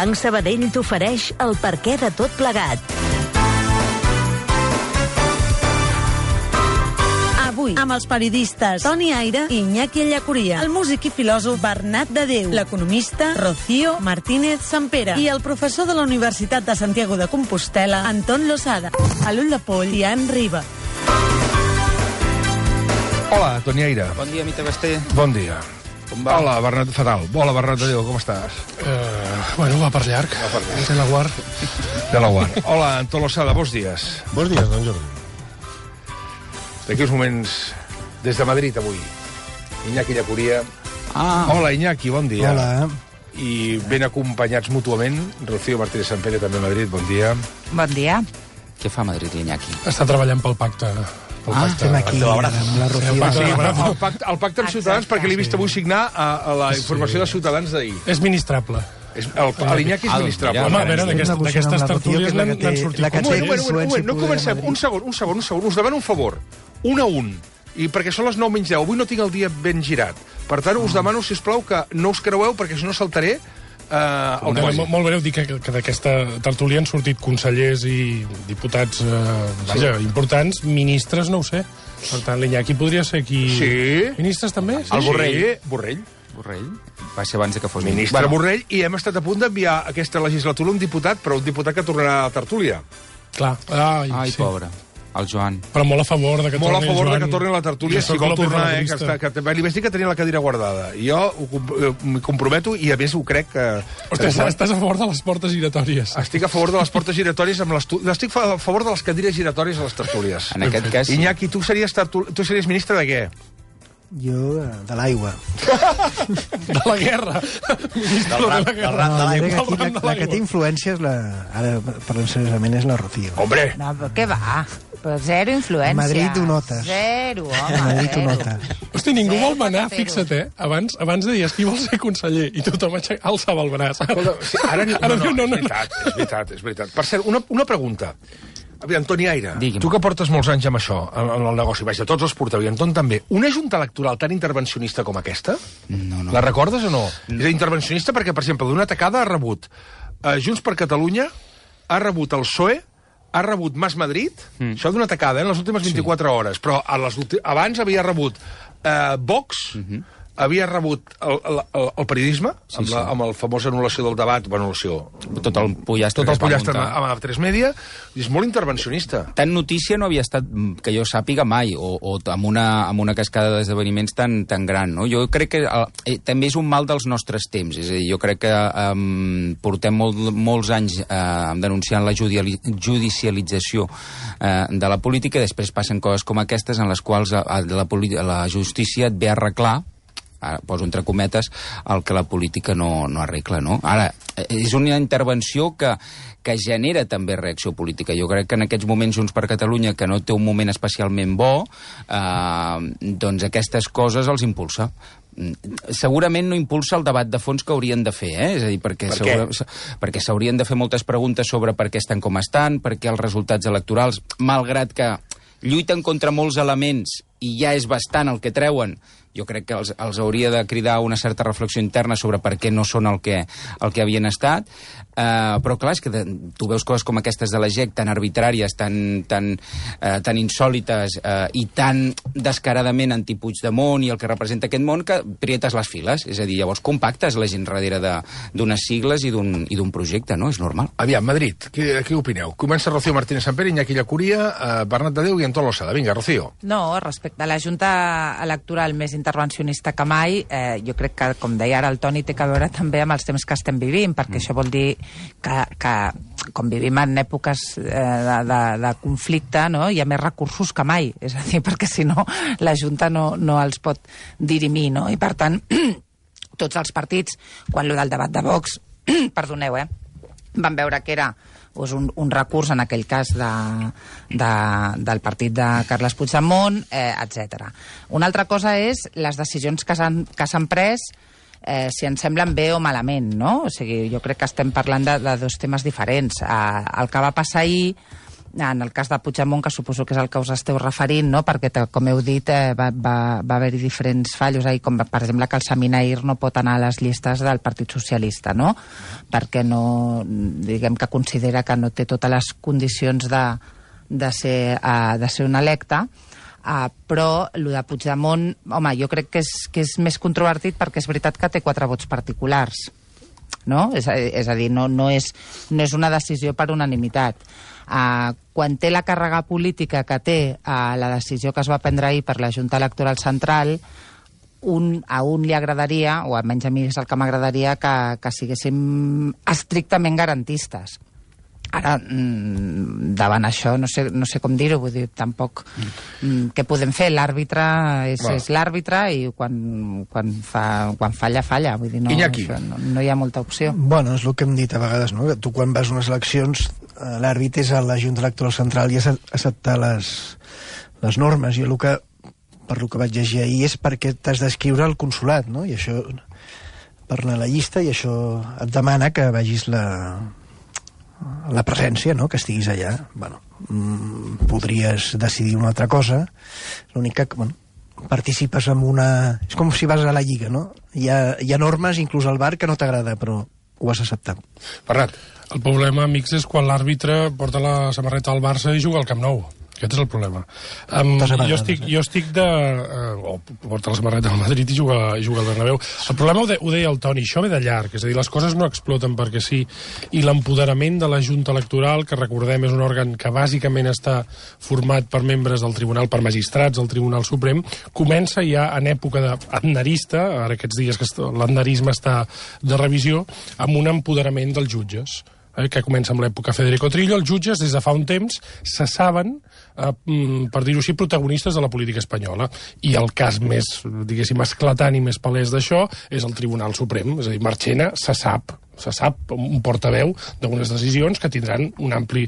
Banc Sabadell t'ofereix el perquè de tot plegat. Avui, amb els periodistes Toni Aire i Iñaki Ellacuría, el músic i filòsof Bernat de Déu, l'economista Rocío Martínez Sampere i el professor de la Universitat de Santiago de Compostela, Anton Losada. A l'ull de poll, Ian Riba. Hola, Toni Aire. Bon dia, Mita Basté. Bon dia. Com va? Hola, Bernat, fatal. Hola, Bernat de Déu, com estàs? Bueno, va per llarg. De la guard. De la guard. Hola, Anton Losada, bons dies. Bons dies, don Jordi. D'aquí uns moments, des de Madrid, avui. Iñaki Ellacuría. Hola, Iñaki, bon dia. Hola. I ben acompanyats mútuament, Rocío Martínez Sampere, també a Madrid, bon dia. Bon dia. Què fa Madrid, Iñaki? Està treballant pel pacte. Estem aquí amb la Rocío. El pacte amb Ciutadans, perquè l'he vist avui signar a la informació de Ciutadans d'ahir. És ministrable. L'Iñaki és ministrable. Home, a veure, d'aquestes tertúlies n'han sortit. No comencem. Un segon. Us demano un favor. 1 a 1. I perquè són les 9 menys 10. Avui no tinc el dia ben girat. Per tant, us demano, si us plau, que no us creueu, perquè si no saltaré el quasi. Molt breu, dic que d'aquesta tertúlia han sortit consellers i diputats importants, ministres, no ho sé. Per tant, l'Iñaki podria ser aquí... Sí. Ministres també? Sí. El Borrell. Borrell? Va ser abans que fos ministre Borrell, i hem estat a punt d'enviar aquesta legislatura un diputat, però un diputat que tornarà a la tertúlia. Clar. Ai, pobre. El Joan. Però molt a favor de que torni el Joan. Molt a favor de que torni a la tertúlia, si vol tornar, li vaig dir que tenia la cadira guardada. I jo m'hi comprometo, i a més ho crec que... Ostres, estàs a favor de les portes giratòries. Estic a favor de les portes giratòries, estic a favor de les cadires giratòries a les tertúlies. En aquest cas... Iñaki, tu series ministre de què? Jo, de l'aigua. De la guerra. La que té influències, ara parlem seriosament, és la Rocío. Hombre! No, però què va? Però zero influència. A Madrid ho notes. Zero, home. A Madrid ho notes. Hosti, ningú vol manar, fixa't, Abans deies qui vol ser conseller i tothom alçava el braç. Ara no, és veritat. Per cert, una pregunta. Aviam, Toni Aire, tu que portes molts anys amb això, en el negoci, vaja, tots els porteu, i Anton també, una junta electoral tan intervencionista com aquesta? No. La recordes o no? És intervencionista perquè, per exemple, d'una tacada ha rebut Junts per Catalunya, ha rebut el PSOE, ha rebut Mas Madrid, això d'una tacada, en les últimes 24 hores, però abans havia rebut Vox, havia rebut el periodisme, amb la famosa anul·lació del debat, Tot el pollastre amb A3 Media, i és molt intervencionista. Tant notícia no havia estat, que jo sàpiga mai, o amb una cascada d'esdeveniments tan gran, no? Jo crec que també és un mal dels nostres temps, és a dir, jo crec que portem molts anys denunciant la judicialització de la política, i després passen coses com aquestes en les quals la justícia et ve a arreglar, ara poso entre cometes, el que la política no arregla, no? Ara, és una intervenció que genera també reacció política. Jo crec que en aquests moments Junts per Catalunya, que no té un moment especialment bo, doncs aquestes coses els impulsa. Segurament no impulsa el debat de fons que haurien de fer, És a dir, perquè s'haurien de fer moltes preguntes sobre per què estan com estan, per què els resultats electorals, malgrat que lluiten contra molts elements i ja és bastant el que treuen, jo crec que els hauria de cridar una certa reflexió interna sobre per què no són el que havien estat, però clar, és que tu veus coses com aquestes de la GEC, tan arbitràries, tan insòlites i tan descaradament anti-Puigdemont i el que representa aquest món, que prietes les files, és a dir, llavors compactes la gent darrere d'unes sigles i d'un projecte, no? És normal. Aviam, Madrid, què opineu? Comença Rocío Martínez Sampere, Iñaki Ellacuría, Bernat de Déu i Anton Losada. Vinga, Rocío. No, respecte a la Junta Electoral més intervencionista que mai, jo crec que, com deia ara el Toni, té a veure també amb els temps que estem vivint, perquè això vol dir que com vivim en èpoques de conflicte, no? Hi ha més recursos que mai, és a dir, perquè si no la Junta no els pot dirimir, no? I per tant, tots els partits, quan lo del debat de Vox, perdoneu, van veure que era un recurs, en aquell cas, del partit de Carles Puigdemont, etc. Una altra cosa és les decisions que s'han pres, si ens semblen bé o malament, no? O sigui, jo crec que estem parlant de dos temes diferents. El que va passar ahir En el cas de Puigdemont, que suposo que és el que us esteu referint, no? Perquè, com heu dit, va haver-hi diferents fallos, com per exemple que el Seminair no pot anar a les llistes del Partit Socialista, no? Perquè no, diguem que considera que no té totes les condicions de ser un electe, però el de Puigdemont, home, jo crec que és més controvertit perquè és veritat que té 4 vots particulars, no? És a dir, no és una decisió per unanimitat. Quan té la càrrega política que té la decisió que es va prendre ahir per la Junta Electoral Central, a un li agradaria, o almenys a mi és el que m'agradaria, que siguéssim estrictament garantistes. Ara, davant això, no sé com dir-ho, vull dir, tampoc què podem fer? L'àrbitre és l'àrbitre i quan falla, falla. Vull dir, no hi ha molta opció. Bueno, és el que hem dit a vegades, no? Tu quan vas a unes eleccions, l'àrbitre és a la Junta Electoral Central i has d'acceptar les normes. Jo per el que vaig llegir ahir és perquè t'has d'escriure al consolat, no? I això, per anar a la llista, i això et demana que vagis la presència, no?, que estiguis allà. Bueno, podries decidir una altra cosa, l'únic que, bueno, participes en una... És com si vas a la Lliga, no? Hi ha normes, inclús al bar, que no t'agrada, però ho has acceptat. Bernat. El problema, amics, és quan l'àrbitre porta la samarreta al Barça i juga al Camp Nou. Aquest és el problema. Jo estic o porta la samarreta al Madrid i juga al Bernabéu. El problema ho deia el Toni, això ve de llarg, és a dir, les coses no exploten perquè sí, i l'empoderament de la Junta Electoral, que recordem és un òrgan que bàsicament està format per membres del Tribunal, per magistrats del Tribunal Suprem, comença ja en època d'aznerista, ara aquests dies que l'aznerisme està de revisió, amb un empoderament dels jutges, que comença amb l'època Federico Trillo. Els jutges, des de fa un temps, se saben, per dir-ho així, protagonistes de la política espanyola. I el cas més, diguéssim, esclatant i més palès d'això és el Tribunal Suprem. És a dir, Marchena se sap un portaveu d'unes decisions que tindran un ampli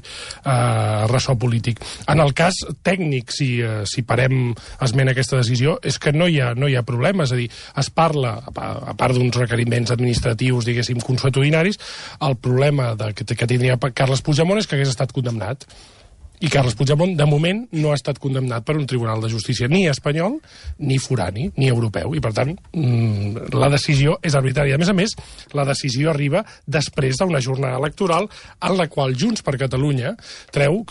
ressò polític. En el cas tècnic, si parem esment a aquesta decisió, és que no hi ha problema. És a dir, es parla, a part d'uns requeriments administratius, diguéssim, consuetudinaris, el problema que tindria Carles Puigdemont és que hagués estat condemnat. I Carles Puigdemont, de moment, no ha estat condemnat per un tribunal de justícia ni espanyol, ni forani, ni europeu. I, per tant, la decisió és arbitrària. A més, la decisió arriba després d'una jornada electoral en la qual Junts per Catalunya treu,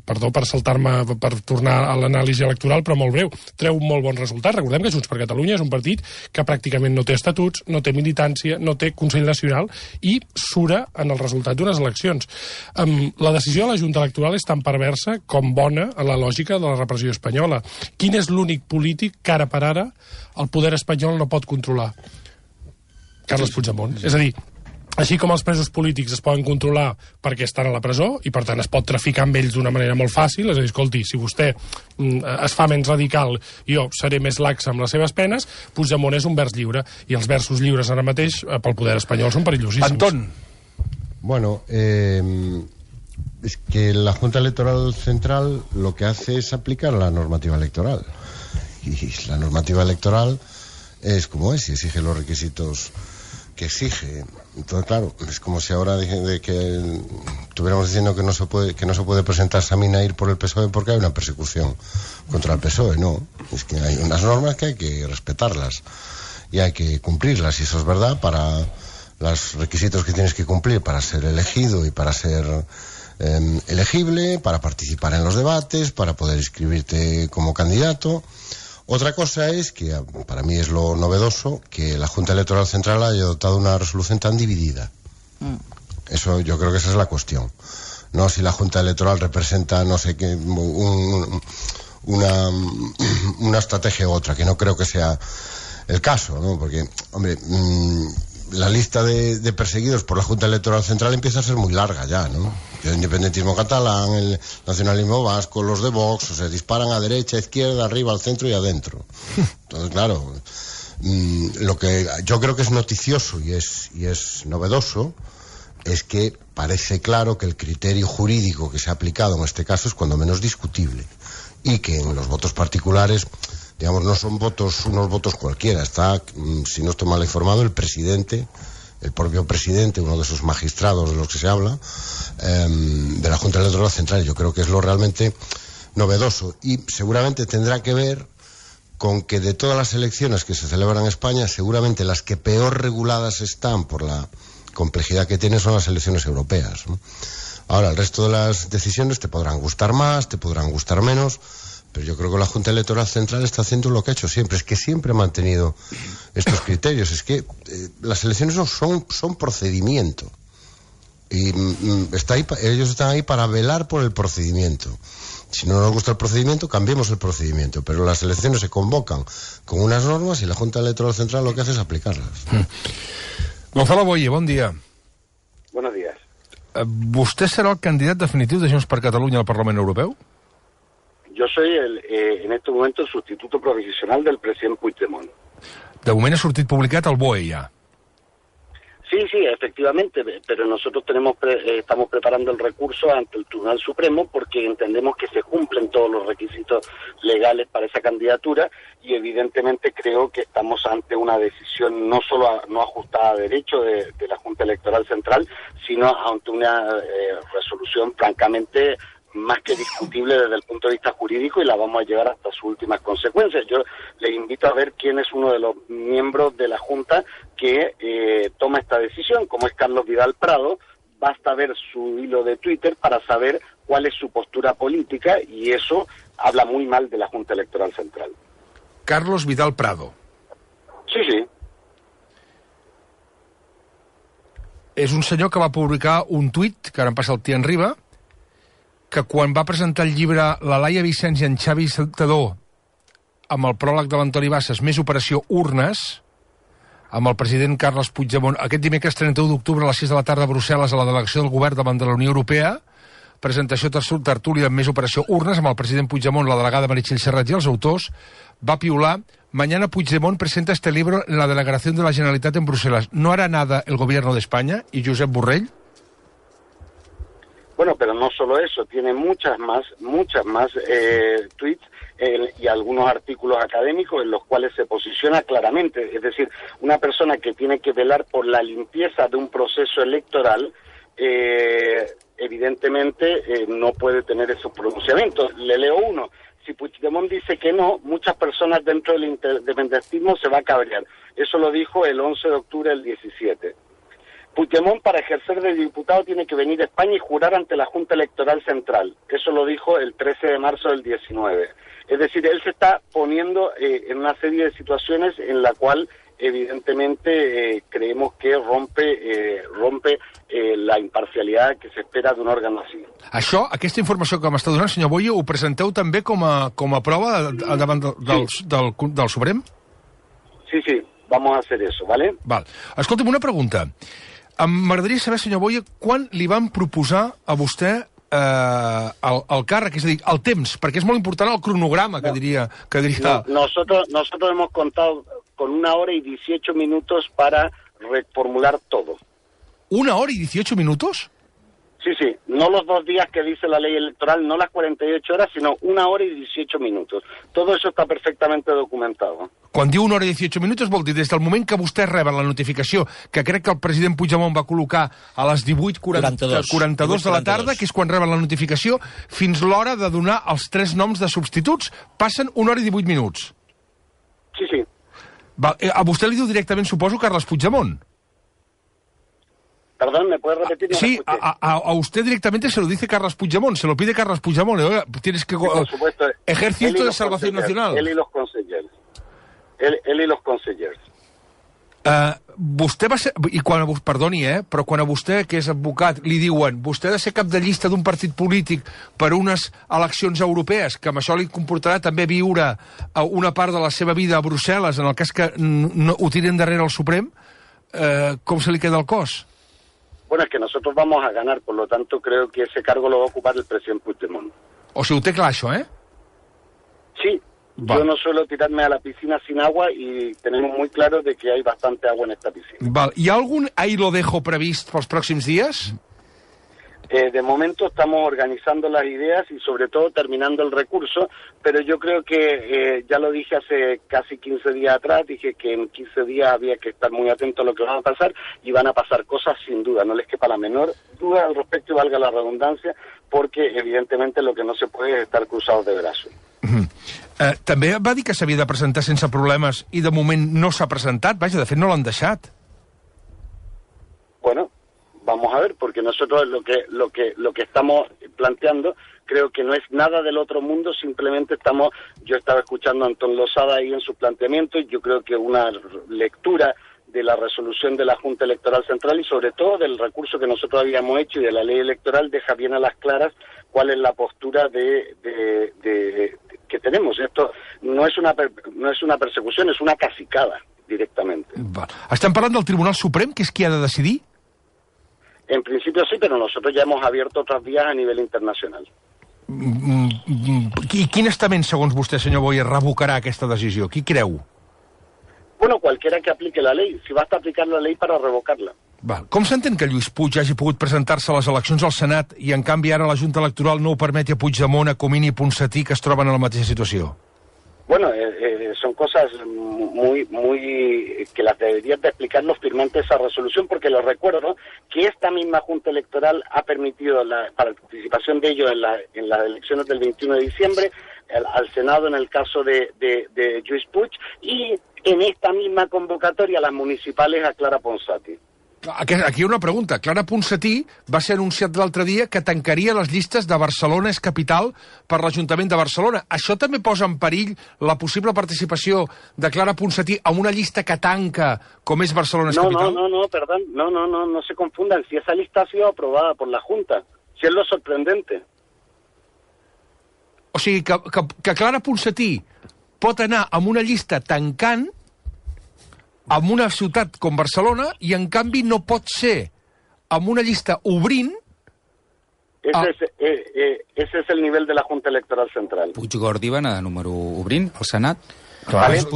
perdó per saltar-me, per tornar a l'anàlisi electoral, però molt breu, treu un molt bon resultat. Recordem que Junts per Catalunya és un partit que pràcticament no té estatuts, no té militància, no té Consell Nacional i sura en el resultat d'unes eleccions. La decisió de la Junta Electoral és tan perversa com bona a la lògica de la repressió espanyola. Quin és l'únic polític que ara per ara el poder espanyol no pot controlar? Carles Puigdemont. És a dir, així com els presos polítics es poden controlar perquè estan a la presó i per tant es pot traficar amb ells d'una manera molt fàcil, és a dir, escolti, si vostè es fa menys radical, jo seré més laxa amb les seves penes, Puigdemont és un vers lliure i els versos lliures ara mateix pel poder espanyol són perillosíssims. Antón. Bueno, es que la Junta Electoral Central lo que hace es aplicar la normativa electoral. Y la normativa electoral es como es y exige los requisitos que exige. Entonces, claro, es como si ahora estuviéramos diciendo que no se puede presentar Seminair por el PSOE porque hay una persecución contra el PSOE. No, es que hay unas normas que hay que respetarlas y hay que cumplirlas, y eso es verdad para los requisitos que tienes que cumplir para ser elegido y para ser elegible, para participar en los debates, para poder inscribirte como candidato. Otra cosa es que, para mí es lo novedoso, que la Junta Electoral Central haya adoptado una resolución tan dividida. Eso, yo creo que esa es la cuestión. No si la Junta Electoral representa, no sé qué, una estrategia u otra, que no creo que sea el caso, ¿no? Porque, hombre, la lista de perseguidos por la Junta Electoral Central empieza a ser muy larga ya, ¿no? El independentismo catalán, el nacionalismo vasco, los de Vox, o sea, disparan a derecha, a izquierda, arriba, al centro y adentro. Entonces, claro, lo que yo creo que es noticioso y es novedoso es que parece claro que el criterio jurídico que se ha aplicado en este caso es cuando menos discutible, y que en los votos particulares, digamos, no son unos votos cualquiera. Está, si no estoy mal informado, el presidente el propio presidente, uno de esos magistrados de los que se habla, de la Junta Electoral Central. Yo creo que es lo realmente novedoso y seguramente tendrá que ver con que de todas las elecciones que se celebran en España, seguramente las que peor reguladas están por la complejidad que tienen son las elecciones europeas, ¿no? Ahora, el resto de las decisiones te podrán gustar más, te podrán gustar menos, pero yo creo que la Junta Electoral Central está haciendo lo que ha hecho siempre, es que siempre ha mantenido estos criterios, es que las elecciones son procedimiento, y ellos están ahí para velar por el procedimiento. Si no nos gusta el procedimiento, cambiemos el procedimiento, pero las elecciones se convocan con unas normas y la Junta Electoral Central lo que hace es aplicarlas. Gonzalo Boye, bon dia. Buenos días. ¿Vostè serà el candidat definitiu de Junts per Catalunya al Parlament Europeu? Yo soy en este momento el sustituto provisional del presidente Puigdemont. De moment ha sortit publicat el BOE ja. Sí, efectivamente, pero nosotros estamos preparando el recurso ante el Tribunal Supremo porque entendemos que se cumplen todos los requisitos legales para esa candidatura y evidentemente creo que estamos ante una decisión no solo no ajustada a derecho de la Junta Electoral Central, sino ante una resolución francamente más que discutible desde el punto de vista jurídico y la vamos a llevar hasta sus últimas consecuencias. Yo les invito a ver quién es uno de los miembros de la Junta que toma esta decisión, como es Carlos Vidal Prado. Basta ver su hilo de Twitter para saber cuál es su postura política y eso habla muy mal de la Junta Electoral Central. Carlos Vidal Prado. Sí. És un senyor que va publicar un tuit, que ara em passa el Tian Riba, que quan va presentar el llibre la Laia Vicens i en Xavi Saltador amb el pròleg de l'Antoni Bassas, més operació urnes, amb el president Carles Puigdemont, aquest dimecres 31 d'octubre a les 6 de la tarda a Brussel·les a la delegació del govern davant de la Unió Europea, presentació tertúlia amb més operació urnes amb el president Puigdemont, la delegada Meritxell Serrat i els autors, va piular: mañana Puigdemont presenta este libro en la delegación de la Generalitat en Bruselas. ¿No hará nada el gobierno de España? ¿Y Josep Borrell? Bueno, pero no solo eso, tiene muchas más tweets y algunos artículos académicos en los cuales se posiciona claramente. Es decir, una persona que tiene que velar por la limpieza de un proceso electoral, evidentemente no puede tener esos pronunciamientos. Le leo uno. Si Puigdemont dice que no, muchas personas dentro del independentismo se va a cabrear. Eso lo dijo el 11 de octubre del 17. Puigdemont, para ejercer de diputado, tiene que venir a España y jurar ante la Junta Electoral Central. Eso lo dijo el 13 de marzo del 19. Es decir, él se está poniendo en una serie de situaciones en la cual, evidentemente, creemos que rompe la imparcialidad que se espera d'un òrgan així. Això, aquesta informació que m'està donant, senyor Boye, ho presenteu també com a prova davant del Suprem? Sí, vamos a hacer eso, ¿vale? Val. Escolta'm, una pregunta. M'agradaria saber, senyor Boye, quan li van proposar a vostè el càrrec, és a dir, el temps, perquè és molt important el cronograma, que diria... Nosotros hemos contado con 1 hora y 18 minutos para reformular todo. ¿1 hora y 18 minutos? Sí, no los 2 días que dice la ley electoral, no las 48 horas, sino 1 hora y 18 minutos. Todo eso está perfectamente documentado. Quan diu 1 hora i 18 minuts, vol dir des del moment que vostè reben la notificació, que crec que el president Puigdemont va col·locar a les 18:42 de la tarda, que és quan reben la notificació, fins l'hora de donar els 3 noms de substituts, passen 1 hora i 18 minuts. Sí. A vostè li diu directament, suposo, Carles Puigdemont. Perdón, ¿me puedes repetir? No, sí, a usted directamente se lo dice Carles Puigdemont, se lo pide Carles Puigdemont. Oiga, tienes que... Por supuesto. Ejército de Salvación Nacional. Él y los consejeros. Él y los consejeros. Vostè va ser... Perdoni, però quan a vostè, que és advocat, li diuen vostè ha de ser cap de llista d'un partit polític per unes eleccions europees, que amb això li comportarà també viure una part de la seva vida a Brussel·les, en el cas que no ho tiren darrere el Suprem, com se li queda el cos? Bueno, es que nosotros vamos a ganar, por lo tanto creo que ese cargo lo va a ocupar el presidente Puigdemont. O sigui, ho té clar, això, Sí. Yo no suelo tirarme a la piscina sin agua y tenemos muy claro de que hay bastante agua en esta piscina. Val. Hi ha algun ahí lo dejo previst pels pròxims dies? De momento estamos organizando las ideas y sobre todo terminando el recurso, pero yo creo que, ya lo dije hace casi 15 días atrás, dije que en 15 días había que estar muy atento a lo que va a pasar, y van a pasar cosas sin duda, no les quepa la menor duda al respecto, y valga la redundancia, porque evidentemente lo que no se puede es estar cruzados de brazos. També va dir que s'havia de presentar sense problemes i de moment no s'ha presentat, vaja, de fet no l'han deixat. Bueno, vamos a ver, porque nosotros lo que estamos planteando creo que no es nada del otro mundo, simplemente yo estaba escuchando a Antón Losada ahí en su planteamiento, y yo creo que una lectura de la resolución de la Junta Electoral Central y sobre todo del recurso que nosotros habíamos hecho y de la ley electoral deja bien a las claras cuál es la postura que tenemos. Esto no es una persecución, es una cacicada directamente. Estem parlant del Tribunal Suprem, que és qui ha de decidir? En principio sí, pero nosotros ya hemos abierto otras vías a nivel internacional. I quin estament, segons vostè, senyor Boyer, revocarà aquesta decisió? Qui creu? Bueno, cualquiera que aplique la ley, si basta aplicar la ley para revocarla. Com s'entén que Lluís Puig hagi pogut presentar-se a les eleccions al Senat i, en canvi, ara la Junta Electoral no ho permeti a Puigdemont, a Comín i Ponsatí, que es troben en la mateixa situació? Bueno, son cosas muy que las deberían de explicar los firmantes de esa resolución, porque les recuerdo que esta misma Junta Electoral ha permitido la participación de ellos en las elecciones del 21 de diciembre, al Senado en el caso de Lluís Puig, y en esta misma convocatoria las municipales a Clara Ponsatí. Aquí hi ha una pregunta. Clara Ponsatí va ser anunciat l'altre dia que tancaria les llistes de Barcelona és capital per l'Ajuntament de Barcelona. Això també posa en perill la possible participació de Clara Ponsatí en una llista que tanca com és Barcelona és capital? Perdón, no se confundan. Si esa lista ha sido aprobada por la Junta, si es lo sorprendente. O sigui, que Clara Ponsatí pot anar amb una llista tancant en una ciutat com Barcelona i, en canvi, no pot ser amb una llista obrint... Ese es el nivel de la Junta Electoral Central. Puigdemont va anar de número obrint al Senat. Clar, és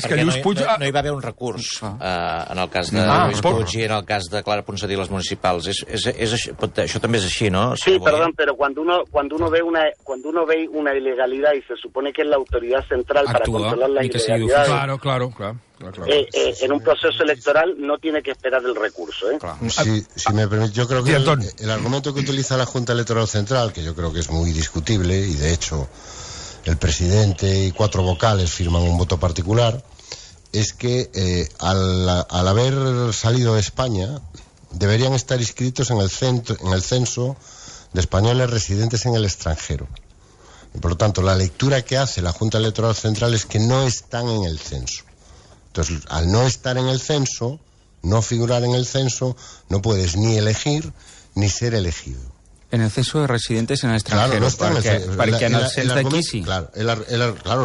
que Lluís Puig... No hi va haver un recurs en el cas de Lluís Puig i en el cas de Clara Ponsatí les municipals. Això també és així, ¿no? Sí, perdón, pero cuando uno ve una ilegalidad y se supone que es la autoridad central para controlar la ilegalidad... Claro. En un proceso electoral no tiene que esperar el recurso, ¿eh? Si me permite, yo creo que el argumento que utiliza la Junta Electoral Central, que yo creo que es muy discutible, y de hecho el presidente y 4 vocales firman un voto particular, es que al haber salido de España deberían estar inscritos en el censo de españoles residentes en el extranjero. Y por lo tanto, la lectura que hace la Junta Electoral Central es que no están en el censo. Entonces, al no estar en el censo, no figurar en el censo, no puedes ni elegir ni ser elegido. En el censo de residentes en el extranjero, claro, no están perquè en el cens d'aquí sí. Claro,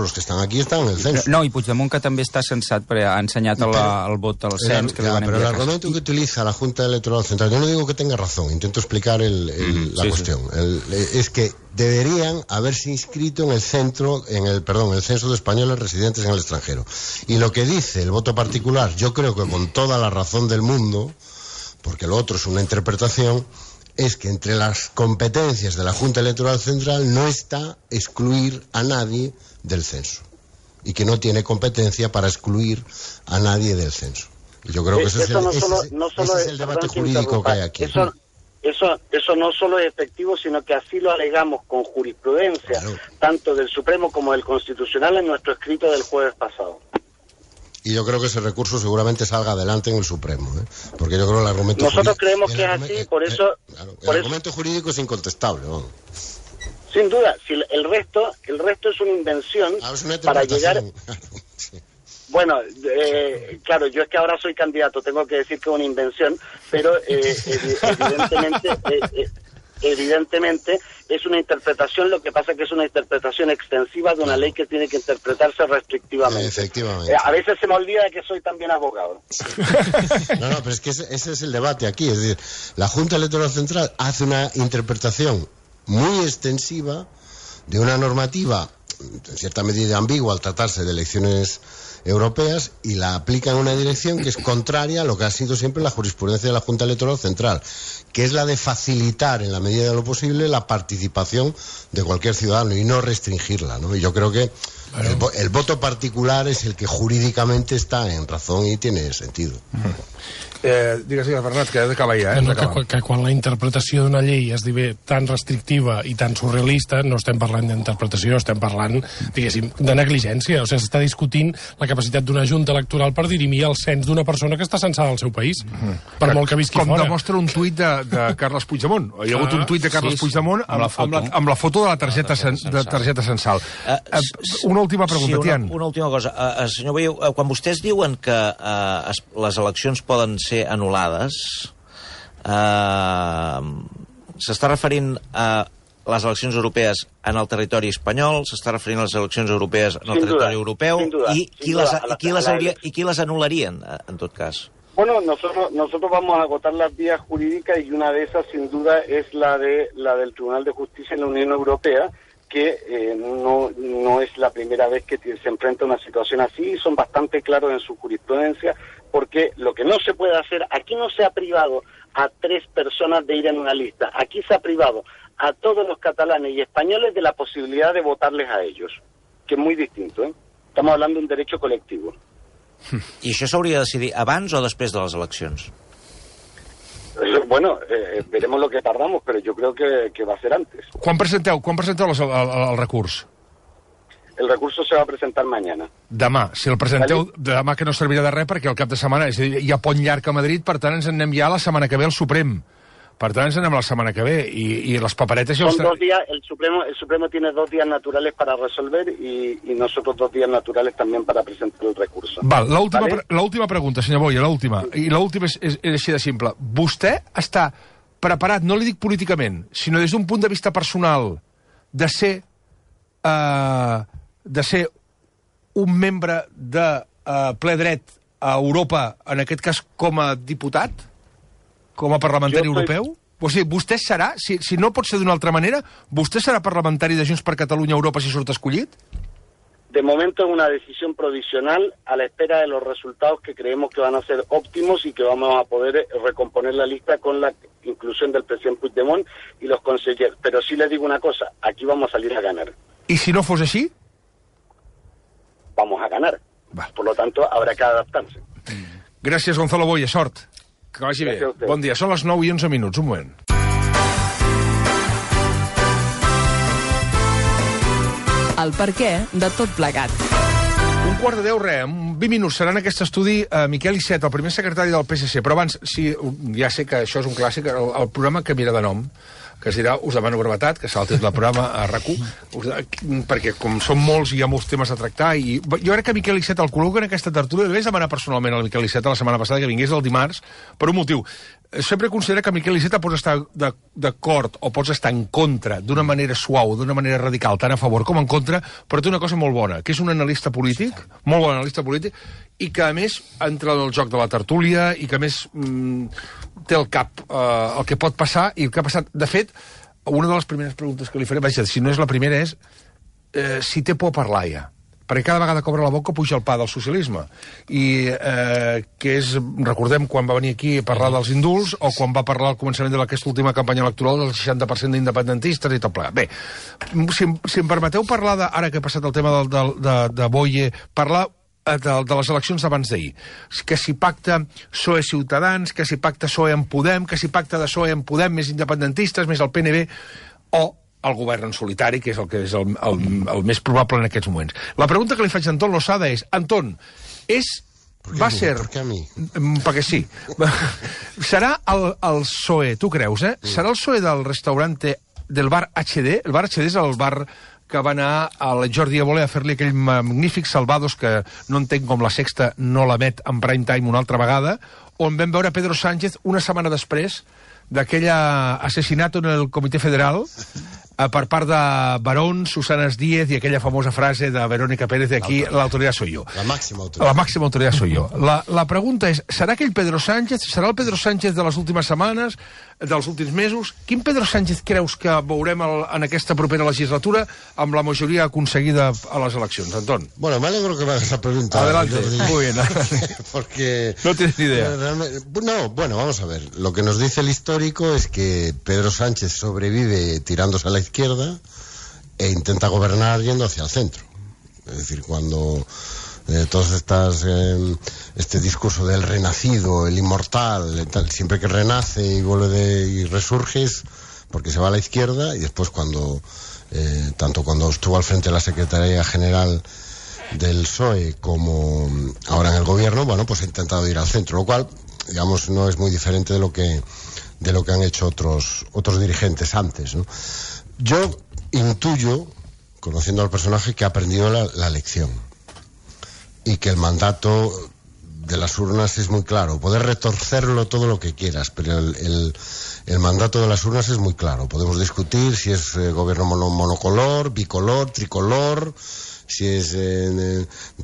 los que están aquí están en el censo. No, i Puigdemont, que també està censat, perquè ha ensenyat el vot al cens, que li van enviar. Pero el argumento que utiliza la Junta Electoral Central, yo no digo que tenga razón, intento explicar la cuestión, es que deberían haberse inscrito en el censo de españoles residentes en el extranjero. Y lo que dice el voto particular, yo creo que con toda la razón del mundo, porque lo otro es una interpretación, es que entre las competencias de la Junta Electoral Central no está excluir a nadie del censo, y que no tiene competencia para excluir a nadie del censo. Y yo creo que ese es el debate jurídico que hay aquí. Eso no solo es efectivo, sino que así lo alegamos con jurisprudencia, tanto del Supremo como del Constitucional, en nuestro escrito del jueves pasado. Y yo creo que ese recurso seguramente salga adelante en el Supremo, porque yo creo que el argumento Nosotros creemos que es así, por eso... el argumento jurídico es incontestable, ¿no? Sin duda, si el resto es una invención para llegar... Sí. Bueno, claro, yo es que ahora soy candidato, tengo que decir que es una invención, pero evidentemente es una interpretación, lo que pasa es que es una interpretación extensiva de una ley que tiene que interpretarse restrictivamente. Efectivamente. A veces se me olvida que soy también abogado. No, pero es que ese es el debate aquí, es decir, la Junta Electoral Central hace una interpretación muy extensiva de una normativa en cierta medida ambigua al tratarse de elecciones europeas y la aplica en una dirección que es contraria a lo que ha sido siempre la jurisprudencia de la Junta Electoral Central, que es la de facilitar en la medida de lo posible la participación de cualquier ciudadano y no restringirla, ¿no? Y yo creo que el voto particular es el que jurídicamente está en razón y tiene sentido. Digues, Bernat, que he d'acabar ja. Que quan la interpretació d'una llei es diu tan restrictiva i tan surrealista, no estem parlant d'interpretació, estem parlant, diguéssim, de negligència. O sigui, s'està discutint la capacitat d'una junta electoral per dirimir el cens d'una persona que està censada al seu país, per molt que visqui fora. Com demostra un tuit de Carles Puigdemont. Hi ha hagut un tuit de Carles Puigdemont amb la foto de la targeta censal. Una última pregunta, Tian. Una última cosa. Senyor Boiu, quan vostès diuen que les eleccions poden ser anul·lades, s'està referint a les eleccions europees en el territori espanyol, s'està referint a les eleccions europees en el territori europeu, i qui les anul·larien, en tot cas? Bueno, nosotros vamos a agotar las vías jurídicas y una de esas, sin duda, es la del Tribunal de Justicia en la Unión Europea, que no es la primera vez que se enfrenta a una situación así, son bastante claros en su jurisprudencia, porque lo que no se puede hacer, aquí no se ha privado a 3 personas de ir en una lista, aquí se ha privado a todos los catalanes y españoles de la posibilidad de votarles a ellos, que es muy distinto, ¿eh? Estamos hablando de un derecho colectivo. I això s'hauria de decidir abans o després de les eleccions? Bueno, veremos lo que tardamos, pero yo creo que va a ser antes. Quan presenteu el recurs? El recurso se va a presentar mañana. Demà. Si el presenteu demà, que no servirà de res, perquè el cap de setmana hi ha pont llarg a Madrid, per tant ens en anem ja la setmana que ve al Suprem. Per tant ens anem la setmana que ve. I les paperetes... Son 2 días, el Supremo tiene 2 días naturales para resolver y nosotros 2 días naturales también para presentar el recurso. Val, l'última pregunta, senyor Boya, l'última. I l'última és així de simple. Vostè està preparat, no li dic políticament, sinó des d'un punt de vista personal, de ser un membre de ple dret a Europa, en aquest cas com a diputat, com a parlamentari europeu? O sigui, vostè serà, si no pot ser d'una altra manera, vostè serà parlamentari de Junts per Catalunya a Europa si surt escollit? De momento es una decisión provisional a la espera de los resultados que creemos que van a ser óptimos y que vamos a poder recomponer la lista con la inclusión del presidente Puigdemont y los consejeros. Pero sí les digo una cosa, aquí vamos a salir a ganar. ¿Y si no fos així? Vamos a ganar. Por lo tanto, habrá que adaptarse. Gràcies, Gonzalo Boya, sort. Que vagi bé. Bon dia. Són les 9:11, un moment. El perquè de tot plegat. 9:45, res, en 20 minuts serà en aquest estudi Miquel Iceta, el primer secretari del PSC. Però abans, ja sé que això és un clàssic, el programa canviarà de nom, que es dirà Us demano brevetat, que serà el títol del programa a RAC1, perquè com són molts i hi ha molts temes a tractar, i jo crec que Miquel Iceta el col·loca en aquesta tertúlia. Li vaig demanar personalment al Miquel Iceta la setmana passada que vingués el dimarts per un motiu. Sempre considera que Miquel Iceta pots estar d'acord o pots estar en contra d'una manera suau, d'una manera radical, tant a favor com en contra, però té una cosa molt bona, que és un analista polític, molt bon analista polític, i que a més entra en el joc de la tertúlia i que a més té al cap el que pot passar i el que ha passat. De fet, una de les primeres preguntes que li faré, vaja, si no és la primera, és si té por a parlar ja. Perquè cada vegada que obre la boca puja el pa del socialisme. I que és, recordem, quan va venir aquí a parlar dels indults o quan va parlar al començament d'aquesta última campanya electoral del 60% d'independentistes i tot plegat. Bé, si em permeteu parlar, ara que ha passat el tema de Boye, parlar de les eleccions d'abans d'ahir. Que si pacta PSOE Ciutadans, que si pacta PSOE en Podem, que si pacta de PSOE en Podem més independentistes, més el PNB, o el govern en solitari, que és el més probable en aquests moments. La pregunta que li faig a Anton Losada és, Anton, va ser... ¿Por qué a mí? Perquè sí. Serà el PSOE, tu creus, serà el PSOE del restaurante del bar HD? El bar HD és el bar que va anar al Jordi Évole a fer-li aquell magnífic Salvados que no entenc com la Sexta no l'emet en prime time una altra vegada, on vam veure Pedro Sánchez una setmana després d'aquell assassinato en el Comitè Federal per part de Barón, Susana Díez i aquella famosa frase de Verónica Pérez de aquí, la autoridad soy yo. La máxima autoridad. La máxima autoridad soy yo. La pregunta és, serà aquell Pedro Sánchez, serà el Pedro Sánchez de les últimes setmanes, dels últims mesos? Quin Pedro Sánchez creus que veurem en aquesta propera legislatura amb la majoria aconseguida a les eleccions, Anton? Bueno, me alegro que me hagas la pregunta. Adelante, muy bien. Porque... No tienes ni idea. No, bueno, vamos a ver. Lo que nos dice el histórico es que Pedro Sánchez sobrevive tirándose a la izquierda e intenta gobernar yendo hacia el centro. Es decir, cuando todas este discurso del renacido, el inmortal, siempre que renace y vuelve y resurge porque se va a la izquierda, y después tanto cuando estuvo al frente de la Secretaría General del PSOE como ahora en el gobierno, bueno, pues ha intentado ir al centro, lo cual, digamos, no es muy diferente de lo que han hecho otros dirigentes antes, ¿no? Yo intuyo, conociendo al personaje, que ha aprendido la lección y que el mandato de las urnas es muy claro. Poder retorcerlo todo lo que quieras, pero el mandato de las urnas es muy claro. Podemos discutir si es gobierno monocolor, bicolor, tricolor, si es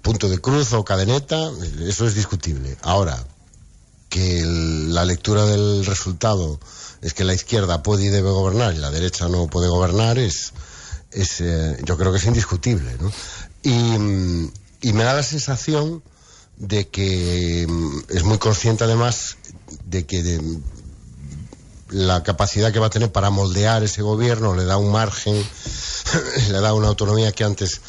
punto de cruz o cadeneta, eso es discutible. Ahora, que la lectura del resultado es que la izquierda puede y debe gobernar y la derecha no puede gobernar, yo creo que es indiscutible, ¿no? Y me da la sensación de que es muy consciente además de que la capacidad que va a tener para moldear ese gobierno le da un margen, le da una autonomía que antes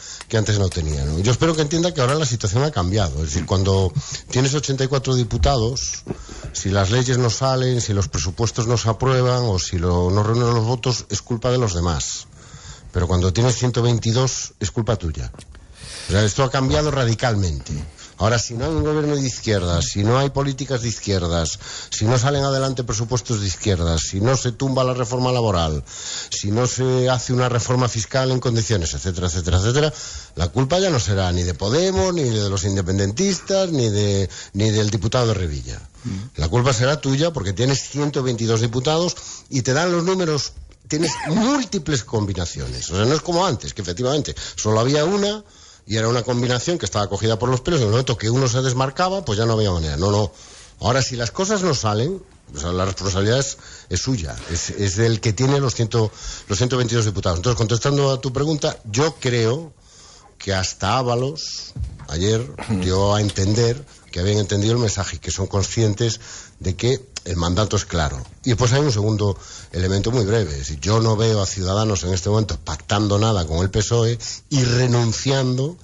no tenía, ¿no? Yo espero que entienda que ahora la situación ha cambiado. Es decir, cuando tienes 84 diputados, si las leyes no salen, si los presupuestos no se aprueban o si no reúnen los votos, es culpa de los demás. Pero cuando tienes 122, es culpa tuya. O sea, esto ha cambiado radicalmente. Ahora, si no hay un gobierno de izquierdas, si no hay políticas de izquierdas, si no salen adelante presupuestos de izquierdas, si no se tumba la reforma laboral, si no se hace una reforma fiscal en condiciones, etcétera, etcétera, etcétera, la culpa ya no será ni de Podemos, ni de los independentistas, ni del diputado de Revilla. La culpa será tuya porque tienes 122 diputados y te dan los números, tienes múltiples combinaciones. O sea, no es como antes, que efectivamente solo había una y era una combinación que estaba cogida por los pelos, y en el momento que uno se desmarcaba, pues ya no había manera. No. Ahora, si las cosas no salen, o sea, la responsabilidad es suya, es del que tiene los 122 diputados. Entonces, contestando a tu pregunta, yo creo que hasta Ábalos ayer dio a entender que habían entendido el mensaje y que son conscientes de que el mandato es claro. Y después hay un segundo elemento muy breve. Es decir, yo no veo a Ciudadanos en este momento pactando nada con el PSOE y renunciando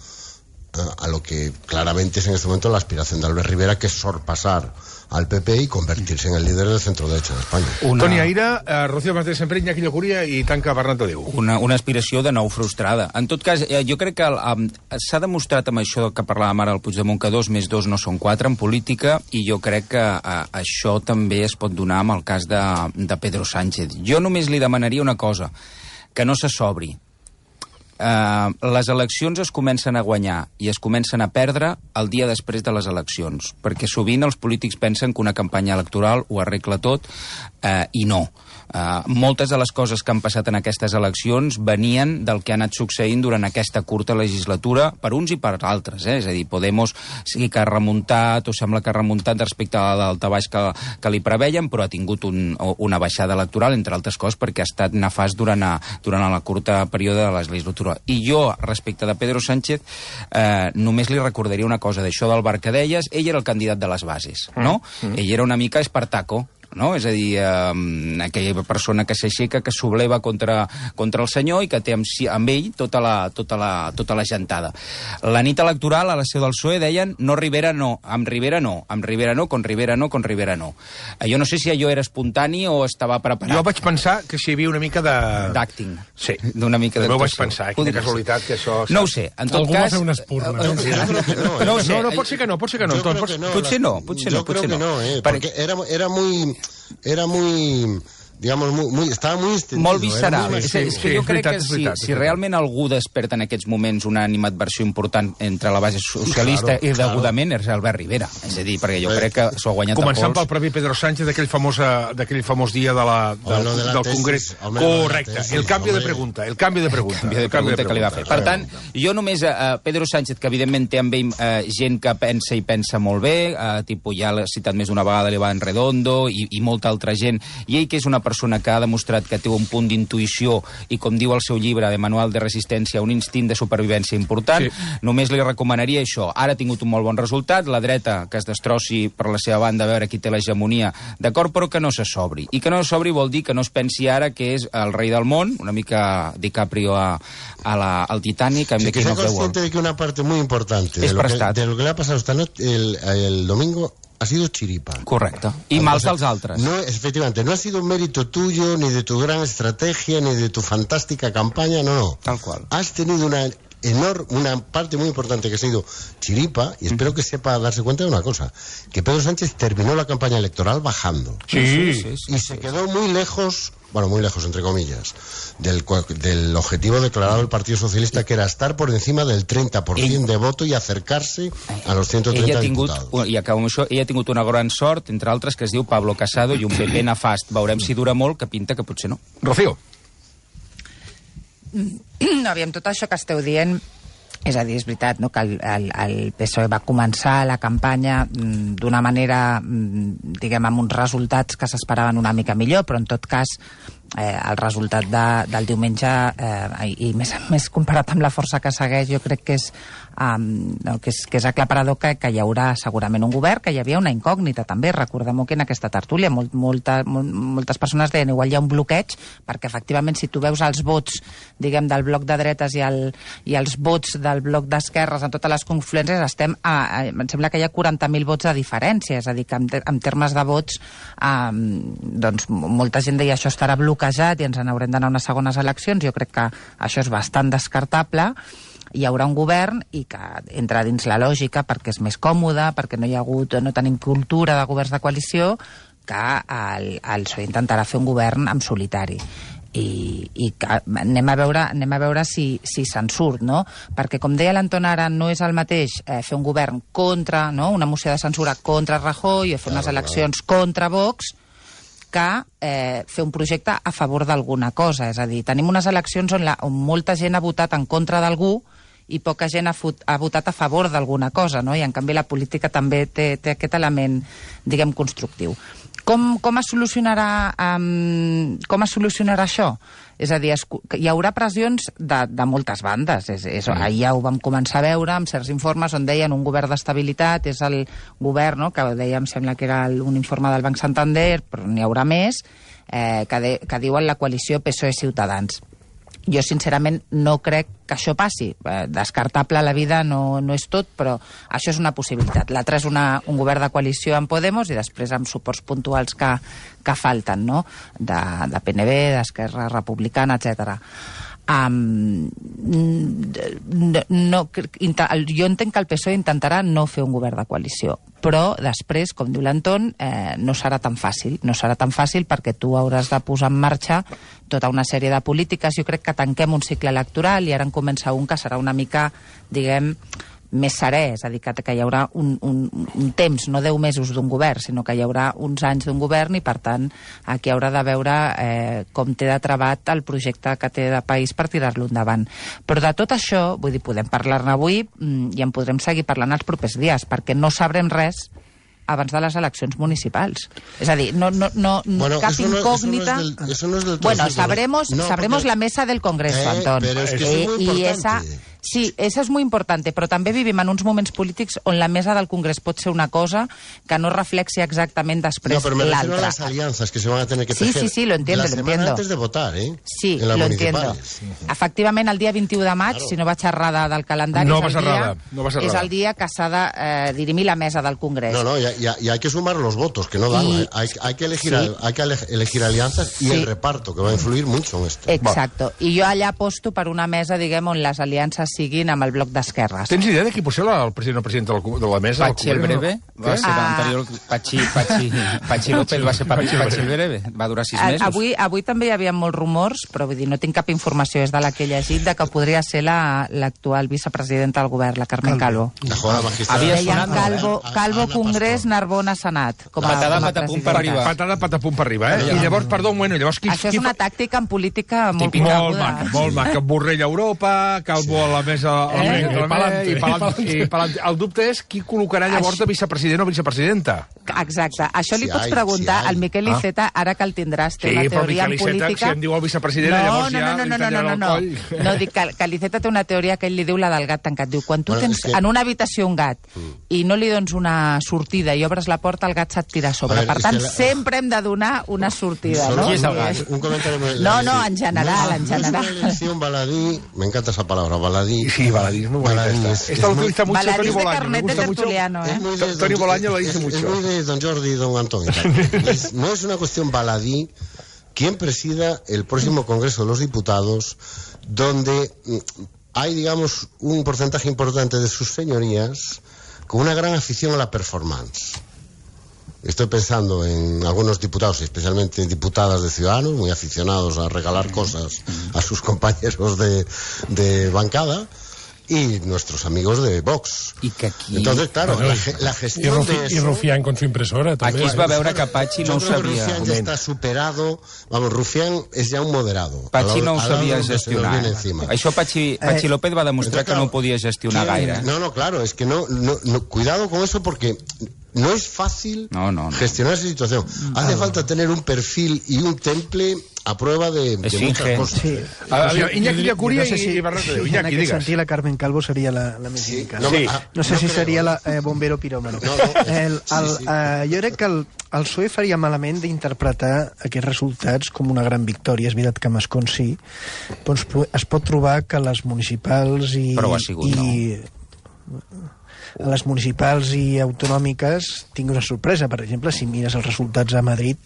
a lo que claramente es en este momento la aspiración de Albert Rivera, que es sorpasar al PP y convertirse en el líder del centro-derecha de Espanya. Toni Aira, Rocío Martínez Sampere, Iñaki Llacuria i tanca Bernat de Déu. Una aspiració de nou frustrada. En tot cas, jo crec que s'ha demostrat amb això que parlàvem ara al Puigdemont que 2 més 2 no són 4 en política, i jo crec que això també es pot donar amb el cas de Pedro Sánchez. Jo només li demanaria una cosa, que no se sobri. Les eleccions es comencen a guanyar i es comencen a perdre el dia després de les eleccions, perquè sovint els polítics pensen que una campanya electoral ho arregla tot i no. Moltes de les coses que han passat en aquestes eleccions venien del que ha anat succeint durant aquesta curta legislatura per uns i per altres, És a dir, Podemos sí que ha remuntat, o sembla que ha remuntat respecte al daltabaix que li preveien, però ha tingut una baixada electoral, entre altres coses, perquè ha estat nefast durant la curta període de la legislatura. I jo, respecte de Pedro Sánchez, només li recordaria una cosa d'això del bar que deies. Ell era el candidat de les bases, no? Ell era una mica Espartaco, no? És a dir, aquella persona que s'aixeca, que subleva contra el senyor i que té amb ell tota la gentada. La nit electoral a la seu del PSOE deien no Rivera no, amb Rivera no, amb Rivera no, con Rivera no, con Rivera no. Jo no sé si allò era espontani o estava preparat. Jo vaig pensar que si hi havia una mica d'acting. Sí. D'una mica d'actuació. També ho vaig pensar, quina casualitat que això... No ho sé, en tot cas... Algú va fer una espurna. No, pot ser que no. Potser no. Yo creo que no, porque era muy digamos, estava molt extendido. Molt visceral. És que jo crec que si realment algú desperta en aquests moments una animadversió important entre la base socialista i degudament és Albert Rivera. És a dir, perquè jo crec que s'ho ha guanyat a pols. Començant pel propi Pedro Sánchez d'aquell famós dia del Congrés. Correcte. El canvi de pregunta. El canvi de pregunta que li va fer. Per tant, jo només Pedro Sánchez, que evidentment té amb ell gent que pensa i pensa molt bé, tipus ja l'ha citat més d'una vegada l'Iván Redondo i molta altra gent, i ell que és una persona que ha demostrat que té un punt d'intuïció i, com diu el seu llibre de Manual de Resistència, un instint de supervivència important, només li recomanaria això. Ara ha tingut un molt bon resultat, la dreta que es destrossi per la seva banda a veure qui té l'hegemonia, d'acord, però que no se sobri. I que no se sobri vol dir que no es pensi ara que és el rei del món, una mica DiCaprio al Titanic, amb que sea consciente de que una parte muy importante de lo que le ha pasado esta noche, el domingo, ha sido chiripa. Correcto. Y mals dels altres. No, efectivamente, no ha sido un mérito tuyo, ni de tu gran estrategia, ni de tu fantástica campaña, no. Tal cual. Has tenido una parte muy importante que ha sido chiripa, y espero que sepa darse cuenta de una cosa, que Pedro Sánchez terminó la campaña electoral bajando. Sí. Y se quedó muy lejos, bueno, muy lejos, entre comillas, del objetivo declarado del Partido Socialista, que era estar por encima del 30% de voto i acercarse a los 130 diputados. I acabo amb això, ella ha tingut una gran sort, entre altres, que es diu Pablo Casado i un PP nefast. Veurem si dura molt, que pinta que potser no. Rocío. No, aviam, tot això que esteu dient, és a dir, és veritat, no?, que el PSOE va començar la campanya d'una manera, diguem, amb uns resultats que s'esperaven una mica millor, però en tot cas el resultat del diumenge, i més comparat amb la força que segueix, jo crec que és aclaparador que hi haurà segurament un govern, que hi havia una incògnita també. Recordem-ho que en aquesta tertúlia moltes persones deien igual hi ha un bloqueig, perquè efectivament si tu veus els vots, diguem, del bloc de dretes i els vots del bloc d'esquerres en totes les confluències, em sembla que hi ha 40.000 vots de diferència, és a dir, que en termes de vots doncs molta gent deia això estarà bloquejat i ens n'haurem d'anar a unes segones eleccions. Jo crec que això és bastant descartable. Hi haurà un govern i que entra dins la lògica perquè és més còmode, perquè no tenim cultura de governs de coalició, que el PSOE intentarà fer un govern en solitari. I anem a veure si se'n surt, no? Perquè, com deia l'Anton ara, no és el mateix fer un govern contra, no?, una moció de censura contra Rajoy o fer unes eleccions contra Vox, que fer un projecte a favor d'alguna cosa. És a dir, tenim unes eleccions on molta gent ha votat en contra d'algú i poca gent ha votat a favor d'alguna cosa, no? I en canvi la política també té aquest element, diguem, constructiu. Com es solucionarà això? És a dir, hi haurà pressions de moltes bandes. Ahir ja ho vam començar a veure amb certs informes on deien un govern d'estabilitat, és el govern, no?, que deia, em sembla que era un informe del Banc Santander, però n'hi haurà més, que diuen la coalició PSOE-Ciutadans. Jo, sincerament, no crec que això passi. Descartable a la vida no és tot, però això és una possibilitat. L'altre és un govern de coalició amb Podemos i després amb suports puntuals que falten, no?, de PNB, d'Esquerra Republicana, etc. Jo entenc que el PSOE intentarà no fer un govern de coalició, però després, com diu l'Anton, no serà tan fàcil. No serà tan fàcil perquè tu hauràs de posar en marxa tota una sèrie de polítiques. Jo crec que tanquem un cicle electoral i ara en comença un que serà una mica, diguem, més serè, és a dir, que hi haurà un temps, no 10 mesos d'un govern, sinó que hi haurà uns anys d'un govern i, per tant, aquí haurà de veure com té de travat el projecte que té de país per tirar-lo endavant. Però de tot això, vull dir, podem parlar-ne avui i en podrem seguir parlant els propers dies, perquè no sabrem res abans de les eleccions municipals. És a dir, cap incògnita... Eso no es del todo bueno, cierto. sabremos la mesa del Congreso, Antón. Pero es que eso es muy importante. Sí, eso és molt important, però també vivim en uns moments polítics on la mesa del Congrés pot ser una cosa que no reflexi exactament després l'altra. No, pero me refiero a las alianzas que se van a tener que tejer. Sí, lo entiendo, la semana antes de votar, Sí, lo entiendo. Efectivament, el dia 21 de maig, si no vaig errada del calendari, és el dia que s'ha de dirimir la mesa del Congrés. No, y hay que sumar los votos, que no dan. Hay que elegir alianzas y el reparto, que va a influir mucho en esto. Exacto. I jo allà aposto per una mesa, diguem, on les aliances siguin amb el bloc d'esquerres. Tens idea de qui pot ser el president o presidenta de la mesa? Patxi el Breve va ser l'anterior... Patxi López va ser Patxi el Breve. Va durar 6 mesos. Avui també hi havia molts rumors, però vull dir, no tinc cap informació, és de la que he llegit, de que podria ser l'actual vicepresidenta del govern, la Carmen Calvo. Deien Calvo Congrés, Narbona Senat. Patada patapum per arribar. Patada patapum per arribar, eh? I llavors, perdó, bueno, llavors... Això és una tàctica en política molt coneguda. Molt maca. Borrell a Europa, Calvo a la mesa... I el dubte és qui col·locarà llavors de vicepresident o vicepresidenta. Exacte. Això li pots preguntar al Miquel Iceta, ara que el tindràs, té una teoria en política... Si em diu el vicepresident, llavors ja li tallarà el coll. No, dic que l'Iceta té una teoria que ell li diu la del gat tancat. Diu, quan tu tens en una habitació un gat i no li dones una sortida i obres la porta, el gat se't tira a sobre. Per tant, sempre hem de donar una sortida, ¿no? Qui és el gat? Un comentario muy... No, en general, en general. Es una elección baladí, me encanta esa palabra, baladí. Sí, baladí es muy bonita. Esta lo utiliza mucho Toni Bolaño. Me gusta mucho. Toni Bolaño lo dice mucho. Es muy de don Jordi y don Antonio. No es una cuestión baladí quién presida el próximo Congreso de los Diputados, donde hay, digamos, un porcentaje importante de sus señorías con una gran afición a la performance. Estoy pensando en algunos diputados, especialmente diputadas de Ciudadanos, muy aficionados a regalar cosas a sus compañeros de bancada, y nuestros amigos de Vox. I que aquí... Entonces, claro, la gestión de eso... Y Rufián con su impresora, també. Aquí es va veure que Patxi no ho sabia. Rufián ya está superado. Vamos, Rufián es ya un moderado. Patxi no ho sabia gestionar. Això Patxi López va demostrar que no ho podia gestionar gaire. No, claro, es que no, cuidado con eso porque... No es fácil gestionar esa situación. Hace falta tener un perfil y un temple a prueba de muchas cosas. Sí. Iñaki Llacuria i Bernat de Déu. Iñaki, digues. Sentir la Carmen Calvo seria la més indicada. No sé si seria la bombero piròmano. Jo crec que el PSOE faria malament d'interpretar aquests resultats com una gran victòria. És veritat que Mascon sí, però es pot trobar que les municipals i... Però ho ha sigut, no? A les municipals i autonòmiques tinc una sorpresa. Per exemple, si mires els resultats a Madrid,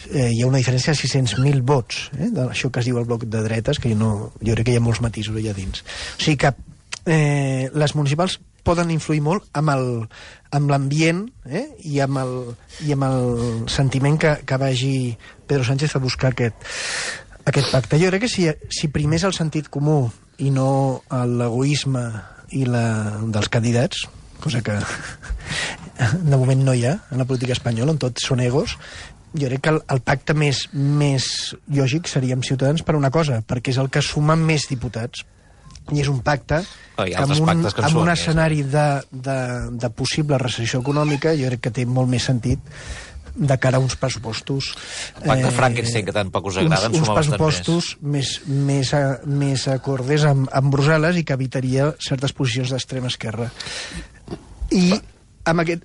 hi ha una diferència de 600.000 vots, d'això que es diu el bloc de dretes, que jo crec que hi ha molts matisos allà dins. O sigui que les municipals poden influir molt amb l'ambient i amb el sentiment que vagi Pedro Sánchez a buscar aquest pacte. Jo crec que si primés el sentit comú i no l'egoisme dels candidats, cosa que de moment no hi ha en la política espanyola, on tots són egos, jo crec que el pacte més lògic seria amb Ciutadans per una cosa, perquè és el que suma més diputats, i és un pacte amb un escenari de possible recessió econòmica, jo crec que té molt més sentit de cara a uns pressupostos... Pacte Frankenstein, que tampoc us agraden, uns pressupostos més acordes amb Brussel·les i que evitaria certes posicions d'extrema esquerra. I amb aquest...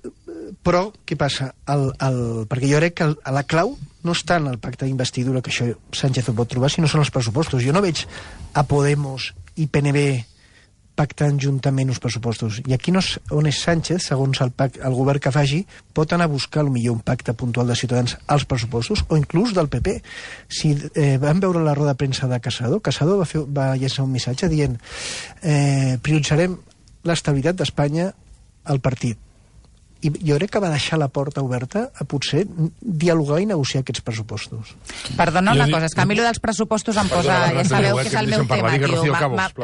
Però, què passa? Perquè jo crec que la clau no està en el pacte d'investidura, que això Sánchez ho pot trobar, sinó són els pressupostos. Jo no veig a Podemos i PNB pactant juntament uns pressupostos. I aquí on és Sánchez, segons el govern que faci, pot anar a buscar potser un pacte puntual de Ciutadans als pressupostos, o inclús del PP. Si vam veure la roda de premsa de Casado va llançar un missatge dient prioritzarem l'estabilitat d'Espanya al partit. I jo crec que va deixar la porta oberta a potser dialogar i negociar aquests pressupostos. Perdona una cosa, és que a mi dels pressupostos em posa... Ja sabeu que és el meu tema, tio.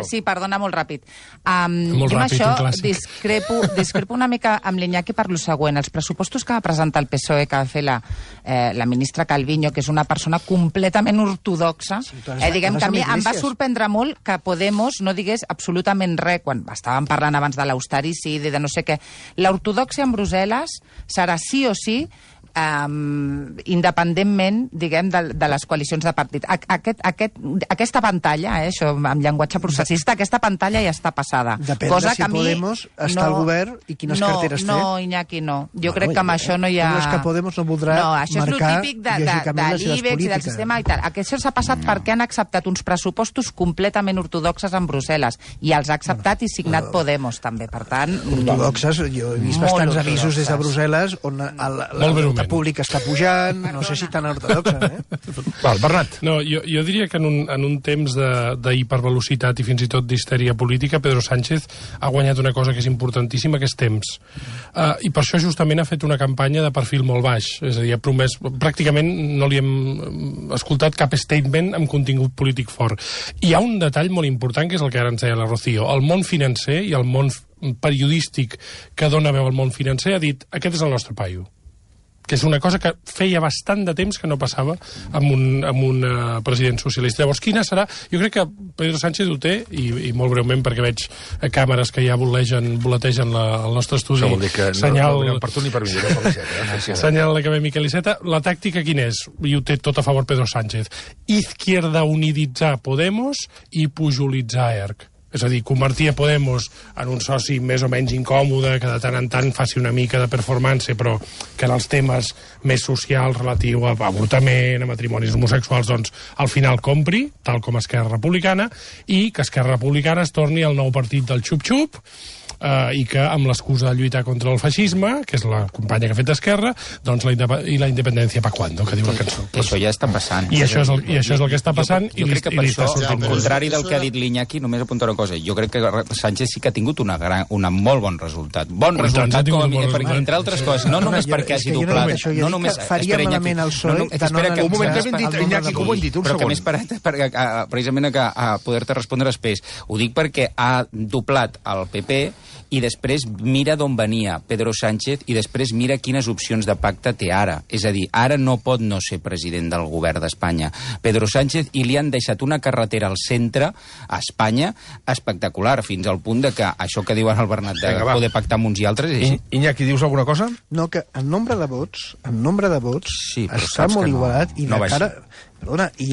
Sí, perdona, molt ràpid. Jo amb això discrepo una mica amb l'Iñaki per lo següent. Els pressupostos que va presentar el PSOE, que va fer la ministra Calviño, que és una persona completament ortodoxa, diguem que a mi em va sorprendre molt que Podemos no digués absolutament res, quan estàvem parlant abans de l'austericidi, de no sé què. L'ortodòxia en Brussel·les serà sí o sí independentment, diguem, de les coalicions de partit. Aquesta pantalla, això amb llenguatge processista, aquesta pantalla ja està passada. Depèn de si Podemos està al govern i quines carteres té. No, Iñaki, no. Jo crec que amb això no hi ha... No és que Podemos no voldrà marcar això és el típic de l'IBEX i del sistema i tal. Això s'ha passat perquè han acceptat uns pressupostos completament ortodoxes en Brussel·les i els ha acceptat i signat Podemos, també. Per tant... Ortodoxes, jo he vist bastants avisos des de Brussel·les on... Molt breument. públic està pujant, no sé si tan ortodoxa, Val, Bernat. No, jo diria que en un temps d'hipervelocitat i fins i tot d'histèria política, Pedro Sánchez ha guanyat una cosa que és importantíssima, que és temps. I per això justament ha fet una campanya de perfil molt baix. És a dir, ha promès... Pràcticament no li hem escoltat cap statement amb contingut polític fort. I hi ha un detall molt important, que és el que ara ens deia la Rocío. El món financer i el món periodístic que dona veu al món financer ha dit: aquest és el nostre paio. Que és una cosa que feia bastant de temps que no passava amb un president socialista. Llavors, quina serà? Jo crec que Pedro Sánchez ho té, i molt breument, perquè veig càmeres que ja voletegen el nostre estudi. Això vol dir que no per tu ni per mi, per l'Iceta. Senyal l'acadèmic Eliseta. La tàctica quina és? I ho té tot a favor Pedro Sánchez. Izquierda uniditzar Podemos i pujolitzar ERC. És a dir, convertir a Podemos en un soci més o menys incòmode, que de tant en tant faci una mica de performance, però que en els temes més socials, relatiu a avortament, a matrimonis homosexuals, doncs al final compri, tal com Esquerra Republicana, i que Esquerra Republicana es torni al nou partit del xup-xup, i que amb l'excusa de lluitar contra el feixisme, que és la companya que ha fet Esquerra, doncs la independència pa cuando, que diu la cançó. Que això ja està passant. I això és el que està passant. Jo crec que per això, al contrari del que ha dit l'Iñaki, només apuntar una cosa. Jo crec que Sánchez sí que ha tingut un molt bon resultat. Bon resultat, entre altres coses. No només perquè hagi doblat. No només faria malament el PSOE. Un moment, que dit, Iñaki, com ho hem dit? Un segon. Però que m'he esperat precisament a poder-te respondre després. Ho dic perquè ha doblat el PP i després mira d'on venia Pedro Sánchez i després mira quines opcions de pacte té ara. És a dir, ara no pot no ser president del govern d'Espanya. Pedro Sánchez, i li han deixat una carretera al centre, a Espanya, espectacular, fins al punt de que això que diuen el Bernat de poder pactar amb uns i altres és així. Iñaki, dius alguna cosa? No, que en nombre de vots sí, està molt igualat i i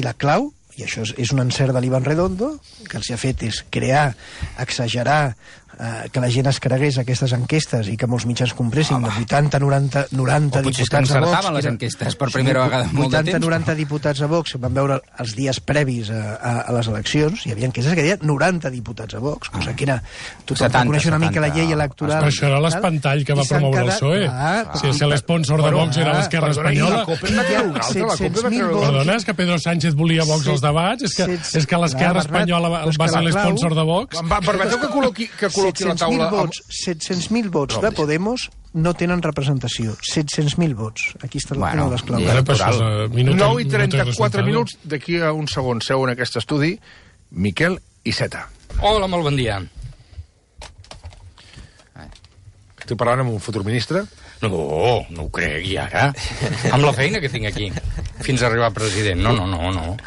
la clau, i això és un encert de l'Iván Redondo, que els ha fet és crear, exagerar, que la gent es cregués aquestes enquestes i que molts mitjans compressin de 80, 90 diputats a Vox. Les enquestes per primera vegada en molt de temps. 80, 90 diputats a Vox, van veure els dies previs a les eleccions, hi havia enquestes que deien 90 diputats a Vox, cosa que era... Tothom coneix una mica la llei electoral. Però això era l'espantall que va promoure el PSOE. Si l'esponsor de Vox era l'Esquerra Espanyola... Perdona, és que Pedro Sánchez volia Vox als debats? És que l'Esquerra Espanyola va ser l'esponsor de Vox? Permeteu que col·loqui la taula... 700.000 vots de Podemos no tenen representació. 700.000 vots. Aquí està una de les claus. 9 i 34 minuts. D'aquí a un segon seu en aquest estudi Miquel Iceta. Hola, molt bon dia. Estic parlant amb un futur ministre? No ho crec, i ara? Amb la feina que tinc aquí, fins a arribar a president. No.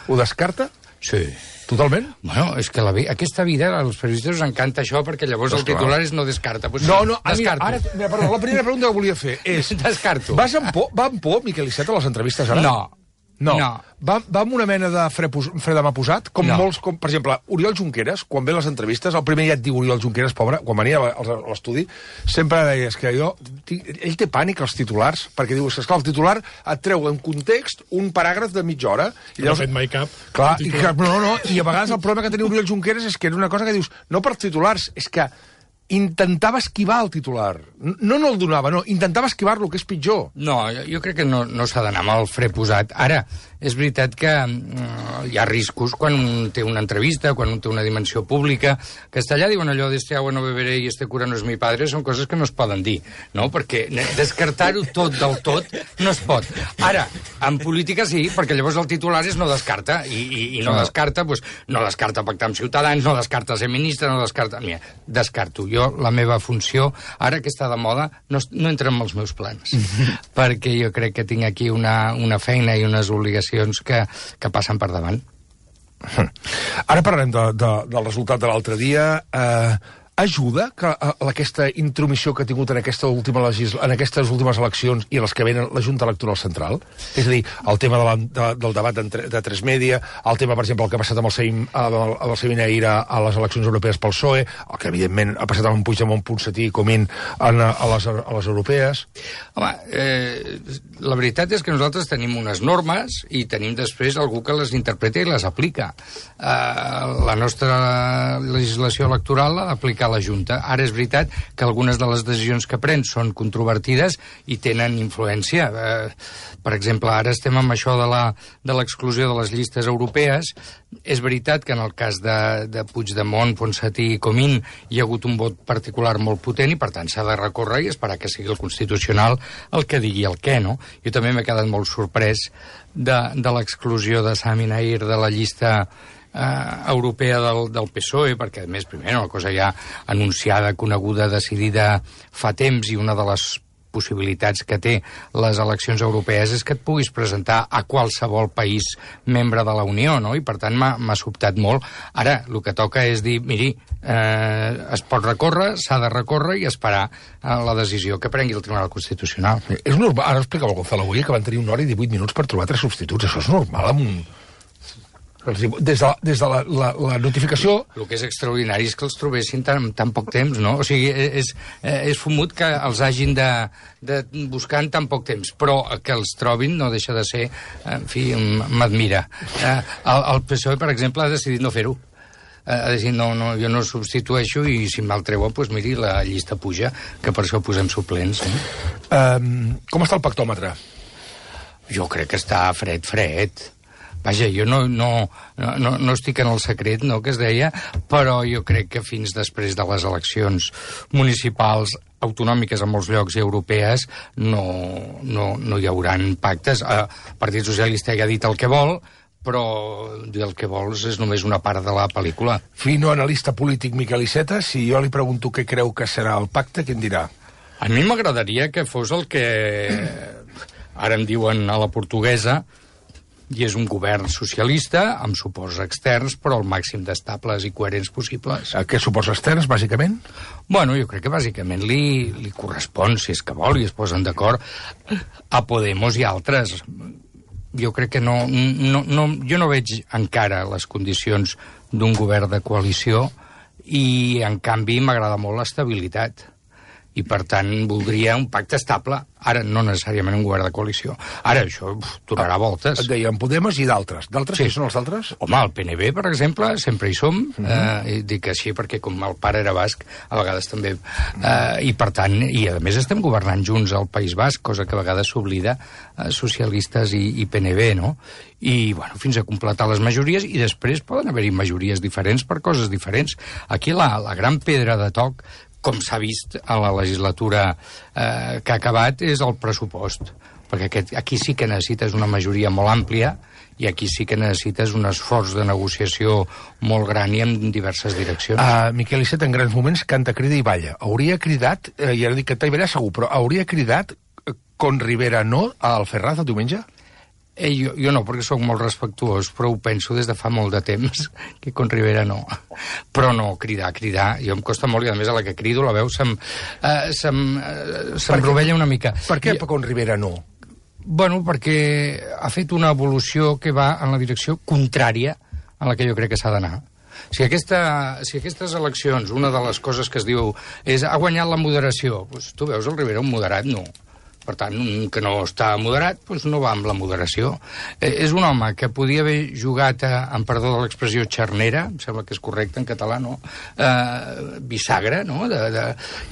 Ho descarta? Sí. Totalment? Bueno, és que aquesta vida, als periodistes us encanta això, perquè llavors el titular és no descarta. Pues no, descarto. Perdó, la primera pregunta que volia fer és... Descarto. Va amb por, Miquel Iceta, a les entrevistes ara? No. Va amb una mena de fre de mà posat? Molts, per exemple, Oriol Junqueras, quan ve a les entrevistes, el primer ja et diu Oriol Junqueras, pobre, quan venia a l'estudi, sempre deies que ell té pànic als titulars, perquè diu, esclar, el titular et treu en context un paràgraf de mitja hora. I no ha fet mai cap. Clar, i a vegades el problema que tenia Oriol Junqueras és que era una cosa que dius, no per titulars, és que intentava esquivar el titular. No el donava, no. Intentava esquivar-lo, que és pitjor. No, jo crec que no s'ha d'anar amb el fre posat. Ara, és veritat que hi ha riscos quan un té una entrevista, quan un té una dimensió pública. Castellà diuen allò de este agua no beberé i este cura no és mi padre, són coses que no es poden dir, no? Perquè descartar-ho tot del tot no es pot. Ara, en política sí, perquè llavors el titular és no descarta, i no descarta, doncs, no descarta pactar amb Ciutadans, no descarta ser ministre, no descarta... Mira, descarto. Jo, la meva funció, ara que està de moda, no entra en els meus plans, perquè jo crec que tinc aquí una feina i unes obligacions que passen per davant. Ara parlarem del resultat de l'altre dia. Ajuda que aquesta intromissió que ha tingut en aquestes últimes eleccions i les que venen la Junta Electoral Central? És a dir, el tema del debat de Tres Media, el tema, per exemple, el que ha passat amb el Sevilla Ira a les eleccions europees pel PSOE, el que, evidentment, ha passat amb un Puigdemont, Ponsatí i Comín a les europees. Home, la veritat és que nosaltres tenim unes normes i tenim després algú que les interpreta i les aplica. La nostra legislació electoral l'ha d'aplicar ha la Junta. Ara és veritat que algunes de les decisions que pren són controvertides i tenen influència. Per exemple, ara estem amb això de l'exclusió de les llistes europees. És veritat que en el cas de Puigdemont, Ponsatí i Comín hi ha hagut un vot particular molt potent i, per tant, s'ha de recórrer i esperar que sigui el Constitucional el que digui el què, no? Jo també m'he quedat molt sorprès de l'exclusió de Sami Nair de la llista europea del PSOE, perquè, a més, primer, una cosa ja anunciada, coneguda, decidida fa temps, i una de les possibilitats que té les eleccions europees és que et puguis presentar a qualsevol país membre de la Unió, no? I, per tant, m'ha sobtat molt. Ara, el que toca és dir, miri, es pot recórrer, s'ha de recórrer i esperar la decisió que prengui el Tribunal Constitucional. És normal, ara explicava el Gonzalo avui, que van tenir 1 hora i 18 minuts per trobar 3 substituts. Això és normal amb un... Des de la notificació... El que és extraordinari és que els trobessin tan poc temps, no? O sigui, és fumut que els hagin de buscar en tan poc temps, però que els trobin no deixa de ser... En fi, m'admira. El PSOE, per exemple, ha decidit no fer-ho. Ha decidit, no, jo no substitueixo i si me'l treuen, doncs miri, la llista puja, que per això posem suplents. Com està el pactòmetre? Jo crec que està fred. Vaja, jo no estic en el secret, no?, que es deia, però jo crec que fins després de les eleccions municipals, autonòmiques en molts llocs i europees, no hi hauran pactes. El Partit Socialista ja ha dit el que vol, però dir el que vols és només una part de la pel·lícula. Fino analista polític Miquel Iceta, si jo li pregunto què creu que serà el pacte, què em dirà? A mi m'agradaria que fos el que ara em diuen a la portuguesa, i és un govern socialista, amb suports externs, però el màxim d'estables i coherents possibles. Què suports externs, bàsicament? Bueno, jo crec que bàsicament li correspon, si és que vol, i es posen d'acord, a Podemos i altres. Jo crec que jo no veig encara les condicions d'un govern de coalició i, en canvi, m'agrada molt l'estabilitat. I, per tant, voldria un pacte estable. Ara, no necessàriament un govern de coalició. Ara, això donarà voltes. Et deien Podemos i d'altres. D'altres? Qui són els altres? Home, el PNB, per exemple, sempre hi som. Dic així perquè, com el pare era basc, a vegades també... I, per tant, i a més estem governant junts al País Basc, cosa que a vegades s'oblida, socialistes i PNB, no? I, bueno, fins a completar les majories, i després poden haver-hi majories diferents per coses diferents. Aquí la gran pedra de toc, com s'ha vist a la legislatura que ha acabat, és el pressupost. Perquè aquí sí que necessites una majoria molt àmplia i aquí sí que necessites un esforç de negociació molt gran i en diverses direccions. Miquel Iceta, en grans moments, canta, crida i balla. Hauria cridat, i ara dic que t'hi segur, però hauria cridat con Rivera no al Ferraz el diumenge? Jo no, perquè sóc molt respectuós, però ho penso des de fa molt de temps, que con Rivera no. Però no, cridar, jo em costa molt, i a més a la que crido la veu se'm rovella una mica. Per què con Rivera no? Bueno, perquè ha fet una evolució que va en la direcció contrària a la que jo crec que s'ha d'anar. Si aquestes eleccions, una de les coses que es diu és ha guanyat la moderació, doncs tu veus el Rivera un moderat? No. Per tant, un que no està moderat, doncs no va amb la moderació. És un home que podia haver jugat, amb perdó de l'expressió, xarnera, em sembla que és correcte en català, no? Bisagra, no?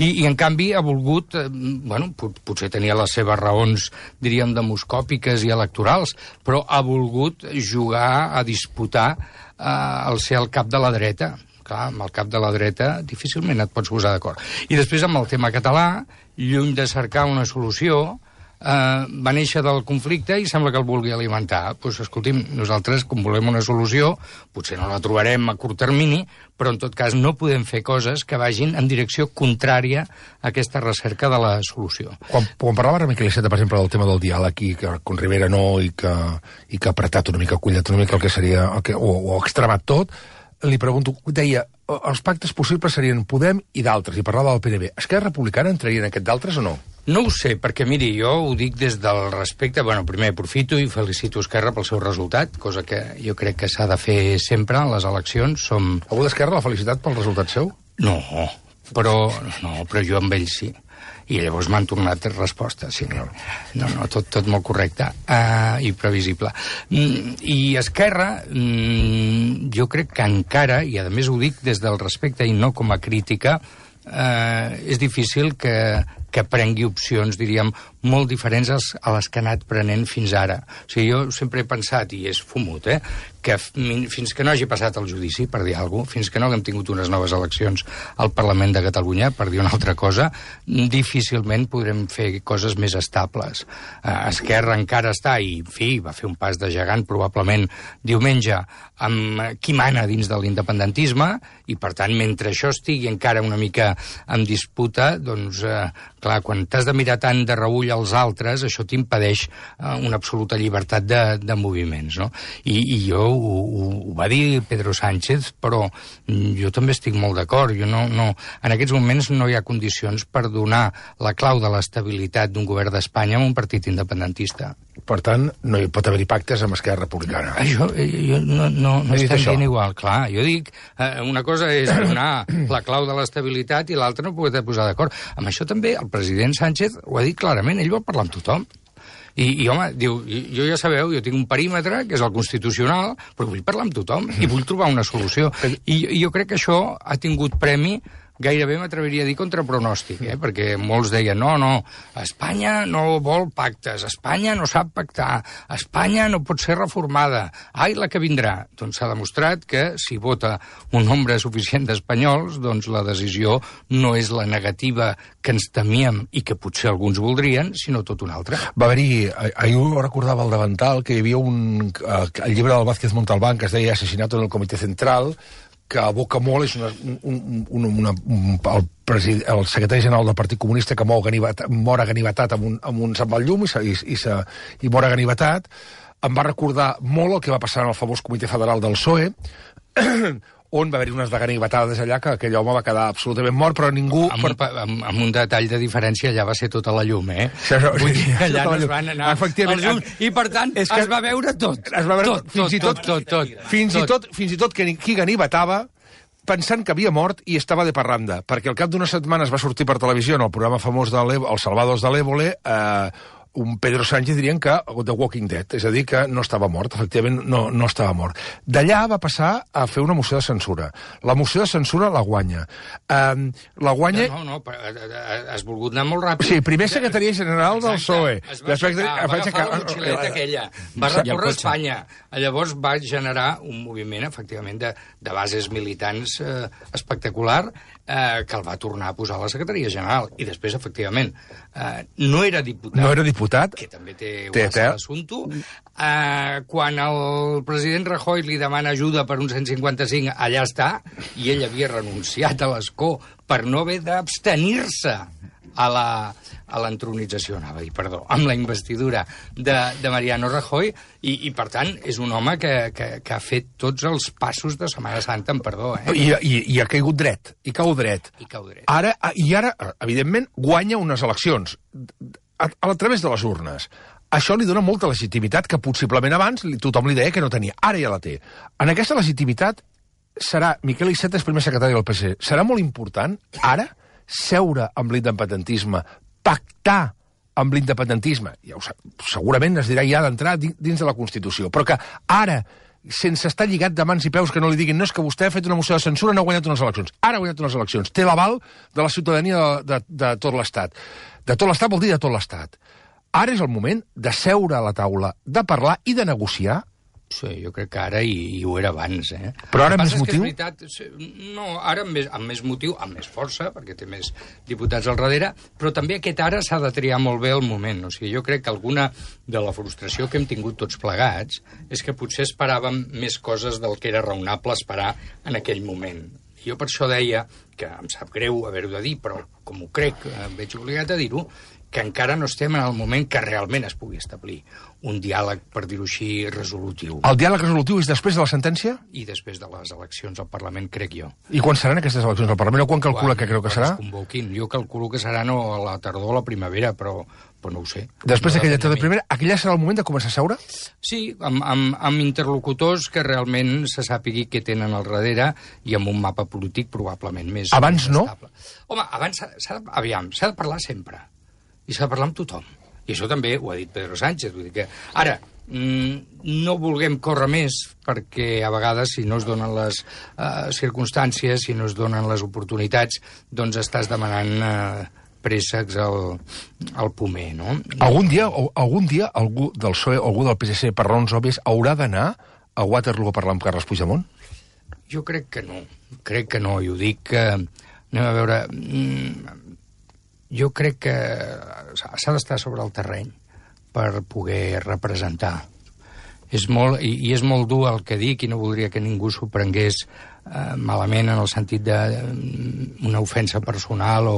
I en canvi ha volgut, bueno, potser tenia les seves raons, diríem, demoscòpiques i electorals, però ha volgut jugar a disputar el ser el cap de la dreta. Clar, amb el cap de la dreta difícilment et pots posar d'acord. I després amb el tema català, lluny de cercar una solució, va néixer del conflicte i sembla que el vulgui alimentar. Doncs escolti'm, nosaltres, com volem una solució, potser no la trobarem a curt termini, però en tot cas no podem fer coses que vagin en direcció contrària a aquesta recerca de la solució. Quan parlava ara Miquel Iceta, per exemple, del tema del diàleg i que con Rivera no i que ha apretat una mica, cullat una mica el que seria, o ha extremat tot, li pregunto, deia, els pactes possibles serien Podem i d'altres, i parlava del PNB. Esquerra Republicana entraria en aquest d'altres o no? No ho sé, perquè, miri, jo ho dic des del respecte... Bueno, primer aprofito i felicito Esquerra pel seu resultat, cosa que jo crec que s'ha de fer sempre en les eleccions. Algú d'Esquerra l'ha felicitat pel resultat seu? No, però jo amb ell sí. I llavors m'han tornat respostes, sí. No, tot molt correcte i previsible. I Esquerra, jo crec que encara, i a més ho dic des del respecte i no com a crítica, és difícil que prengui opcions, diríem, molt diferents a les que ha anat prenent fins ara. O sigui, jo sempre he pensat, i és fumut, que fins que no hagi passat el judici, per dir alguna cosa, fins que no haguem tingut unes noves eleccions al Parlament de Catalunya, per dir una altra cosa, difícilment podrem fer coses més estables. Esquerra encara està, i en fi, va fer un pas de gegant probablement diumenge, amb qui mana dins de l'independentisme, i per tant, mentre això estigui encara una mica en disputa, doncs, clar, quan t'has de mirar tant de reull als altres, això t'impedeix una absoluta llibertat de moviments, no? I jo ho va dir Pedro Sánchez, però jo també estic molt d'acord. En aquests moments no hi ha condicions per donar la clau de l'estabilitat d'un govern d'Espanya a un partit independentista. Per tant, no hi pot haver-hi pactes amb Esquerra Republicana. Això no estem dient igual. Clar, jo dic, una cosa és donar la clau de l'estabilitat i l'altra no poder posar d'acord. Amb això també el president Sánchez ho ha dit clarament, ell vol parlar amb tothom. I home, diu, jo ja sabeu, jo tinc un perímetre, que és el constitucional, però vull parlar amb tothom i vull trobar una solució. I jo crec que això ha tingut premi, gairebé m'atreviria a dir contra pronòstic, perquè molts deien, no, Espanya no vol pactes, Espanya no sap pactar, Espanya no pot ser reformada, ai, la que vindrà. Doncs s'ha demostrat que si vota un nombre suficient d'espanyols, doncs la decisió no és la negativa que ens temíem i que potser alguns voldrien, sinó tot una altra. Va haver-hi, ahir ho recordava el davantal, que hi havia el llibre del Vázquez Montalbán que es deia Asesinato en el Comitè Central, que evoca molt, és el secretari general del Partit Comunista que mor aganivetat amb un se'n va el llum i mor aganivetat. Em va recordar molt el que va passar en el famós Comitè Federal del PSOE, on va haver-hi unes ganivetades allà que aquell home va quedar absolutament mort, però ningú... Amb un detall de diferència, allà va ser tota la llum, Vull dir, allà no es van anar els llums, i per tant es va veure tot. Es va veure tot. Fins i tot que qui ganivetava pensant que havia mort i estava de parranda, perquè al cap d'unes setmanes va sortir per televisió en el programa famós Els Salvados de l'Évole, un Pedro Sánchez dirien que The Walking Dead, és a dir, que no estava mort, efectivament no estava mort. D'allà va passar a fer una moció de censura. La moció de censura la guanya. La guanya... No, has volgut anar molt ràpid. Sí, primer secretaria general del PSOE. Va agafar la motxileta aquella, va recórrer Espanya. Llavors va generar un moviment, efectivament, de bases militants espectacular, que el va tornar a posar a la secretaria general. I després, efectivament, no era diputat, que també té l'assumpte. Quan el president Rajoy li demana ajuda per un 155, allà està, i ell havia renunciat a l'escó per no haver d'abstenir-se a l'entronització, amb la investidura de Mariano Rajoy, i per tant és un home que ha fet tots els passos de Setmana Santa, amb perdó. I ha caigut dret, i cau dret. Ara, evidentment, guanya unes eleccions a través de les urnes. Això li dona molta legitimitat que possiblement abans tothom li deia que no tenia. Ara ja la té. En aquesta legitimitat serà Miquel Iceta, primer secretari del PC. Serà molt important, ara, seure amb l'independentisme, pactar amb l'independentisme. Segurament es dirà ja d'entrar dins de la Constitució, però que ara, sense estar lligat de mans i peus, que no li diguin no, és que vostè ha fet una moció de censura, no ha guanyat unes eleccions. Ara ha guanyat unes eleccions. Té l'aval de la ciutadania de tot l'Estat. De tot l'Estat vol dir de tot l'Estat. Ara és el moment de seure a la taula, de parlar i de negociar. Sí, jo crec que ara i ho era abans, Però ara amb més motiu? No, ara amb més motiu, amb més força, perquè té més diputats al darrere, però també aquest ara s'ha de triar molt bé el moment. O sigui, jo crec que alguna de la frustració que hem tingut tots plegats és que potser esperàvem més coses del que era raonable esperar en aquell moment. Jo per això deia, que em sap greu haver-ho de dir, però com ho crec, em veig obligat a dir-ho, que encara no estem en el moment que realment es pugui establir un diàleg, per dir-ho així, resolutiu. El diàleg resolutiu és després de la sentència? I després de les eleccions al Parlament, crec jo. I quan seran aquestes eleccions al Parlament? O quan calcula que creu que serà? Quan es convoquin. Jo calculo que serà no a la tardor o a la primavera, però no ho sé. Després d'aquella de primera, aquella serà el moment de començar a seure? Sí, amb interlocutors que realment se sàpigui què tenen al darrere i amb un mapa polític probablement més... Abans no? Home, abans s'ha de parlar sempre. I s'ha de parlar amb tothom. I això també ho ha dit Pedro Sánchez. Vull dir que ara, no vulguem córrer més, perquè a vegades, si no es donen les circumstàncies, si no es donen les oportunitats, doncs estàs demanant préssecs al pomer, no? Algun dia algú del PSOE o algú del PSC, per raons òbvies, haurà d'anar a Waterloo a parlar amb Carles Puigdemont? Jo crec que no, i ho dic anem a veure, jo crec que s'ha d'estar sobre el terreny per poder representar. És molt dur el que dic i no voldria que ningú s'ho prengués malament en el sentit d'una ofensa personal o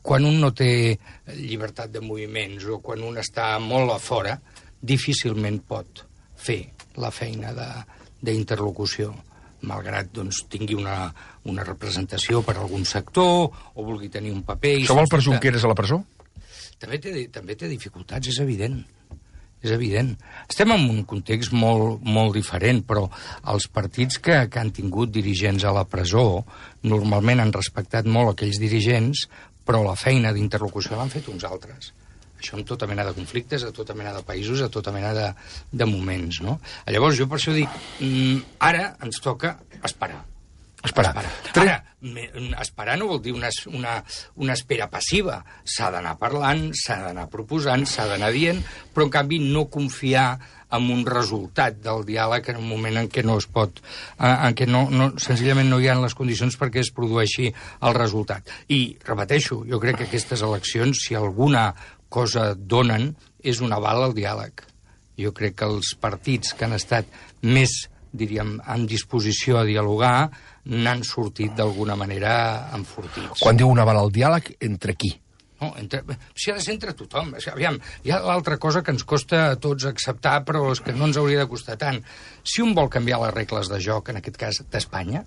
quan un no té llibertat de moviments o quan un està molt a fora, difícilment pot fer la feina d'interlocució, malgrat doncs, tingui una representació per algun sector o vulgui tenir un paper... Això vol per Junqueras a la presó? També té dificultats, és evident. És evident. Estem en un context molt diferent, però els partits que han tingut dirigents a la presó normalment han respectat molt aquells dirigents, però la feina d'interlocució l'han fet uns altres. Això amb tota mena de conflictes, a tota mena de països, a tota mena de moments, no? Llavors, jo per això dic, ara ens toca esperar. Ara, esperar no vol dir una espera passiva. S'ha d'anar parlant, s'ha d'anar proposant, s'ha d'anar dient, però en canvi no confiar en un resultat del diàleg en un moment en què no es pot, en què senzillament no hi ha les condicions perquè es produeixi el resultat. I, repeteixo, jo crec que aquestes eleccions, si alguna cosa donen, és un aval al diàleg. Jo crec que els partits que han estat més, diríem, en disposició a dialogar n'han sortit d'alguna manera enfortits. Quan diu un aval al diàleg, entre qui? No, si ha de ser entre tothom. Aviam, hi ha l'altra cosa que ens costa a tots acceptar, però és que no ens hauria de costar tant. Si un vol canviar les regles de joc, en aquest cas d'Espanya,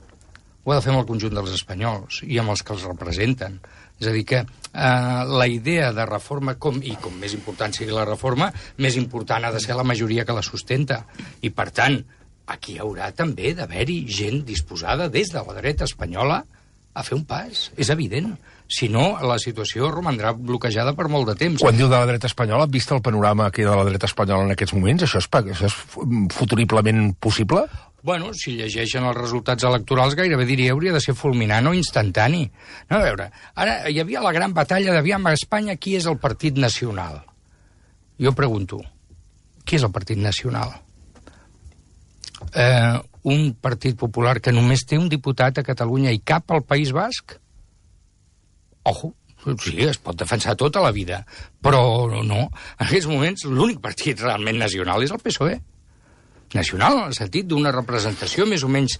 ho ha de fer amb el conjunt dels espanyols i amb els que els representen. És a dir, que la idea de reforma, com més important sigui la reforma, més important ha de ser la majoria que la sustenta. I, per tant, aquí haurà també d'haver-hi gent disposada des de la dreta espanyola a fer un pas. És evident. Si no, la situació romandrà bloquejada per molt de temps. Quan diu de la dreta espanyola, vist el panorama que hi ha de la dreta espanyola en aquests moments, això és futuriblement possible? Bueno, si llegeixen els resultats electorals, gairebé diria hauria de ser fulminant o instantani. No, a veure, ara hi havia la gran batalla d'aviam a Espanya qui és el partit nacional. Jo pregunto, qui és el partit nacional? Un partit popular que només té un diputat a Catalunya i cap al País Basc? Ojo, sí, es pot defensar tota la vida, però no. En aquests moments l'únic partit realment nacional és el PSOE. Nacional, en el sentit d'una representació més o menys,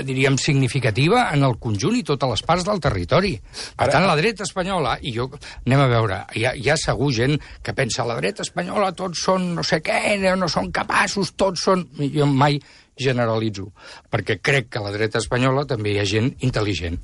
diríem, significativa en el conjunt i totes les parts del territori. Per tant, la dreta espanyola, i jo, anem a veure, hi ha segur gent que pensa la dreta espanyola tots són no sé què, no són capaços, tots són... Jo mai generalitzo, perquè crec que a la dreta espanyola també hi ha gent intel·ligent.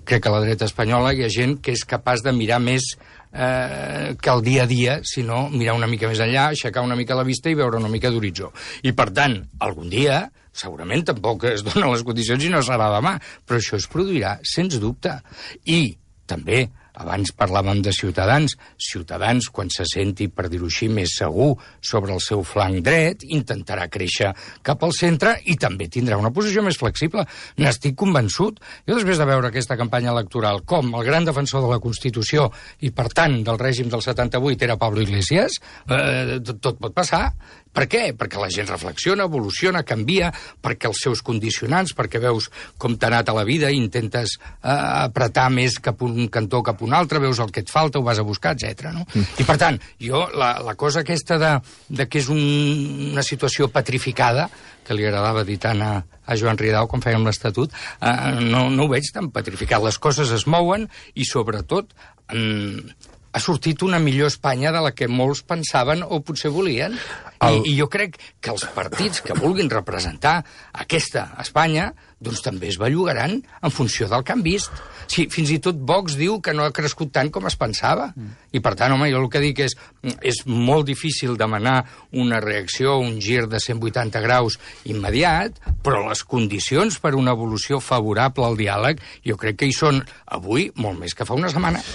Crec que a la dreta espanyola hi ha gent que és capaç de mirar més que el dia a dia, sinó mirar una mica més enllà, aixecar una mica la vista i veure una mica d'horitzó. I, per tant, algun dia, segurament tampoc es donen les condicions i no serà demà, però això es produirà, sens dubte. I, també, abans parlàvem de Ciutadans. Ciutadans, quan se senti, per dir-ho així, més segur sobre el seu flanc dret, intentarà créixer cap al centre i també tindrà una posició més flexible. N'estic convençut. Jo, després de veure aquesta campanya electoral com el gran defensor de la Constitució i, per tant, del règim del 78 era Pablo Iglesias, tot pot passar. Per què? Perquè la gent reflexiona, evoluciona, canvia, perquè els seus condicionants, perquè veus com t'ha anat a la vida i intentes apretar més cap un cantó cap un altre, veus el que et falta, ho vas a buscar, etc. No? I, per tant, jo, la cosa aquesta de que és una situació petrificada, que li agradava dir tant a Joan Ridao quan fèiem l'Estatut, no ho veig tan petrificat. Les coses es mouen i, sobretot, ha sortit una millor Espanya de la que molts pensaven o potser volien. I jo crec que els partits que vulguin representar aquesta Espanya doncs també es bellugaran en funció del que han vist. Sí, fins i tot Vox diu que no ha crescut tant com es pensava. I, per tant, home, jo el que dic és molt difícil demanar una reacció, un gir de 180 graus immediat, però les condicions per una evolució favorable al diàleg jo crec que hi són avui molt més que fa una setmana.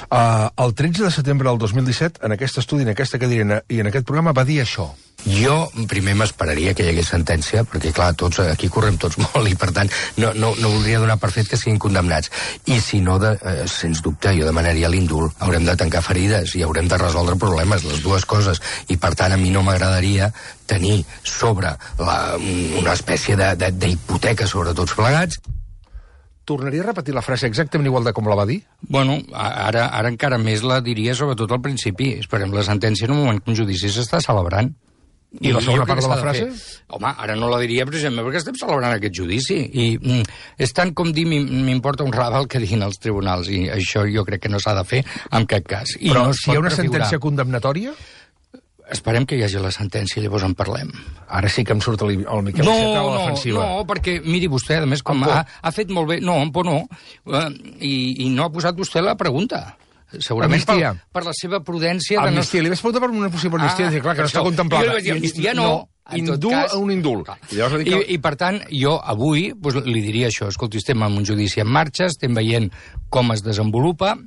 El 13 de setembre del 2017, en aquest estudi, en aquesta cadira i en aquest programa, va dir això. Jo primer m'esperaria que hi hagués sentència, perquè clar, tots aquí correm tots molt i per tant no voldria donar per fet que siguin condemnats. I si no, sens dubte, jo demanaria l'indult. Haurem de tancar ferides i haurem de resoldre problemes, les dues coses. I per tant a mi no m'agradaria tenir sobre una espècie d'hipoteca sobre tots plegats. Tornaria a repetir la frase exactament igual de com la va dir? Bueno, ara encara més la diria sobretot al principi. Esperem la sentència en un moment que un judici s'està celebrant. I la segona part de la frase? Home, ara no la diria precisament perquè estem celebrant aquest judici. I és tant com dir m'importa un rave el que diguin els tribunals, i això jo crec que no s'ha de fer en cap cas. I però no si hi ha una sentència condemnatòria? Esperem que hi hagi la sentència, llavors en parlem. Ara sí que em surt el Miquel Iceta a la defensiva. No, perquè, miri vostè, a més, com ha fet molt bé... No, en por no. I no ha posat vostè la pregunta. Segurament per la seva prudència... Amnistia, li vaig preguntar per una possible amnistia, clar, que no està contemplada. Jo li vaig dir, amnistia no. Indult a un indult. I per tant, jo avui li diria això, escolti, estem en un judici en marxa, estem veient com es desenvolupa,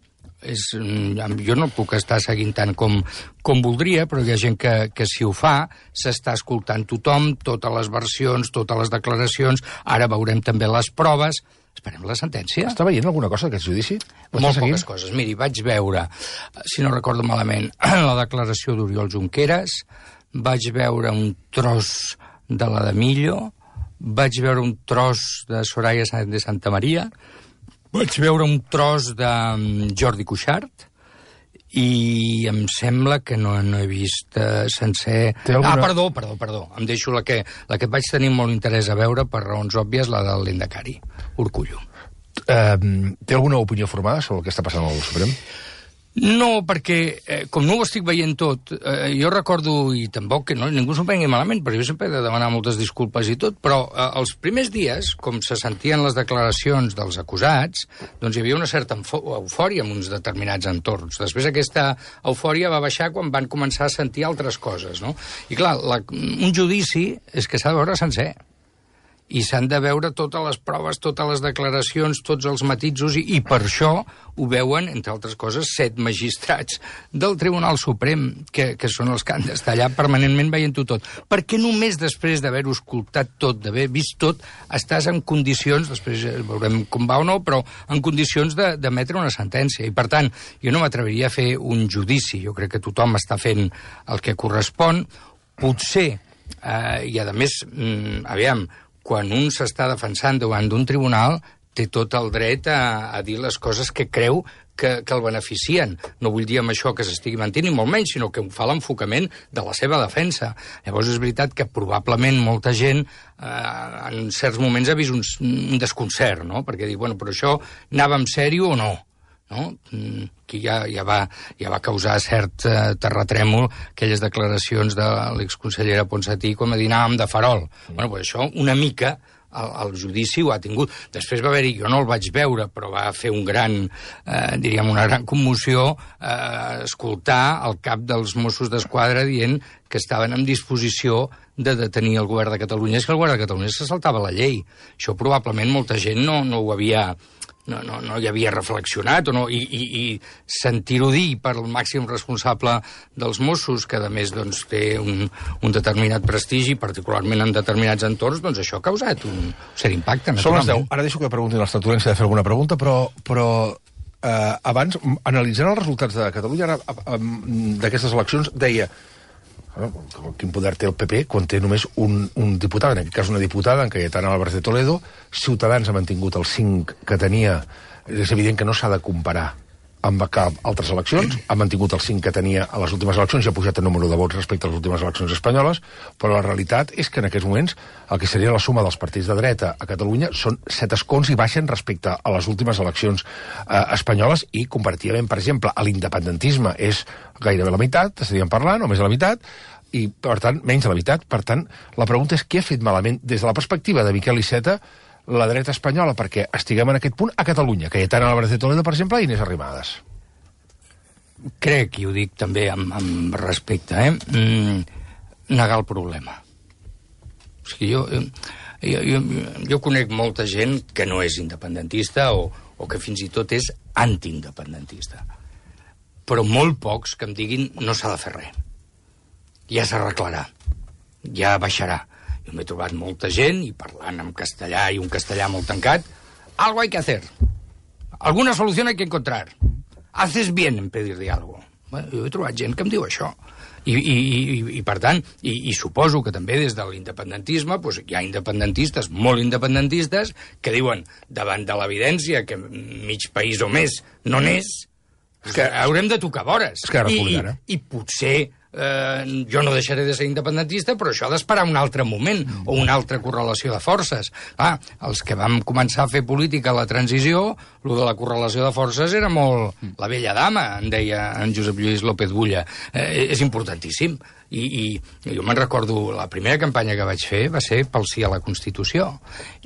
jo no puc estar seguint tant com voldria, però hi ha gent que si ho fa, s'està escoltant tothom, totes les versions, totes les declaracions, ara veurem també les proves. Esperem la sentència. Està veient alguna cosa d'aquest judici? Molt poques coses. Miri, vaig veure, si no recordo malament, la declaració d'Oriol Junqueras, vaig veure un tros de la de Millo, vaig veure un tros de Soraya Sáenz de Santamaría, vaig veure un tros de Jordi Cuixart i em sembla que no he vist sencer... Perdó. Em deixo la que vaig tenir molt interès a veure, per raons òbvies, la del Lendakari, Urkullu. Té alguna opinió formada sobre el que està passant al Suprem? No, perquè com no ho estic veient tot, jo recordo, i tampoc que ningú s'ho prengui malament, perquè jo sempre he de demanar moltes disculpes i tot, però els primers dies, com se sentien les declaracions dels acusats, doncs hi havia una certa eufòria en uns determinats entorns. Després aquesta eufòria va baixar quan van començar a sentir altres coses, no? I clar, un judici és que s'ha de veure sencer. I s'han de veure totes les proves, totes les declaracions, tots els matisos, i per això ho veuen, entre altres coses, 7 magistrats del Tribunal Suprem, que són els que han d'estar allà permanentment veient-ho tot. Perquè només després d'haver-ho escoltat tot, d'haver vist tot, estàs en condicions, després veurem com va o no, però en condicions d'emetre una sentència. I per tant, jo no m'atreviria a fer un judici. Jo crec que tothom està fent el que correspon. Potser, i a més, aviam, quan un s'està defensant davant d'un tribunal, té tot el dret a dir les coses que creu que el beneficien. No vull dir amb això que s'estigui mentint, ni molt menys, sinó que fa l'enfocament de la seva defensa. Llavors és veritat que probablement molta gent en certs moments ha vist un desconcert, no? Perquè diu, bueno, però això anava en sèrio o no? No? Que ja va causar cert terratrèmol aquelles declaracions de l'exconsellera Ponsatí com a dir anàvem de farol. Bueno, pues això una mica el judici ho ha tingut. Després va haver-hi, jo no el vaig veure, però va fer una gran commoció escoltar el cap dels Mossos d'Esquadra dient que estaven en disposició de detenir el govern de Catalunya. És que el govern de Catalunya se saltava la llei. Això probablement molta gent no ho havia... No hi havia reflexionat, i sentir-ho dir per el màxim responsable dels Mossos, que a més doncs, té un determinat prestigi, particularment en determinats entorns, doncs això ha causat un cert impacte. Són les 10. Ara deixo que preguntin els tertulians si ha de fer alguna pregunta, però abans, analitzant els resultats de Catalunya d'aquestes eleccions, deia... Quin poder té el PP quan té només un diputat, en aquest cas una diputada, en Cayetana Álvarez de Toledo. Ciutadans ha mantingut el 5 que tenia. És evident que no s'ha de comparar amb cap altres eleccions. Ha mantingut el 5 que tenia a les últimes eleccions i ha pujat el número de vots respecte a les últimes eleccions espanyoles, però la realitat és que en aquests moments el que seria la suma dels partits de dreta a Catalunya són 7 escons i baixen respecte a les últimes eleccions espanyoles, i comparativament, per exemple, a l'independentisme és gairebé la meitat, estaríem parlant, o més de la meitat, i per tant, menys de la meitat. Per tant, la pregunta és què ha fet malament des de la perspectiva de Miquel Iceta la dreta espanyola perquè estiguem en aquest punt a Catalunya, Cayetana Álvarez de Toledo, per exemple, i Inés Arrimadas. Crec, i ho dic també amb respecte, negar el problema. O sigui, jo conec molta gent que no és independentista o que fins i tot és antiindependentista. Però molt pocs que em diguin no s'ha de fer res. Ja s'arreglarà. ja baixarà. Jo m'he trobat molta gent, i parlant en castellà, i un castellà molt tancat, algo hay que hacer. Alguna solución hay que encontrar. Haces bien en pedir diálogo. Bueno, jo he trobat gent que em diu això. I per tant, i suposo que també des de l'independentisme doncs hi ha independentistes, molt independentistes, que diuen, davant de l'evidència que mig país o més no n'és, que haurem de tocar vores. I potser jo no deixaré de ser independentista, però això ha d'esperar un altre moment o una altra correlació de forces. Els que vam començar a fer política a la transició, lo de la correlació de forces era molt la vella dama, en deia en Josep Lluís López Bulla. És importantíssim. I jo me'n recordo, la primera campanya que vaig fer va ser pel sí a la Constitució.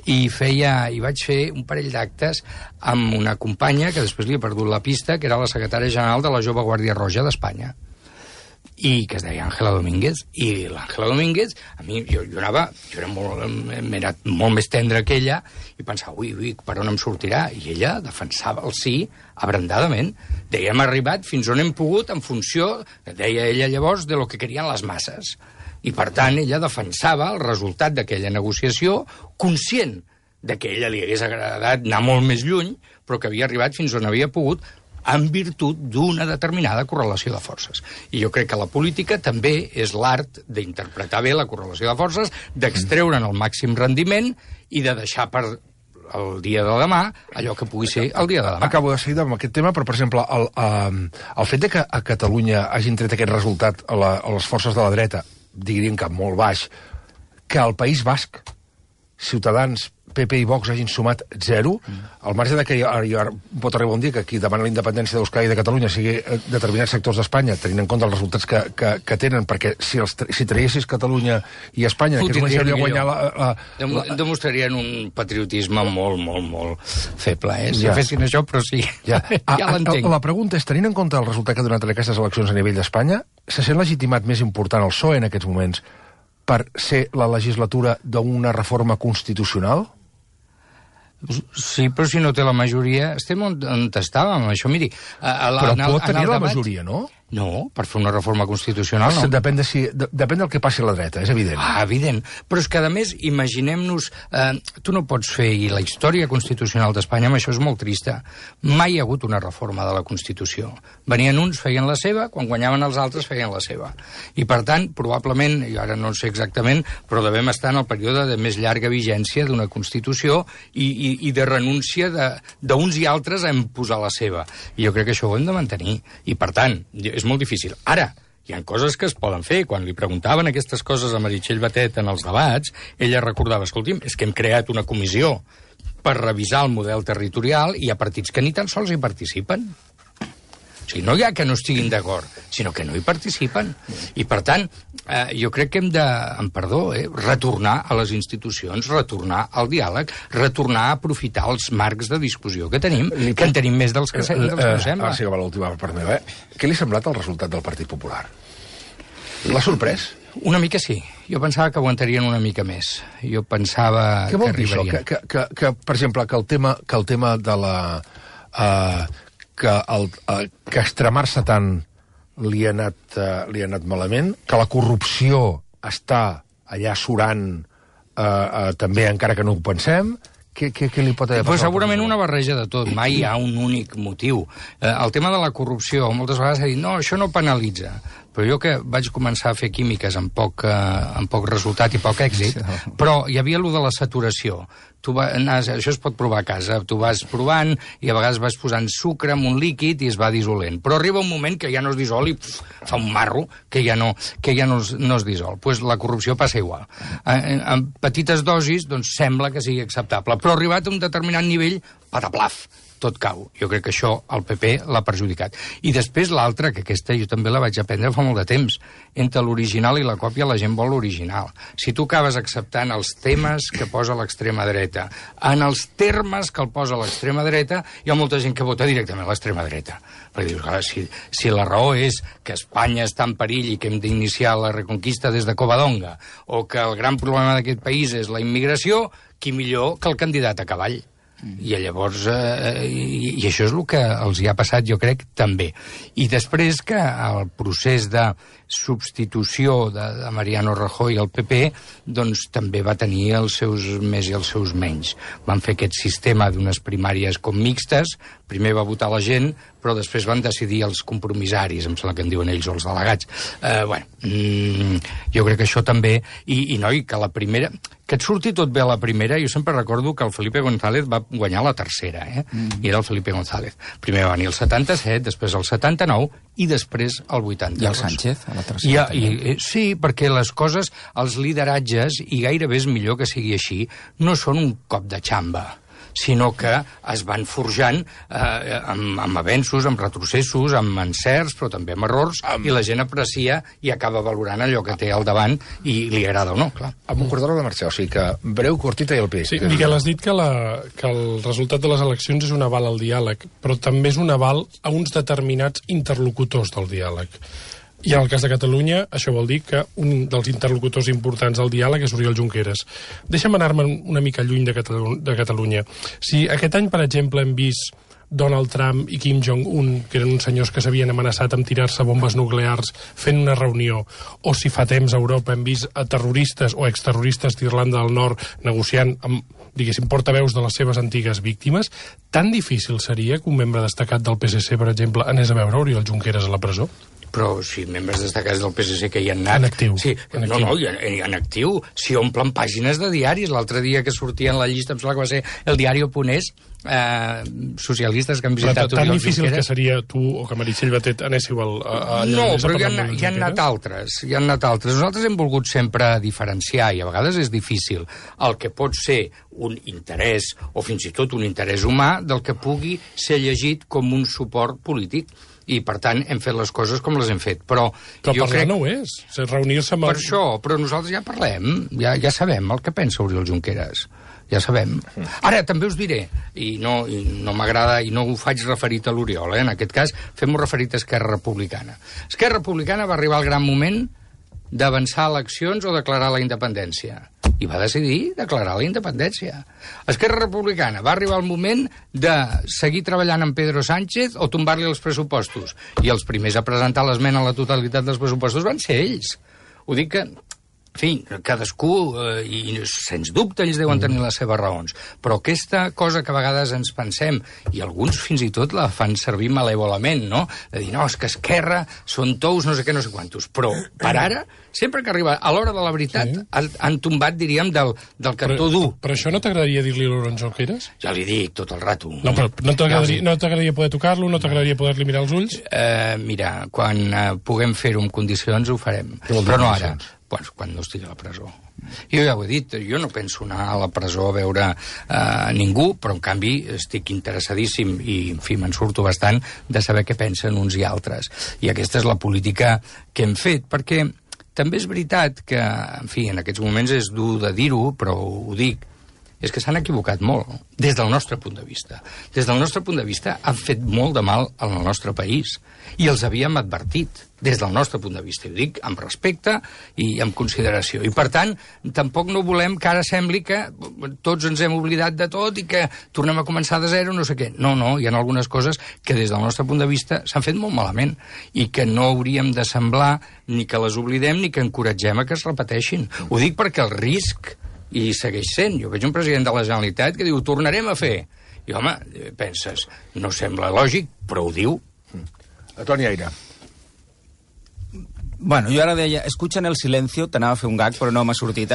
I vaig fer un parell d'actes amb una companya, que després li he perdut la pista, que era la secretària general de la Jove Guàrdia Roja d'Espanya, i que es deia Àngela Domínguez. I l'Àngela Domínguez, a mi, jo era molt més tendre que ella, i pensava, ui, per on em sortirà? I ella defensava el sí abrandadament. Deia, hem arribat fins on hem pogut en funció, deia ella llavors, de lo que querien les masses. I per tant, ella defensava el resultat d'aquella negociació, conscient de que a ella li hagués agradat anar molt més lluny, però que havia arribat fins on havia pogut, en virtut d'una determinada correlació de forces. I jo crec que la política també és l'art d'interpretar bé la correlació de forces, d'extreure'n el màxim rendiment i de deixar per el dia de demà allò que pugui ser el dia de demà. Acabo de seguir amb aquest tema, però, per exemple, el fet de que a Catalunya hagin tret aquest resultat a les forces de la dreta, diríem que molt baix, que al País Basc, Ciutadans, PP i Vox hagin sumat 0, al marge de que pot arribar un dia que qui demana la independència d'Euskadi i de Catalunya sigui determinats sectors d'Espanya, tenint en compte els resultats que tenen, perquè si traiessis Catalunya i Espanya, que és una hauria guanyar demostrarien un patriotisme molt feble, Si fessin això, però sí. Ja l'entenc. La pregunta és, tenint en compte el resultat que ha donat aquestes eleccions a nivell d'Espanya, se sent legitimat més important el PSOE en aquests moments per ser la legislatura d'una reforma constitucional? Sí, però si no té la majoria, estem on estàvem, això, miri... Però pot tenir la majoria, no? No, per fer una reforma constitucional no. Depèn del que passi a la dreta, és evident. Evident. Però és que, a més, imaginem-nos... tu no pots fer, i la història constitucional d'Espanya, amb això és molt trista, mai hi ha hagut una reforma de la Constitució. Venien uns, feien la seva, quan guanyaven els altres, feien la seva. I, per tant, probablement, i ara no sé exactament, però devem estar en el període de més llarga vigència d'una Constitució i de renúncia d'uns i altres a imposar la seva. I jo crec que això ho hem de mantenir. I, per tant, és molt difícil. Ara, hi ha coses que es poden fer. Quan li preguntaven aquestes coses a Meritxell Batet en els debats, ella recordava, escolti'm, és que hem creat una comissió per revisar el model territorial i hi ha partits que ni tan sols hi participen. O sigui, no hi ha que no estiguin d'acord, sinó que no hi participen. I, per tant, jo crec que hem de, amb perdó, retornar a les institucions, retornar al diàleg, retornar a aprofitar els marcs de discussió que tenim, que en tenim més dels que sembla. Ara sí que va l'última part meva. Què li ha semblat el resultat del Partit Popular? L'ha sorprès? Una mica sí. Jo pensava que aguantarien una mica més. Jo pensava que arribarien. Què vol dir això? Que, per exemple, que el tema de la... que extremar-se tant li ha anat malament, que la corrupció està allà surant també, encara que no ho pensem. Què li pot haver passat? Segurament una barreja de tot. Mai hi ha un únic motiu. El tema de la corrupció, moltes vegades s'ha dit, no, això no penalitza. Però jo que vaig començar a fer químiques amb poc resultat i poc èxit, però hi havia allò de la saturació. Això es pot provar a casa. Tu vas provant i a vegades vas posant sucre en un líquid i es va dissolent. Però arriba un moment que ja no es dissol i fa un marro que ja no es dissol. Pues la corrupció passa igual. En petites dosis doncs sembla que sigui acceptable, però arribat a un determinat nivell, pataplaf, tot cau. Jo crec que això el PP l'ha perjudicat. I després l'altra, que aquesta jo també la vaig aprendre fa molt de temps. Entre l'original i la còpia la gent vol l'original. Si tu acabes acceptant els temes que posa l'extrema dreta, en els termes que el posa l'extrema dreta, hi ha molta gent que vota directament a l'extrema dreta. Perquè dius, clar, si la raó és que Espanya està en perill i que hem d'iniciar la reconquista des de Covadonga, o que el gran problema d'aquest país és la immigració, qui millor que el candidat a cavall? I llavors, i això és el que els hi ha passat, jo crec, també. I després que el procés de substitució de Mariano Rajoy al PP, doncs també va tenir els seus més i els seus menys. Van fer aquest sistema d'unes primàries com mixtes, primer va votar la gent, però després van decidir els compromissaris, em sembla que en diuen ells, o els delegats. Jo crec que això també, i noi, que la primera... Que et surti tot bé a la primera, jo sempre recordo que el Felipe González va guanyar la tercera, i era el Felipe González. Primer va venir el 77, després el 79, i després el 82. I el Sánchez, a la tercera. Sí, perquè les coses, els lideratges, i gairebé és millor que sigui així, no són un cop de xamba, sinó que es van forjant amb avenços, amb retrocessos, amb encerts, però també amb errors, i la gent aprecia i acaba valorant allò que té al davant i li agrada o no, clar. Amb un corredor de marxa, o sigui que breu, curtita i el peix. Sí, Miquel, has dit que el resultat de les eleccions és un aval al diàleg, però també és un aval a uns determinats interlocutors del diàleg. I en el cas de Catalunya, això vol dir que un dels interlocutors importants del diàleg és Oriol Junqueras. Deixa'm anar-me una mica lluny de Catalunya. Si aquest any, per exemple, hem vist Donald Trump i Kim Jong-un, que eren uns senyors que s'havien amenaçat amb tirar-se bombes nuclears fent una reunió, o si fa temps a Europa hem vist a terroristes o exterroristes d'Irlanda del Nord negociant amb, diguéssim, portaveus de les seves antigues víctimes, tan difícil seria que un membre destacat del PSC, per exemple, anés a veure Oriol Junqueras a la presó? Però si membres destacats del PSC que hi han anat... En actiu. Sí, en actiu. Si omplen pàgines de diaris. L'altre dia que sortia en la llista, em sembla que va ser el Diario.es, socialistes que han visitat Oriol Junqueras. Però tan difícil que seria tu o que Meritxell Batet anéssiu allà... No, però hi han anat altres. Nosaltres hem volgut sempre diferenciar, i a vegades és difícil, el que pot ser un interès, o fins i tot un interès humà, del que pugui ser llegit com un suport polític. I, per tant, hem fet les coses com les hem fet. Però jo crec... no ho és. Reunir-se amb... Per això, però nosaltres ja parlem, ja sabem el que pensa Oriol Junqueras. Ja sabem. Ara, també us diré, i no m'agrada, i no ho faig referit a l'Oriol, en aquest cas fem-ho referit a Esquerra Republicana. Esquerra Republicana va arribar al gran moment d'avançar eleccions o declarar la independència. I va decidir declarar la independència. Esquerra Republicana va arribar el moment de seguir treballant amb Pedro Sánchez o tombar-li els pressupostos. I els primers a presentar l'esmena a la totalitat dels pressupostos van ser ells. Ho dic que, en fi, cadascú, i sens dubte ells deuen tenir les seves raons, però aquesta cosa que a vegades ens pensem, i alguns fins i tot la fan servir malèvolament, no? De dir, no, és que Esquerra són tous, no sé què, no sé quantos. Però, per ara, sempre que arriba a l'hora de la veritat, han tombat, diríem, del cantó dur. Però això no t'agradaria dir-li a l'Oriol Junqueras? Ja li dic tot el rato. No, però no t'agradaria poder tocar-lo? No t'agradaria poder-li mirar els ulls? Mira, quan puguem fer-ho amb condicions ho farem. Però no ara. Quan no estigui a la presó. Jo ja ho he dit, jo no penso anar a la presó a veure ningú, però en canvi estic interessadíssim i, en fi, me'n surto bastant de saber què pensen uns i altres. I aquesta és la política que hem fet, perquè també és veritat que, en fi, en aquests moments és dur de dir-ho, però ho dic, és que s'han equivocat molt, des del nostre punt de vista. Des del nostre punt de vista han fet molt de mal al nostre país, i els havíem advertit, des del nostre punt de vista. Ho dic amb respecte i amb consideració. I, per tant, tampoc no volem que ara sembli que tots ens hem oblidat de tot i que tornem a començar de zero, no sé què. No, hi ha algunes coses que des del nostre punt de vista s'han fet molt malament i que no hauríem de semblar ni que les oblidem ni que encoratgem a que es repeteixin. Ho dic perquè el risc i segueix sent. Jo veig un president de la Generalitat que diu, ho tornarem a fer. I, home, penses, no sembla lògic, però ho diu. Toni Aire. Bueno, jo ara deia, escuchen el silencio, t'anava a fer un gag, però no m'ha sortit.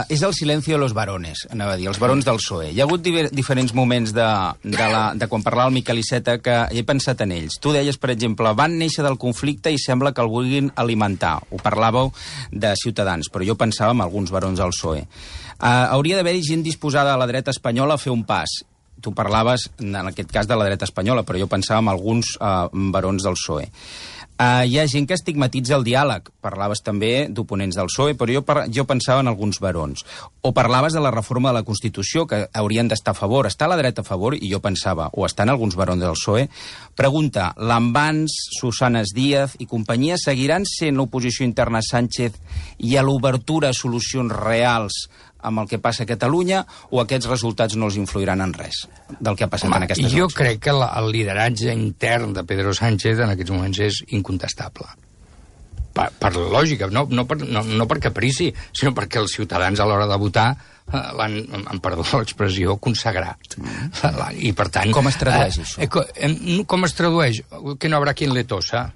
És el silencio de los varones, anava a dir, els barons del PSOE. Hi ha hagut diferents moments de quan parlava el Miquel Iceta que he pensat en ells. Tu deies, per exemple, van néixer del conflicte i sembla que el vulguin alimentar. Ho parlàveu de Ciutadans, però jo pensava en alguns barons del PSOE. Hauria d'haver-hi gent disposada a la dreta espanyola a fer un pas. Tu parlaves, en aquest cas, de la dreta espanyola, però jo pensava en alguns barons del PSOE. Hi ha gent que estigmatitza el diàleg. Parlaves també d'oponents del PSOE, però jo pensava en alguns barons. O parlaves de la reforma de la Constitució, que haurien d'estar a favor. Està la dreta a favor, i jo pensava, o estan alguns barons del PSOE. Pregunta, Lambans, Susanes Díaz i companyia seguiran sent l'oposició interna a Sánchez i a l'obertura a solucions reals amb el que passa a Catalunya o aquests resultats no els influiran en res del que ha passat en aquestes eleccions? Jo crec que el lideratge intern de Pedro Sánchez en aquests moments és incontestable. Per lògica, no per caprici, sinó perquè els ciutadans a l'hora de votar l'han, perdó l'expressió, consagrat. I per tant... Com es tradueix això? Com es tradueix? Que no haurà quien le tosa.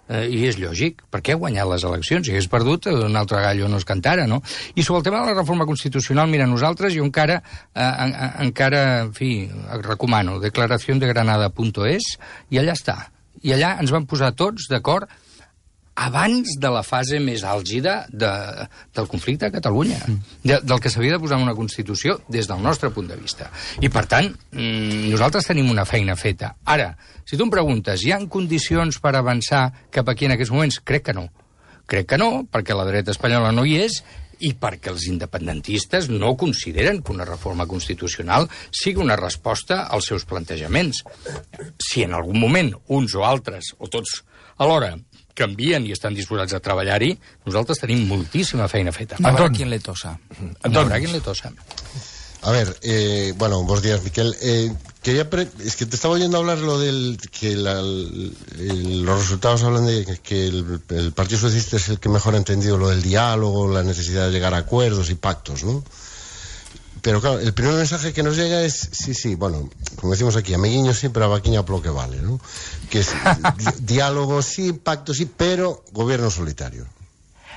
I és lògic, perquè ha guanyat les eleccions. Si hagués perdut, un altre gallo no es cantara, no? I sobre el tema de la reforma constitucional, mira, nosaltres, jo encara, en fi, recomano declaraciondegranada.es, i allà està. I allà ens van posar tots d'acord abans de la fase més àlgida del conflicte a Catalunya, del que s'havia de posar en una Constitució des del nostre punt de vista. I, per tant, nosaltres tenim una feina feta. Ara, si tu em preguntes, hi ha condicions per avançar cap aquí en aquests moments? Crec que no. Crec que no, perquè la dreta espanyola no hi és, i perquè els independentistes no consideren que una reforma constitucional sigui una resposta als seus plantejaments. Si en algun moment uns o altres, o tots alhora, canvien i estan disposats a treballar-hi, nosaltres tenim moltíssima feina feta. No habrá quien le tosa. No habrá quien le tosa. A ver, bueno, buenos días, Miquel. Es que te estaba oyendo hablar lo del que los resultados hablan de que el Partido Socialista es el que mejor ha entendido lo del diálogo, la necesidad de llegar a acuerdos y pactos, ¿no? Pero claro, el primer mensaje que nos llega es, sí, bueno, como decimos aquí, amiguiño sí, pero a vaquiña por lo que vale, ¿no? Que es diálogo sí, pacto sí, pero gobierno solitario.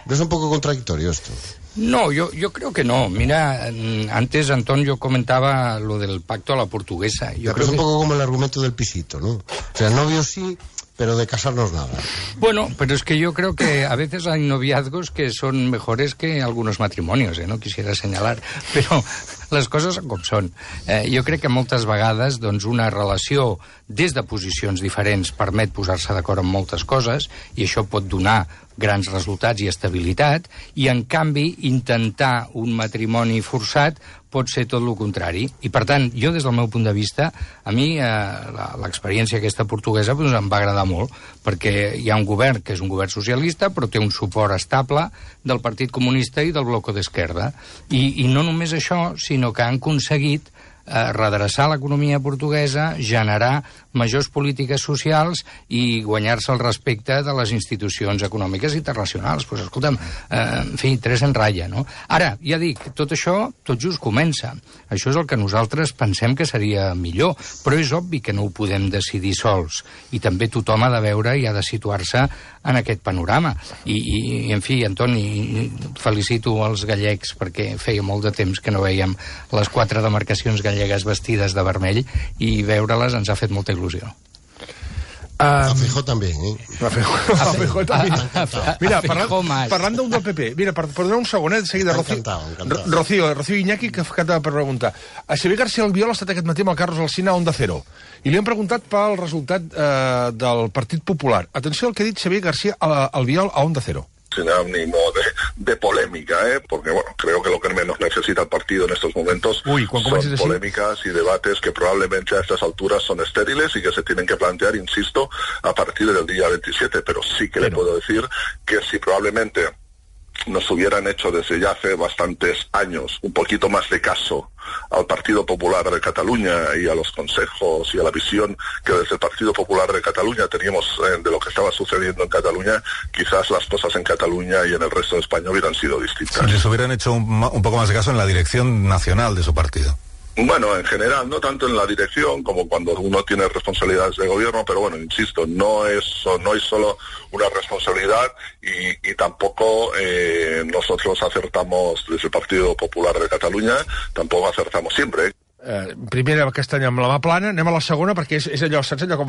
¿No es un poco contradictorio esto? No, yo creo que no. Mira, antes, Antón, yo comentaba lo del pacto a la portuguesa. Yo creo es un poco como el argumento del pisito, ¿no? O sea, novio sí, pero de casarnos nada. Bueno, pero es que yo creo que a veces hay noviazgos que son mejores que algunos matrimonios, no quisiera señalar, però les coses com són. Jo crec que moltes vegades doncs, una relació des de posicions diferents permet posar-se d'acord en moltes coses i això pot donar grans resultats i estabilitat, i en canvi intentar un matrimoni forçat pot ser tot el contrari. I per tant, jo des del meu punt de vista, a mi l'experiència aquesta portuguesa doncs, em va agradar molt, perquè hi ha un govern que és un govern socialista, però té un suport estable del Partit Comunista i del Bloco d'Esquerra. I no només això, sinó que han aconseguit redreçar l'economia portuguesa, generar majors polítiques socials i guanyar-se el respecte de les institucions econòmiques internacionals. Pues, escolta'm, en fi, tres en ratlla, no? Ara, ja dic, tot això tot just comença. Això és el que nosaltres pensem que seria millor, però és obvi que no ho podem decidir sols. I també tothom ha de veure i ha de situar-se en aquest panorama. I en fi, Antoni, felicito els gallecs perquè feia molt de temps que no veiem les 4 demarcacions gallegues vestides de vermell i veure-les ens ha fet molta il·lusió. A Feijóo també, A Feijóo també. Mira, parlant d'un del PP, mira, per donar un segon, de seguida, Rocío Iñaki, que acaba per preguntar. A Xavier García Albiol ha estat aquest matí amb el Carlos Alsina a Onda Cero, i li han preguntat pel resultat del Partit Popular. Atenció al que ha dit Xavier García Albiol a Onda Cero. Sin ánimo de polémica, porque bueno, creo que lo que menos necesita el partido en estos momentos son polémicas y debates que probablemente a estas alturas son estériles y que se tienen que plantear, insisto, a partir del día 27, pero sí que le puedo decir que si probablemente nos hubieran hecho desde ya hace bastantes años un poquito más de caso al Partido Popular de Cataluña y a los consejos y a la visión que desde el Partido Popular de Cataluña teníamos de lo que estaba sucediendo en Cataluña, quizás las cosas en Cataluña y en el resto de España hubieran sido distintas. Si les hubieran hecho un poco más de caso en la dirección nacional de su partido. Bueno, en general, no tanto en la dirección como cuando uno tiene responsabilidades de gobierno, pero bueno, insisto, no hay solo una responsabilidad y tampoco nosotros acertamos desde el Partido Popular de Catalunya, tampoco acertamos siempre. Primera aquest any amb la mà plana, anem a la segona perquè és allò, saps allò com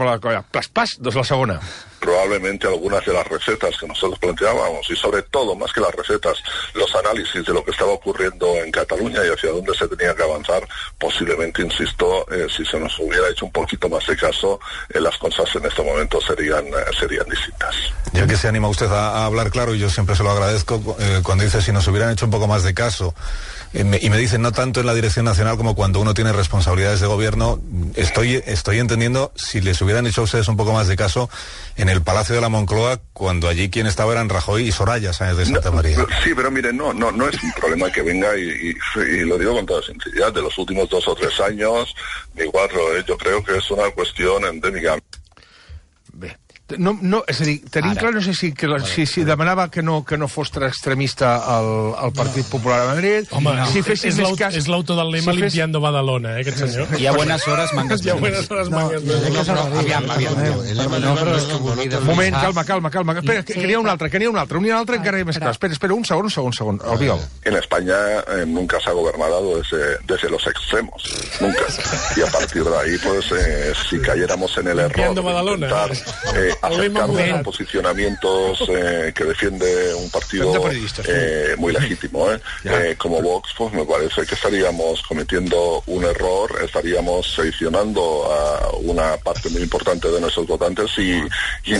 pas, doncs la segona. Probablemente algunas de las recetas que nosotros planteábamos y sobre todo, más que las recetas, los análisis de lo que estaba ocurriendo en Cataluña y hacia dónde se tenía que avanzar, posiblemente, insisto, si se nos hubiera hecho un poquito más de caso, las cosas en este momento serían distintas. Ya que se anima usted a hablar claro, y yo siempre se lo agradezco, cuando dice si nos hubieran hecho un poco más de caso, y me dicen no tanto en la dirección nacional como cuando uno tiene responsabilidades de gobierno, estoy entendiendo si les hubieran hecho a ustedes un poco más de caso en el Palacio de la Moncloa, cuando allí quien estaba eran Rajoy y Soraya Sáenz de Santa María. Sí, pero mire, no es un problema que venga, y lo digo con toda sinceridad, de los últimos 2 o 3 años, ni 4, yo creo que es una cuestión endèmica. Bé. No, és a dir, tenim clar, no sé si demanava que no fos extremista el Partit Popular de Madrid. Home, és l'autor del lema Limpiando Badalona, aquest senyor. Hi ha buenas horas, mangas verdes. Un moment, calma. Espera, que n'hi ha un altre encara hi ha més clar. Espera, un segon, Albiol. En España nunca se ha gobernado desde los extremos, nunca. Y a partir de ahí, pues, si cayéramos en el error de intentar acercarnos a posicionamientos que defiende un partido muy legítimo, como Vox, pues me parece que estaríamos cometiendo un error, estaríamos seleccionando a una parte muy importante de nuestros votantes y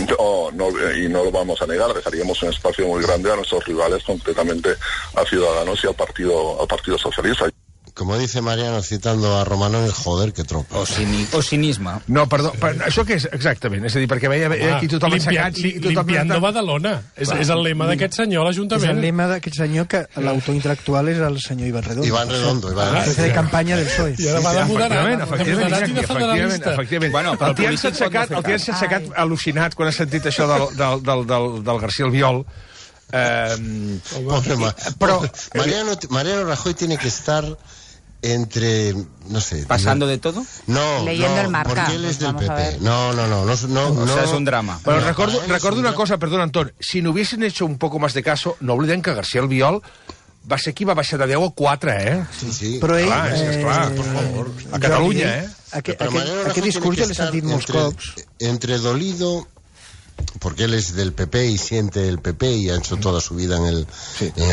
no lo vamos a negar, dejaríamos un espacio muy grande a nuestros rivales, concretamente a Ciudadanos y al Partido Socialista. Como dice Mariano, citando a Romano, el joder que tropa. O cinisme. No, perdó, això què és exactament? És a dir, perquè veia aquí tothom assecat... Limpiando Badalona. És el lema d'aquest senyor a l'Ajuntament. És el lema d'aquest senyor, que l'autor intel·lectual és el senyor Iván Redondo. Iván Redondo. Jefe de campanya del PSOE. I ara va de moderat i de federalista. Efectivament. El tia s'ha aixecat al·lucinat quan ha sentit això del García Albiol. Pero Mariano Rajoy tiene que estar entre, no sé... ¿Pasando de todo? No, leyendo el Marca. Porque él es del PP. No, o sea, es un drama. Pero recuerdo una cosa, perdón, Antón. Si no hubiesen hecho un poco más de caso, no oblidem que García Albiol va ser qui va baixar de 10 a 4, Sí. Però ell... Clar, per favor. A Catalunya, Aquest discurs jo l'he sentit molts cops. Entre dolido... porque él es del PP y siente el PP y ha hecho toda su vida en el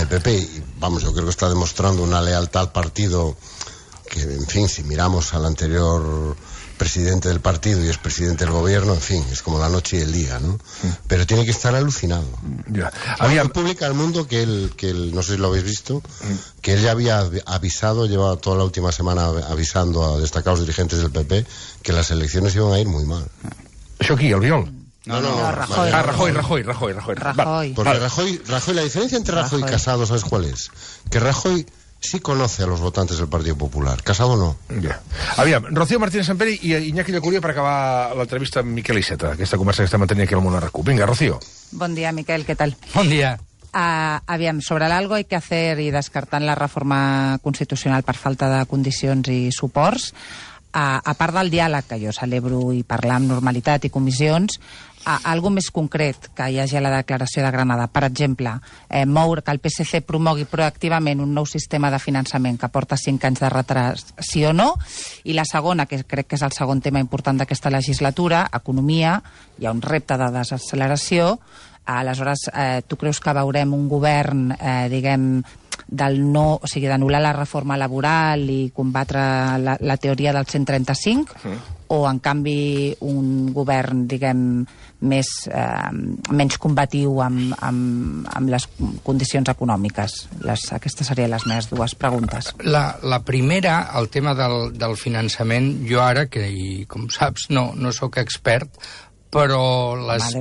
PP, y vamos, yo creo que está demostrando una lealtad al partido que, en fin, si miramos al anterior presidente del partido y es presidente del gobierno, en fin, es como la noche y el día, ¿no? Pero tiene que estar alucinado. Publica al mundo que él, no sé si lo habéis visto, que él ya había avisado, llevaba toda la última semana avisando a destacados dirigentes del PP que las elecciones iban a ir muy mal. ¿Això qui, Albiol? No, Rajoy. Porque Rajoy, la diferencia entre Rajoy y Casado, ¿sabes cuál es? Que Rajoy sí conoce a los votantes del Partido Popular, Casado no. Aviam, Rocío Martínez Sampere i Iñaki Llacuria per acabar l'entrevista amb Miquel Iceta, aquesta conversa que estem mantenint aquí al Món RQ. Vinga, Rocío. Bon dia, Miquel, què tal? Bon dia. Aviam, sobre l'algo hay que hacer i descartant la reforma constitucional per falta de condicions i suports, a part del diàleg, que jo celebro, i parlar amb normalitat i comissions, algo més concret que hi hagi a la declaració de Granada. Per exemple, que el PSC promogui proactivament un nou sistema de finançament que porta 5 anys de retras, sí o no? I la segona, que crec que és el segon tema important d'aquesta legislatura, economia, hi ha un repte de desacceleració. Aleshores, tu creus que veurem un govern, diguem, o sigui, d'anul·lar la reforma laboral i combatre la teoria del 135, o en canvi un govern, diguem, menys combatiu amb les condicions econòmiques? Aquestes serien les meves dues preguntes. La primera, el tema del finançament, jo ara, que com saps no sóc expert, però les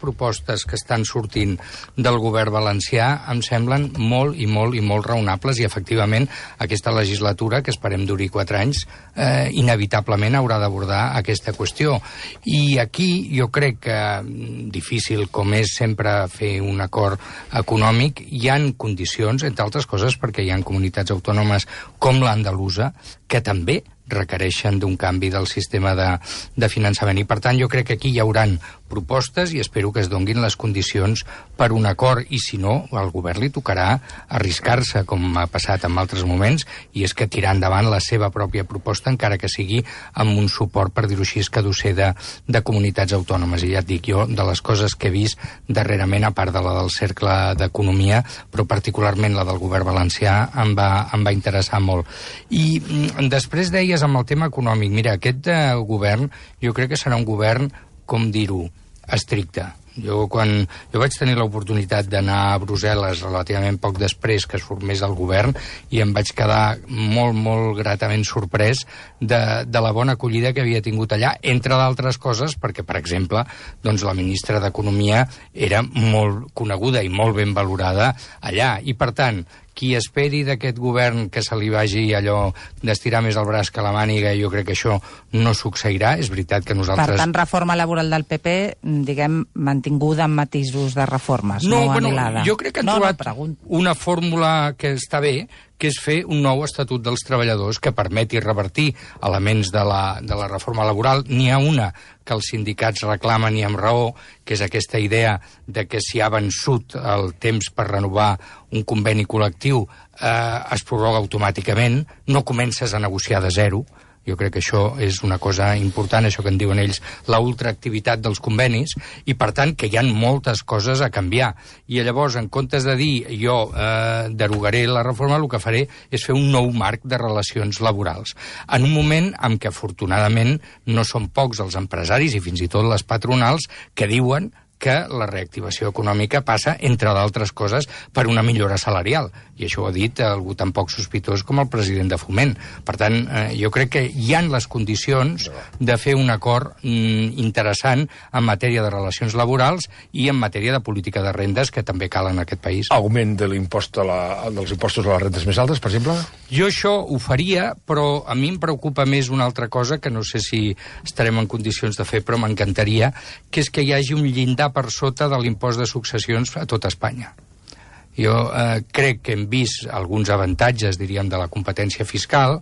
propostes que estan sortint del govern valencià em semblen molt i molt raonables, i efectivament aquesta legislatura, que esperem duri 4 anys, inevitablement haurà d'abordar aquesta qüestió. I aquí jo crec que, difícil com és sempre fer un acord econòmic, hi han condicions, entre altres coses perquè hi ha comunitats autònomes com l'andalusa que també requereixen d'un canvi del sistema de finançament. I, per tant, jo crec que aquí hi hauran propostes i espero que es donguin les condicions per un acord, i si no, al govern li tocarà arriscar-se, com ha passat en altres moments, i és que tirar endavant la seva pròpia proposta, encara que sigui amb un suport, per dir-ho així, escadusser de comunitats autònomes. I ja et dic, jo, de les coses que he vist darrerament, a part de la del Cercle d'Economia, però particularment la del govern valencià, em va interessar molt. I després deies amb el tema econòmic, mira, aquest govern jo crec que serà un govern, com dir-ho, estricte. Jo vaig tenir l'oportunitat d'anar a Brussel·les relativament poc després que es formés el govern i em vaig quedar molt, molt gratament sorprès de la bona acollida que havia tingut allà, entre d'altres coses, perquè, per exemple, doncs la ministra d'Economia era molt coneguda i molt ben valorada allà. I, per tant, qui esperi d'aquest govern que se li vagi allò d'estirar més el braç que la màniga, jo crec que això no succeirà. És veritat que nosaltres... Per tant, reforma laboral del PP, diguem, mantinguda amb matisos de reformes, no anul·lada. Jo crec que han trobat una fórmula que està bé, que és fer un nou estatut dels treballadors que permeti revertir elements de la reforma laboral. N'hi ha una que els sindicats reclamen i amb raó, que és aquesta idea de que si ha vençut el temps per renovar un conveni col·lectiu es prorroga automàticament, no comences a negociar de zero. Jo crec que això és una cosa important, això que en diuen ells, la ultraactivitat dels convenis, i per tant que hi ha moltes coses a canviar. I llavors, en comptes de dir jo derogaré la reforma, el que faré és fer un nou marc de relacions laborals. En un moment en què, afortunadament, no són pocs els empresaris i fins i tot les patronals que diuen que la reactivació econòmica passa, entre d'altres coses, per una millora salarial. I això ho ha dit algú tan poc sospitós com el president de Foment. Per tant, jo crec que hi han les condicions de fer un acord interessant en matèria de relacions laborals i en matèria de política de rendes, que també cal en aquest país. Augment de l'impost dels impostos a les rendes més altes, per exemple? Jo això ho faria, però a mi em preocupa més una altra cosa, que no sé si estarem en condicions de fer, però m'encantaria, que és que hi hagi un llindar per sota de l'impost de successions a tot Espanya. Jo crec que hem vist alguns avantatges, diríem, de la competència fiscal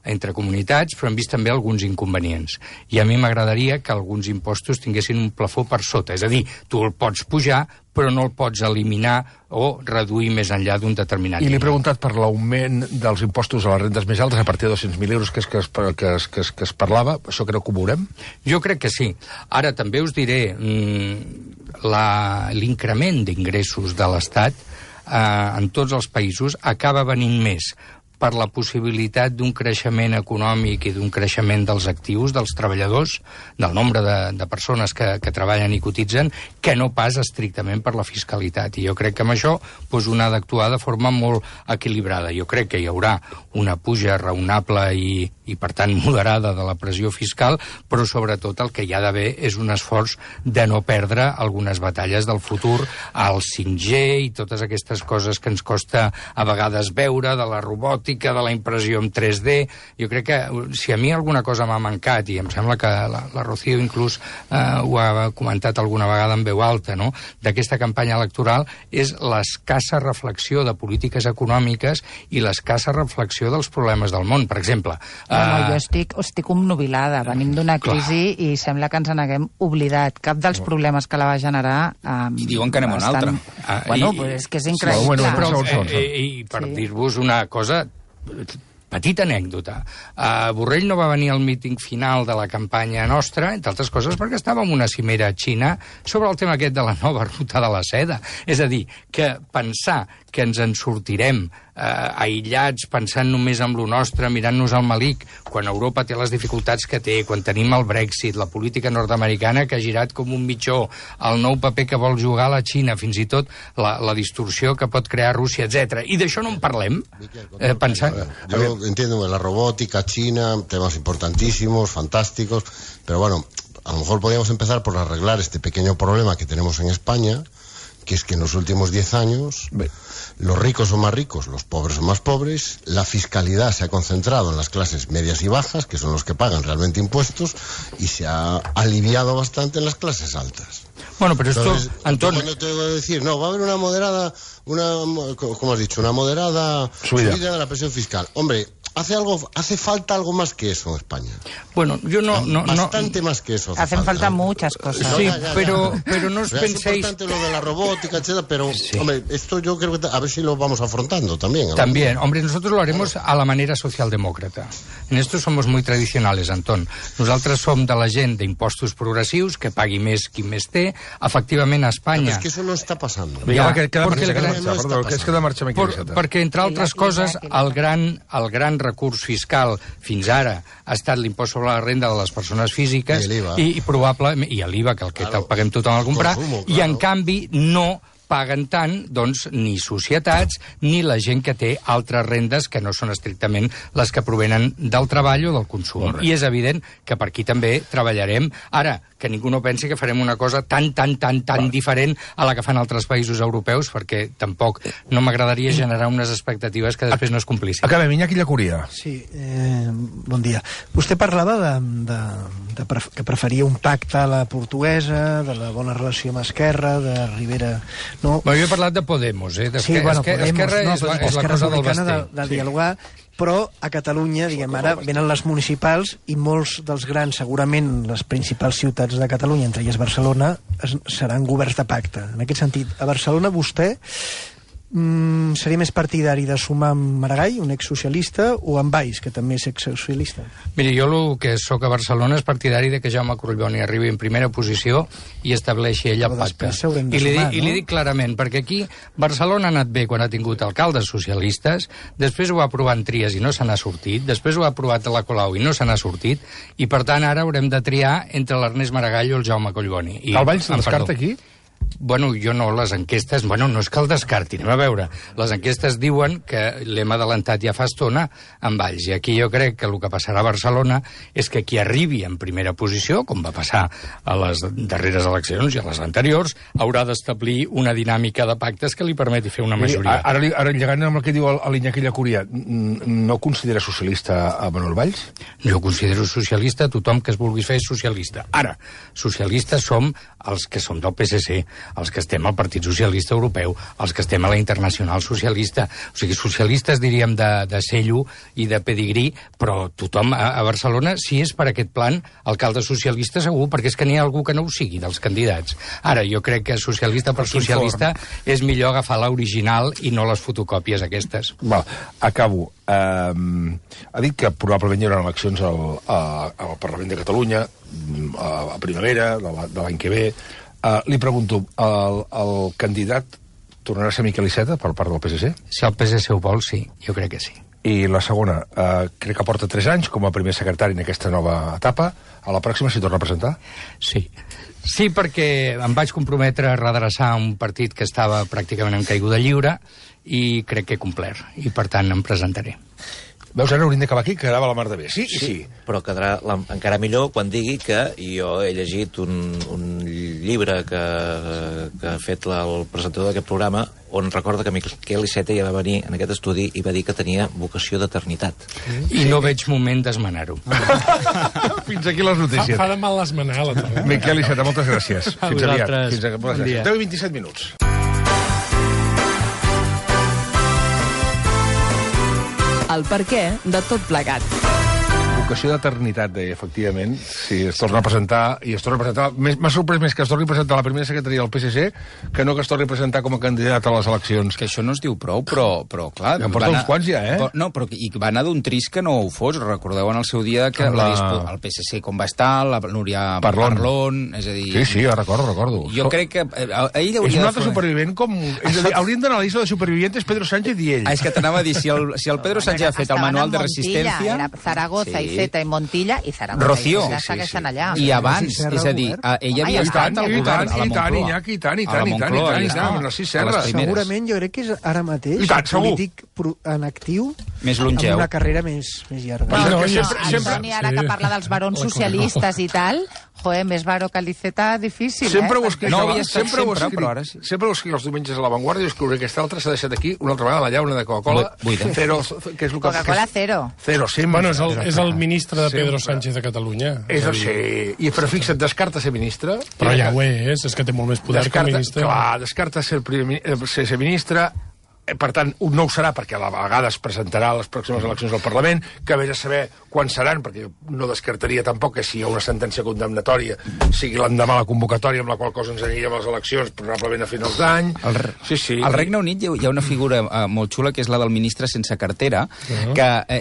entre comunitats, però hem vist també alguns inconvenients. I a mi m'agradaria que alguns impostos tinguessin un plafó per sota. És a dir, tu el pots pujar, però no el pots eliminar o reduir més enllà d'un determinat nivell. I li he preguntat per l'augment dels impostos a les rendes més altes a partir de 200.000 euros que es parlava. Això creu que ho veurem? Jo crec que sí. Ara també us diré, l'increment d'ingressos de l'Estat en tots els països acaba venint més per la possibilitat d'un creixement econòmic i d'un creixement dels actius, dels treballadors, del nombre de persones que treballen i cotitzen, que no pas estrictament per la fiscalitat. I jo crec que amb això un ha d'actuar de forma molt equilibrada. Jo crec que hi haurà una puja raonable i per tant moderada de la pressió fiscal, però sobretot el que hi ha d'haver és un esforç de no perdre algunes batalles del futur, al 5G i totes aquestes coses que ens costa a vegades veure, de la robòtica, de la impressió en 3D. Jo crec que si a mi alguna cosa m'ha mancat, i em sembla que la Rocío inclús ho ha comentat alguna vegada en veu alta, no?, d'aquesta campanya electoral, és l'escassa reflexió de polítiques econòmiques i l'escassa reflexió dels problemes del món. Per exemple... jo estic obnubilada. Venim d'una crisi i sembla que ens n'haguem oblidat. Cap dels problemes que la va generar... I diuen que anem a una altra. Bueno, és que és increïble. I per dir-vos una cosa... Petita anècdota. Borrell no va venir al míting final de la campanya nostra, entre altres coses perquè estava en una cimera a Xina sobre el tema aquest de la nova ruta de la seda. És a dir, que pensar que ens en sortirem aïllats, pensant només en lo nostre, mirant-nos al malic, quan Europa té les dificultats que té, quan tenim el Brexit, la política nord-americana que ha girat com un mitjó, el nou paper que vol jugar a la Xina, fins i tot la distorsió que pot crear Rússia, etc. I d'això no en parlem? Yo entiendo la robótica, China, temas importantísimos, fantásticos, pero bueno, a lo mejor podríamos empezar por arreglar este pequeño problema que tenemos en España, que es que en los últimos 10 años los ricos son más ricos, los pobres son más pobres, la fiscalidad se ha concentrado en las clases medias y bajas, que son los que pagan realmente impuestos, y se ha aliviado bastante en las clases altas. Bueno, pero entonces, esto, Antón... Cuando te voy a decir, no, va a haber una moderada, ¿cómo has dicho? Una moderada subida de la presión fiscal. Hombre, hace falta algo más que eso en España. Bueno, yo bastante más que eso. Hacen falta muchas cosas. Sí, pero no os penséis... Es importante lo de la robótica, etcétera, pero, hombre, esto yo creo que a ver si lo vamos afrontando también. También, hombre, nosotros lo haremos a la manera socialdemòcrata. En esto somos muy tradicionales, Antón. Nosaltres som de la gent d'impostos progressius, que pagui més qui més té. Efectivament, a Espanya... No, és que això no està passant. Perquè, entre altres coses, el gran recurs fiscal fins ara ha estat l'impost sobre la renda de les persones físiques i probablement, i l'IVA, que el que paguem tothom al comprar, i en canvi no paguen tant, doncs, ni societats ni la gent que té altres rendes que no són estrictament les que provenen del treball o del consum. I és evident que per aquí també treballarem. Ara, que ningú no pensi que farem una cosa tan diferent a la que fan altres països europeus, perquè tampoc no m'agradaria generar unes expectatives que després no es complissin. Acabem, Iñaki Llacuria. Sí, bon dia. Vostè parlava que preferia un pacte a la portuguesa, de la bona relació amb Esquerra, de Rivera... No. Jo he parlat de Podemos, Sí, bueno, Esquerra és la cosa del Basté. De dialogar, però a Catalunya, diguem, ara venen les municipals i molts dels grans, segurament les principals ciutats de Catalunya, entre elles Barcelona, seran governs de pacte. En aquest sentit, a Barcelona vostè seria més partidari de sumar amb Maragall, un exsocialista, o amb Valls, que també és exsocialista? Miri, jo el que sóc a Barcelona és partidari de que Jaume Collboni arribi en primera posició i estableixi ell el pacte. I li dic clarament, perquè aquí Barcelona ha anat bé quan ha tingut alcaldes socialistes, després ho ha aprovat en Trias i no se n'ha sortit, després ho ha aprovat a la Colau i no se n'ha sortit, i per tant ara haurem de triar entre l'Ernest Maragall o el Jaume Collboni. El Valls se descarta aquí? Bueno, jo no, les enquestes... Bueno, no és que el descarti, anem a veure. Les enquestes diuen que l'hem adelantat ja fa estona amb Valls. I aquí jo crec que el que passarà a Barcelona és que qui arribi en primera posició, com va passar a les darreres eleccions i a les anteriors, haurà d'establir una dinàmica de pactes que li permeti fer una majoria. Ara llegant amb el que diu l'Iñaki Llacuria, no considera socialista a Manuel Valls? Jo considero socialista tothom que es vulgui fer socialista. Ara, socialistes som els que som del PSC, els que estem al Partit Socialista Europeu, els que estem a la Internacional Socialista. O sigui, socialistes, diríem, de cello i de pedigrí, però tothom a Barcelona, si és per aquest plan, alcalde socialista segur, perquè és que n'hi ha algú que no ho sigui, dels candidats. Ara, jo crec que socialista per socialista és millor agafar l'original i no les fotocòpies aquestes. Va, acabo. Ha dit que probablement hi haurà eleccions al Parlament de Catalunya a primavera de l'any que ve. Li pregunto, el candidat tornarà a ser Miquel Iceta per part del PSC? Si el PSC ho vol, sí, jo crec que sí. I la segona, crec que porta 3 anys com a primer secretari en aquesta nova etapa. A la pròxima s'hi torna a presentar? Sí. Sí, perquè em vaig comprometre a redreçar un partit que estava pràcticament en caiguda lliure i crec que he complert, i per tant em presentaré. Veus, ara hauríem d'acabar aquí, que quedava la mar de bé. Sí, però quedarà encara millor quan digui que jo he llegit un llibre que ha fet el presentador d'aquest programa on recorda que Miquel Iceta ja va venir en aquest estudi i va dir que tenia vocació d'eternitat. I no veig moment d'esmenar-ho. Fins aquí les notícies. Fa de mal l'esmenar-la. Miquel Iceta, moltes gràcies. Fins aviat. Bon dia. 10:27 minuts. El perquè de tot plegat. Vocació d'eternitat, deia, efectivament. Sí, es torna a presentar, i es torna a presentar... M'ha sorprès més que es torni a presentar a la primera secretaria del PSC que no que es torni a presentar com a candidat a les eleccions. Que això no es diu prou, però clar... En porta uns quants ja, No, però i va anar d'un trist que no ho fos. Recordeu en el seu dia que el PSC com va estar, la Núria Parlon, és a dir... Sí, recordo. Jo crec que ell hauria... És un altre supervivent com... Haurien d'anar a la llista de supervivientes Pedro Sánchez i ell. És que t'anava a dir, si el Pedro Sánchez ha fet el manual de resistència... Era Zaragoza i Zeta i Montilla i Zaragoza. Rocío. Allà. I abans, és a dir, ella havia estat al govern a la Moncloa. I tant. Segurament jo crec que és ara mateix polític en actiu més longeu, amb una carrera més llarga. El Toni, ara que parla dels barons socialistes i tal, més varo que l'Iceta, difícil, sempre ho escric els diumenges a La Vanguardia i escriuré aquesta altra, s'ha deixat aquí una altra vegada la llauna de Coca-Cola Cero, que és el que... Coca-Cola Cero. Bueno, és el ministre de Pedro Sánchez de Catalunya. Però fixa't, descarta ser ministre. Però ja ho és que té molt més poder que ministre. Clar, descarta ser ministre. Per tant, no ho serà perquè a la vegada es presentarà a les pròximes eleccions al Parlament, que ve a saber quan seran, perquè no descartaria tampoc que si hi ha una sentència condemnatòria sigui l'endemà la convocatòria, amb la qual cosa ens aniríem a les eleccions probablement a finals d'any. Al Regne Unit hi ha una figura molt xula que és la del ministre sense cartera,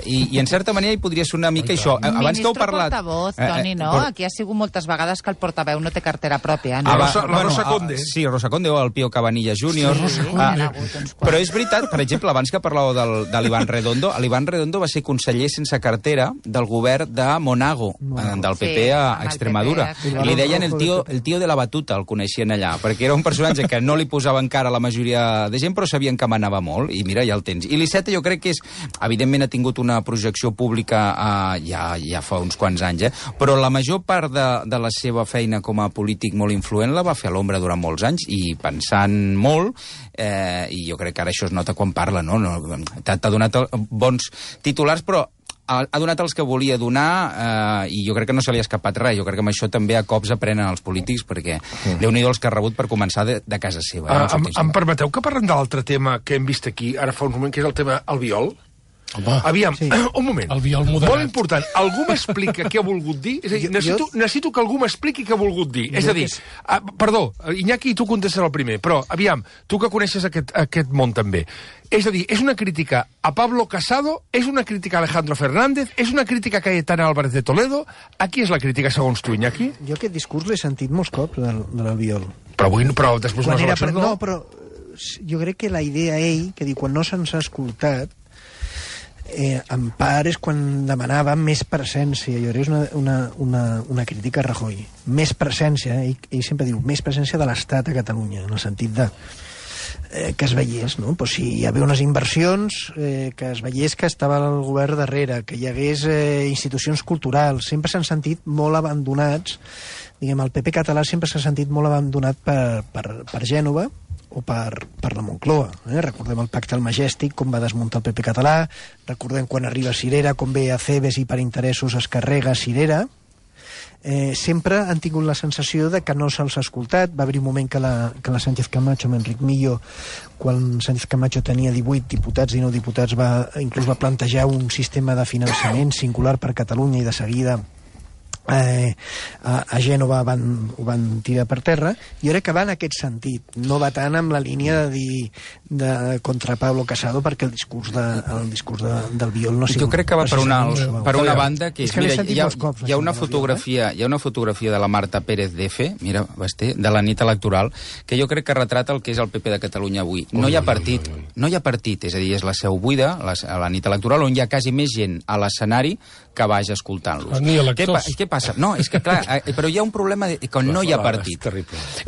i en certa manera hi podria ser una mica això. Ministre portavoz, Toni, no? Aquí ha sigut moltes vegades que el portaveu no té cartera pròpia. La Rosa Conde. Sí, Rosa Conde o el Pío Cabanillas Júnior. Però és veritat, per exemple, abans que parlàveu de l'Ivan Redondo, l'Ivan Redondo va ser conseller sense cartera del govern de Monago, del PP a Extremadura. I li deien el tio de la batuta, el coneixien allà, perquè era un personatge que no li posava encara la majoria de gent, però sabien que manava molt, i mira, ja el tens. I l'Iceta jo crec que evidentment ha tingut una projecció pública ja fa uns quants anys, però la major part de la seva feina com a polític molt influent la va fer a l'ombra durant molts anys, i pensant molt, i jo crec que ara això es nota quan parla, no? T'ha donat bons titulars, però ha donat els que volia donar, i jo crec que no se li ha escapat res. Jo crec que amb això també a cops aprenen els polítics, perquè Déu-n'hi-do els que ha rebut per començar de casa seva. Em permeteu que parlem de l'altre tema que hem vist aquí ara fa un moment, que és el tema Albiol? Aviam, un moment. Molt important. Algú m'explica què ha volgut dir? És a dir, necessito que algú m'expliqui què ha volgut dir. És a dir, perdó, Iñaki, tu contestes el primer, però, aviam, tu que coneixes aquest món també. És a dir, és una crítica a Pablo Casado, és una crítica a Alejandro Fernández, és una crítica a Cayetana Álvarez de Toledo. A qui és la crítica, segons tu, Iñaki? Jo aquest discurs l'he sentit molts cops, de l'Albiol. Però després unes eleccions no. No, però jo crec que la idea ell, que diu, quan no se'ns ha escoltat, en part és quan demanava més presència. Jo crec que és una crítica a Rajoy. Més presència, ell sempre diu, més presència de l'Estat a Catalunya, en el sentit de que es veiés, no? Pues si hi havia unes inversions, que es veiés que estava el govern darrere, que hi hagués institucions culturals. Sempre s'han sentit molt abandonats, diguem, el PP català sempre s'ha sentit molt abandonat per Gènova, o per la Moncloa. Recordem el pacte al Majestic, com va desmuntar el PP català, recordem quan arriba Cirera, com ve a Cebes i per interessos es carrega Cirera. Sempre han tingut la sensació de que no se'ls ha escoltat. Va haver un moment que la Sánchez Camacho, amb Enric Millo, quan Sánchez Camacho tenia 18 diputats, 19 diputats, inclús va plantejar un sistema de finançament singular per Catalunya, i de seguida a Gènova ho van tirar per terra. Jo crec que va en aquest sentit, no va tant amb la línia de dir contra Pablo Casado, perquè el discurs del Biol no ha sigut... Jo crec que va per una banda que és, mira, hi ha una fotografia de la Marta Pérez d'Efe, mira, de la nit electoral, que jo crec que retrata el que és el PP de Catalunya avui. No hi ha partit, és a dir, és la seu buida, a la nit electoral, on hi ha quasi més gent a l'escenari que baix escoltant-los. Què passa? No, és que clar, però hi ha un problema que no hi ha partit.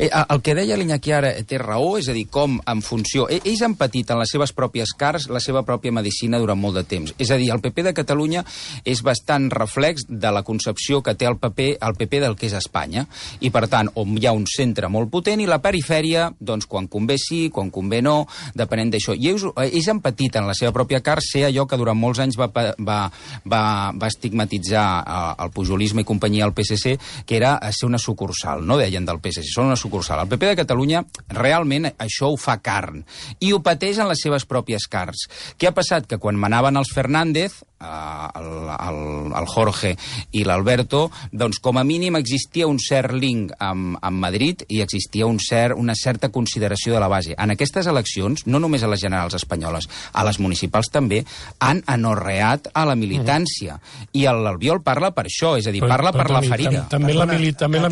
El que deia l'Iñaki ara té raó, és a dir, com en funció... Ells han patit en les seves pròpies carns la seva pròpia medicina durant molt de temps. És a dir, el PP de Catalunya és bastant reflex de la concepció que té el PP del que és Espanya. I, per tant, on hi ha un centre molt potent i la perifèria, doncs, quan convé sí, quan convé no, depenent d'això. I ells han patit en la seva pròpia carn ser allò que durant molts anys va estigmatitzar el pujolisme i companyia al PSC, que era ser una sucursal, no deien del PSC, són una sucursal. El PP de Catalunya realment això ho fa carn, i ho pateix en les seves pròpies carns. Què ha passat? Que quan manaven els Fernández, el Jorge i l'Alberto, doncs com a mínim existia un cert link amb Madrid i existia una certa consideració de la base. En aquestes eleccions, no només a les generals espanyoles, a les municipals també, han anorreat a la militància. I l'Albiol parla per això, és a dir, parla per la ferida. També la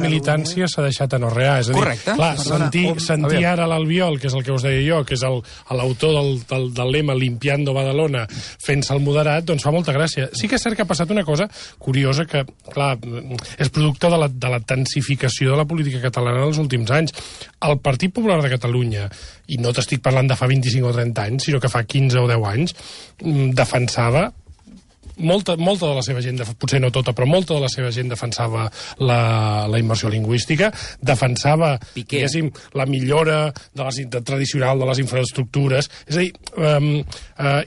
militància s'ha deixat anorrear. És a dir, correcte. Clar, sentir ara l'Albiol, que és el que us deia jo, que és l'autor del lema Limpiando Badalona, fent-se el moderat, doncs fa molta gràcia. Sí que és cert que ha passat una cosa curiosa que, clar, és producte de la tensificació de la política catalana dels últims anys. El Partit Popular de Catalunya, i no t'estic parlant de fa 25 o 30 anys, sinó que fa 15 o 10 anys, defensava molta de la seva gent, potser no tota, però molta de la seva gent defensava la immersió lingüística, defensava, diguéssim, la millora tradicional de les infraestructures, és a dir,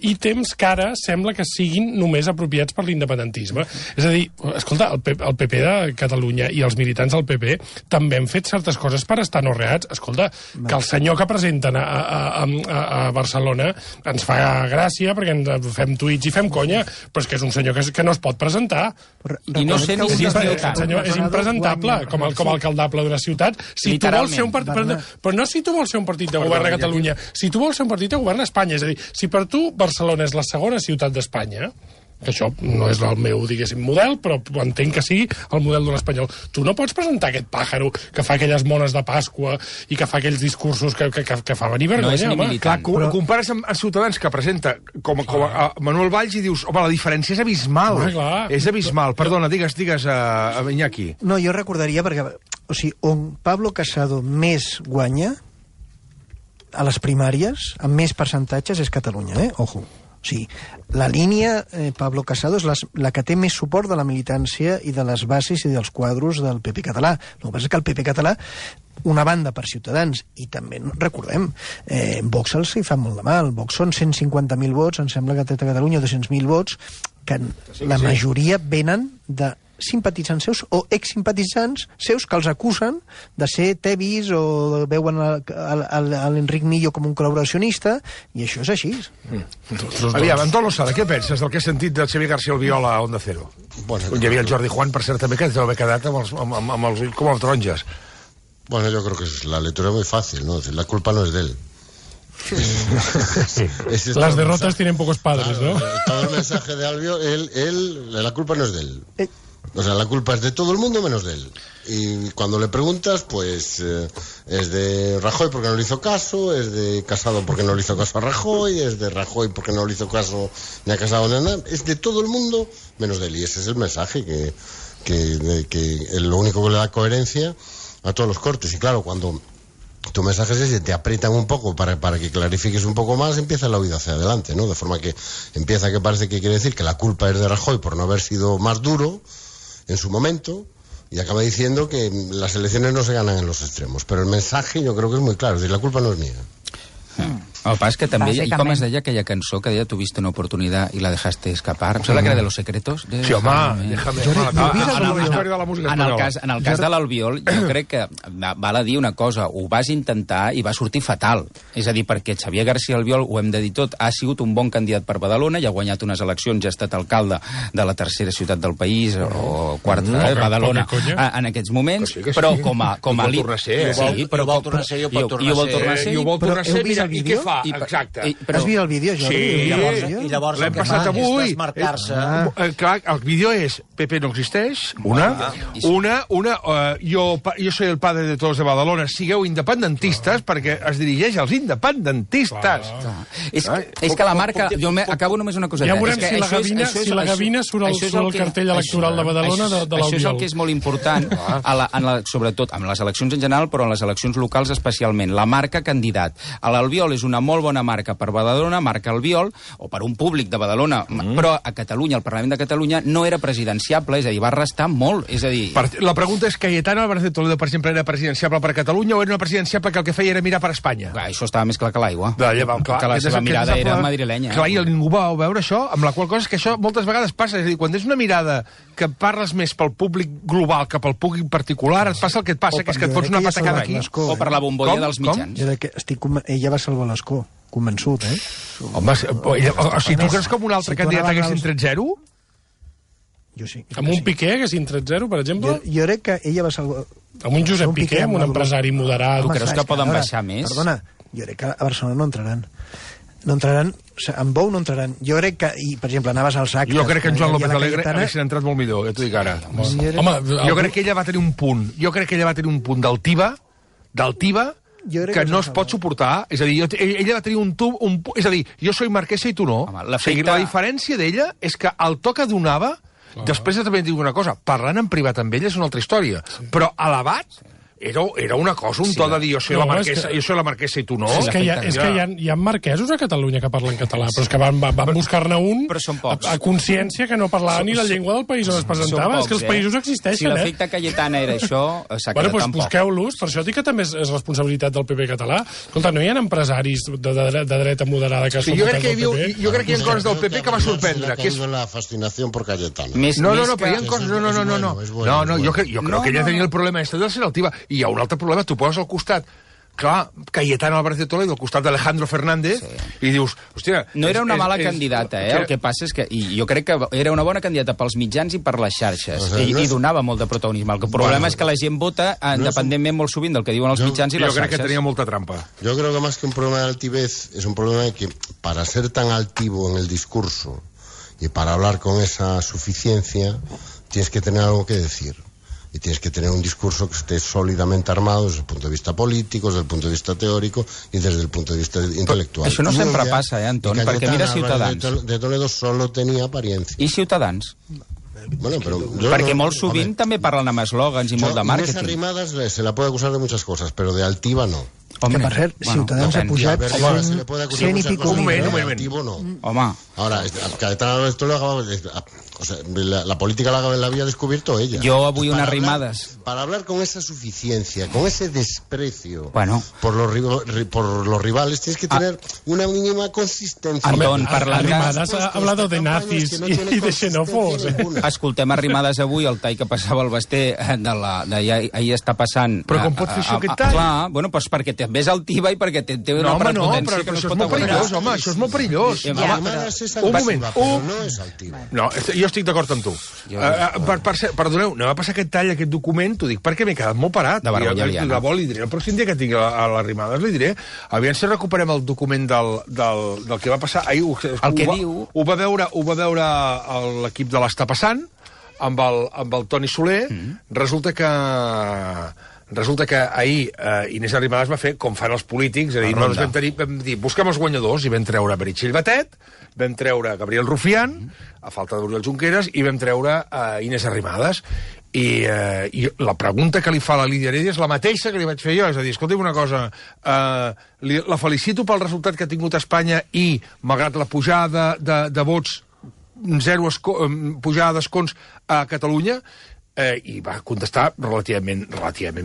ítems que ara sembla que siguin només apropiats per l'independentisme. És a dir, escolta, el PP de Catalunya i els militants del PP també han fet certes coses per estar anorreats. Escolta, que el senyor que presenten a Barcelona ens fa gràcia perquè ens fem tuits i fem conya, però és que és un senyor que no es pot presentar. I no sé ni si és impresentable com alcaldable d'una ciutat. Si tu vols ser un partit... Però no si tu vols ser un partit de govern a Catalunya, si tu vols ser un partit de govern a Espanya. És a dir, si per tu Barcelona és la segona ciutat d'Espanya, que això no és el meu, diguéssim, model, però entenc que sí el model d'un espanyol. Tu no pots presentar aquest pàjaro que fa aquelles mones de Pasqua i que fa aquells discursos que fa venir vergonya, home. Clar, compares amb Ciutadans, que presenta com a Manuel Valls, i dius, home, la diferència és abismal. És abismal. Perdona, digues a Iñaki. No, jo recordaria, perquè, o sigui, on Pablo Casado més guanya a les primàries, amb més percentatges, és Catalunya, Ojo. O sigui, la línia Pablo Casado és la que té més suport de la militància i de les bases i dels quadros del PP català. El que passa és que el PP català, una banda per Ciutadans, i també, recordem, Vox els hi fa molt de mal. Vox són 150.000 vots, em sembla que té a Catalunya 200.000 vots, que la majoria venen de simpatitzants seus o exsimpatitzants seus que els acusen de ser tebis o veuen l'Enric Millo com un col·laboracionista, i això és així. Aviam, Antón Losada, què penses del que he sentit de Xavier García Albiol a Onda Cero? Hi havia el Jordi Juan, per cert, també, que deu haver quedat amb els ulls com els taronges. Bueno, yo creo que la lectura es muy fácil, ¿no? La culpa no es de él. Las derrotas tienen pocos padres, ¿no? Todo el mensaje de Albiol, la culpa no es de él. O sea, la culpa es de todo el mundo menos de él. Y cuando le preguntas, pues es de Rajoy porque no le hizo caso, es de Casado porque no le hizo caso a Rajoy, es de Rajoy porque no le hizo caso ni a Casado ni a nada. Es de todo el mundo menos de él. Y ese es el mensaje que lo único que le da coherencia a todos los cortes. Y claro, cuando tu mensaje es ese, te aprietan un poco para que clarifiques un poco más, empieza la huida hacia adelante, ¿no? De forma que empieza que parece que quiere decir que la culpa es de Rajoy por no haber sido más duro en su momento, y acaba diciendo que las elecciones no se ganan en los extremos. Pero el mensaje yo creo que es muy claro, es decir, la culpa no es mía. El pas que també, i com es deia aquella cançó que deia tuviste una oportunidad y la dejaste escapar? Em sembla que era de Los Secretos. Sí, home, déjame. En el cas de l'Albiol, jo crec que val a dir una cosa, ho vas intentar i va sortir fatal. És a dir, perquè Xavier García Albiol, ho hem de dir tot, ha sigut un bon candidat per Badalona, ja ha guanyat unes eleccions, ja ha estat alcalde de la tercera ciutat del país, o quarta, Badalona, en aquests moments, però com a elit... I ho vol tornar a ser, i ho vol tornar a ser. I ho vol tornar a ser, i què fa? Exacte. Has vist el vídeo, Jordi? Sí. I llavors l'hem passat avui. Clar, el vídeo és PP no existeix, jo soy el padre de todos de Badalona, sigueu independentistes, perquè es dirigeix als independentistes. És que la marca... Jo acabo només una coseta. Ja veurem si la Gavina surt al cartell electoral de Badalona de l'Albiol. Això és el que és molt important, sobretot amb les eleccions en general, però en les eleccions locals especialment. La marca candidat. L'Albiol és una molt bona marca per Badalona, marca Albiol, o per un públic de Badalona, però a Catalunya, al Parlament de Catalunya, no era presidenciable, és a dir, va restar molt, és a dir... La pregunta és, Cayetano Álvarez de Toledo, per exemple, era presidenciable per Catalunya o era una presidenciable que el que feia era mirar per Espanya? Això estava més clar que l'aigua. Que la seva mirada era madrilenya. Clar, i ningú va veure això, amb la qual cosa és que això moltes vegades passa, és a dir, quan és una mirada que parles més pel públic global que pel públic particular, et passa el que et passa, que és que et fots una patacada aquí. O per la bombolla dels mitjans. Ella va salvar l'escó. Convençut, Home, o sigui, tu creus que amb un altre candidat haguessin tret 0? Jo sí. Amb un Piqué haguessin tret 0, per exemple? Jo crec que ella va salvar... Amb un Josep Piqué, amb un empresari moderat. Tu creus que poden baixar més? Perdona, jo crec que a Barcelona no entraran. No entraran, amb Bou no entraran. Jo crec que, per exemple, anaves als actes... Jo crec que en Joan López Alegre haguessin entrat molt millor, ja t'ho dic ara. Jo crec que ella va tenir un punt. Jo crec que ella va tenir un punt d'altiva, que no es pot suportar. És a dir, ella va tenir és a dir, jo soy marquesa i tu no. La diferència d'ella és que el to que donava, després també et dic una cosa, parlant en privat amb ella és una altra història, però elevat era una cosa, un to de dir jo soy la marquesa i tu no. És que hi ha marquesos a Catalunya que parlen català, però és que van buscar-ne un a consciència que no parlava ni la llengua del país on es presentava. És que els països existeixen, Si l'efecte Cayetana era això, s'ha quedat tampoc. Busqueu-los, per això dic que també és responsabilitat del PP català. Escolta, no hi ha empresaris de dreta moderada que són votats del PP? Jo crec que hi ha coses del PP que va sorprendre. Que és la fascinació per Cayetano. No, però hi ha coses... No, jo crec que ella tenia el problema de ser altiva. I hi ha un altre problema, tu poses al costat, clar, Cayetano Álvarez de Toledo, al costat d'Alejandro Fernández, i dius, hòstia... No era una mala candidata, el que passa és que... I jo crec que era una bona candidata pels mitjans i per les xarxes, i donava molt de protagonisme. El problema és que la gent vota independentment molt sovint del que diuen els mitjans i les xarxes. Jo crec que tenia molta trampa. Yo creo que más que un problema de altivez, es un problema de que para ser tan altivo en el discurso Y para hablar con esa suficiencia tienes que tener algo que decir. Y tienes que tener un discurso que esté sólidamente armado desde el punto de vista político, desde el punto de vista teórico i des del punt de vista intel·lectual. Això no sempre passa, Anton, perquè mira Ciutadans. De Toledo solo tenía apariencia. I Ciutadans? Bueno, pero perquè molt sovint també parlen amb eslògans i molt de màrqueting. Inés Arrimadas se la puede acusar de muchas cosas, pero de altiva no. Que per cert, Ciutadans ha pujat 100 i pico mil. Home. Ahora, Cayetana Álvarez Toledo, o sea, la política la había descubierto ella. Yo avui unas rimadas. Para hablar con esa suficiencia, con ese desprecio por los rivales, tienes que tener una mínima consistencia. Anton, Arrimadas ha hablado de nazis y de xenòfobs. Escoltem Arrimadas avui, el tall que passava al Basté, ahir està passant... Però com pot fer això aquest tall? Clar, bueno, doncs perquè també és altiva i perquè té una prepotència que no es pot aguantar. Home, això és molt perillós. Un moment. No és altiva. No, jo estic d'acord amb tu. Perdoneu, no va passar aquest tall, aquest document, t'ho dic perquè m'he quedat molt parat. De vergonya aliena. Li diré el pròxim dia que tingui a les Arrimadas, li diré, aviam si recuperem el document del que va passar. Ahir el que diu... Ho va veure l'equip de l'Està Passant, amb el Toni Soler. Resulta que ahir Inés Arrimadas va fer com fan els polítics, és a dir, vam dir, busquem els guanyadors, i vam treure Meritxell Batet, vam treure Gabriel Rufián, a falta d'Oriol Junqueras, i vam treure Inés Arrimadas. I la pregunta que li fa a la Lídia Heredia és la mateixa que li vaig fer jo, és a dir, escolta'm una cosa, la felicito pel resultat que ha tingut Espanya i, malgrat la pujada de vots, zero pujada d'escons a Catalunya, i va contestar relativament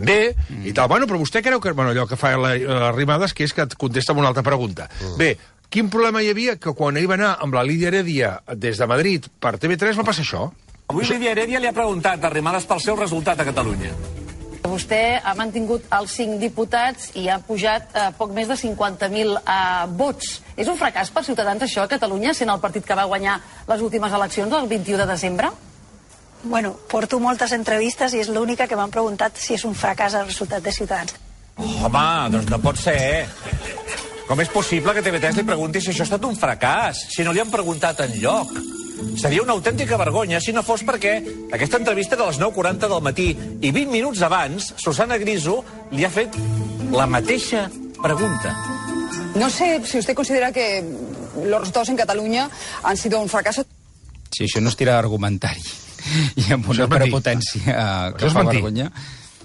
bé i tal. Bueno, però vostè creu que... Bueno, allò que fa les Arrimadas, que és que et contesta amb una altra pregunta. Bé, quin problema hi havia que quan ell va anar amb la Lídia Heredia des de Madrid per TV3 va passar això? Avui Lídia Heredia li ha preguntat a Arrimadas pel seu resultat a Catalunya. Vostè ha mantingut els 5 diputats i ha pujat poc més de 50.000 vots. És un fracàs per Ciutadans això a Catalunya, sent el partit que va guanyar les últimes eleccions el 21 de desembre? Bueno, porto moltes entrevistes i és l'única que m'han preguntat si és un fracàs el resultat de Ciutadans. Home, doncs no pot ser. Com és possible que TV3 li pregunti si això ha estat un fracàs, si no li han preguntat enlloc? Seria una autèntica vergonya si no fos perquè aquesta entrevista de les 9:40 del matí i 20 minuts abans, Susana Griso li ha fet la mateixa pregunta. No sé si usted considera que los resultados en Cataluña han sido un fracaso. Sí, això no es tira d'argumentari. I amb una prepotència que fa vergonya.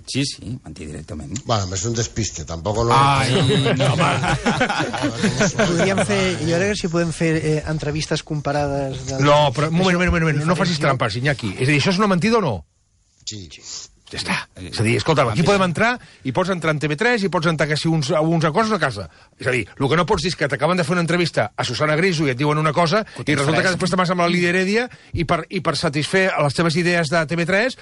Sí, mentir directament. Bueno, és un despiste, tampoc no... Ai, no, home. Podríem fer... Jo crec que si podem fer entrevistes comparades... No, però un moment, no facis trampes, Iñaki. És a dir, això és una mentida o no? Sí. Ja està. És a dir, escolta'm, aquí podem entrar i pots entrar en TV3 i pots entrar quasi uns acords a casa. És a dir, el que no pots dir és que t'acaben de fer una entrevista a Susana Griso i et diuen una cosa i resulta que després te vas amb la Lídia Heredia i per satisfer les teves idees de TV3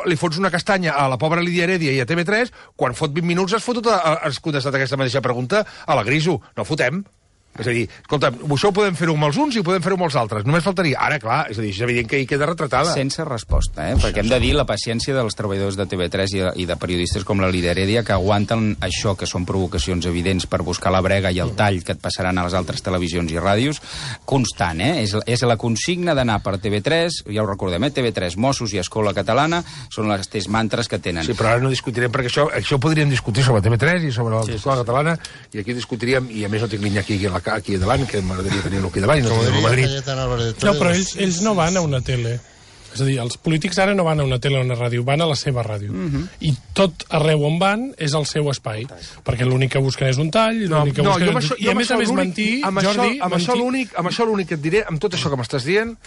li fots una castanya a la pobra Lídia Heredia i a TV3 quan fot 20 minuts has contestat aquesta mateixa pregunta a la Griso. No fotem. És a dir, escolta, això ho podem fer-ho amb els uns i ho podem fer-ho amb els altres. Només faltaria. Ara, clar, és a dir, és evident que hi queda retratada. Sense resposta, perquè hem de dir la paciència dels treballadors de TV3 i de periodistes com la Lídia Heredia que aguanten això, que són provocacions evidents per buscar la brega i el tall que et passaran a les altres televisions i ràdios, constant, És la consigna d'anar per TV3, ja ho recordem, TV3, Mossos i Escola Catalana, són les tres mantres que tenen. Sí, però ara no discutirem, perquè això podríem discutir sobre TV3 i sobre l'Escola Catalana, i aquí discutiríem, i a més no tinc l'Iñaki aquí davant, que m'agradaria tenir-lo aquí davant i no tenir-lo a Madrid. No, però ells no van a una tele. És a dir, els polítics ara no van a una tele o una ràdio, van a la seva ràdio. I tot arreu on van és el seu espai. Perquè l'únic que busquen és un tall, l'únic que busquen... I a més mentir, Jordi... Amb això l'únic que et diré, amb tot això que m'estàs dient,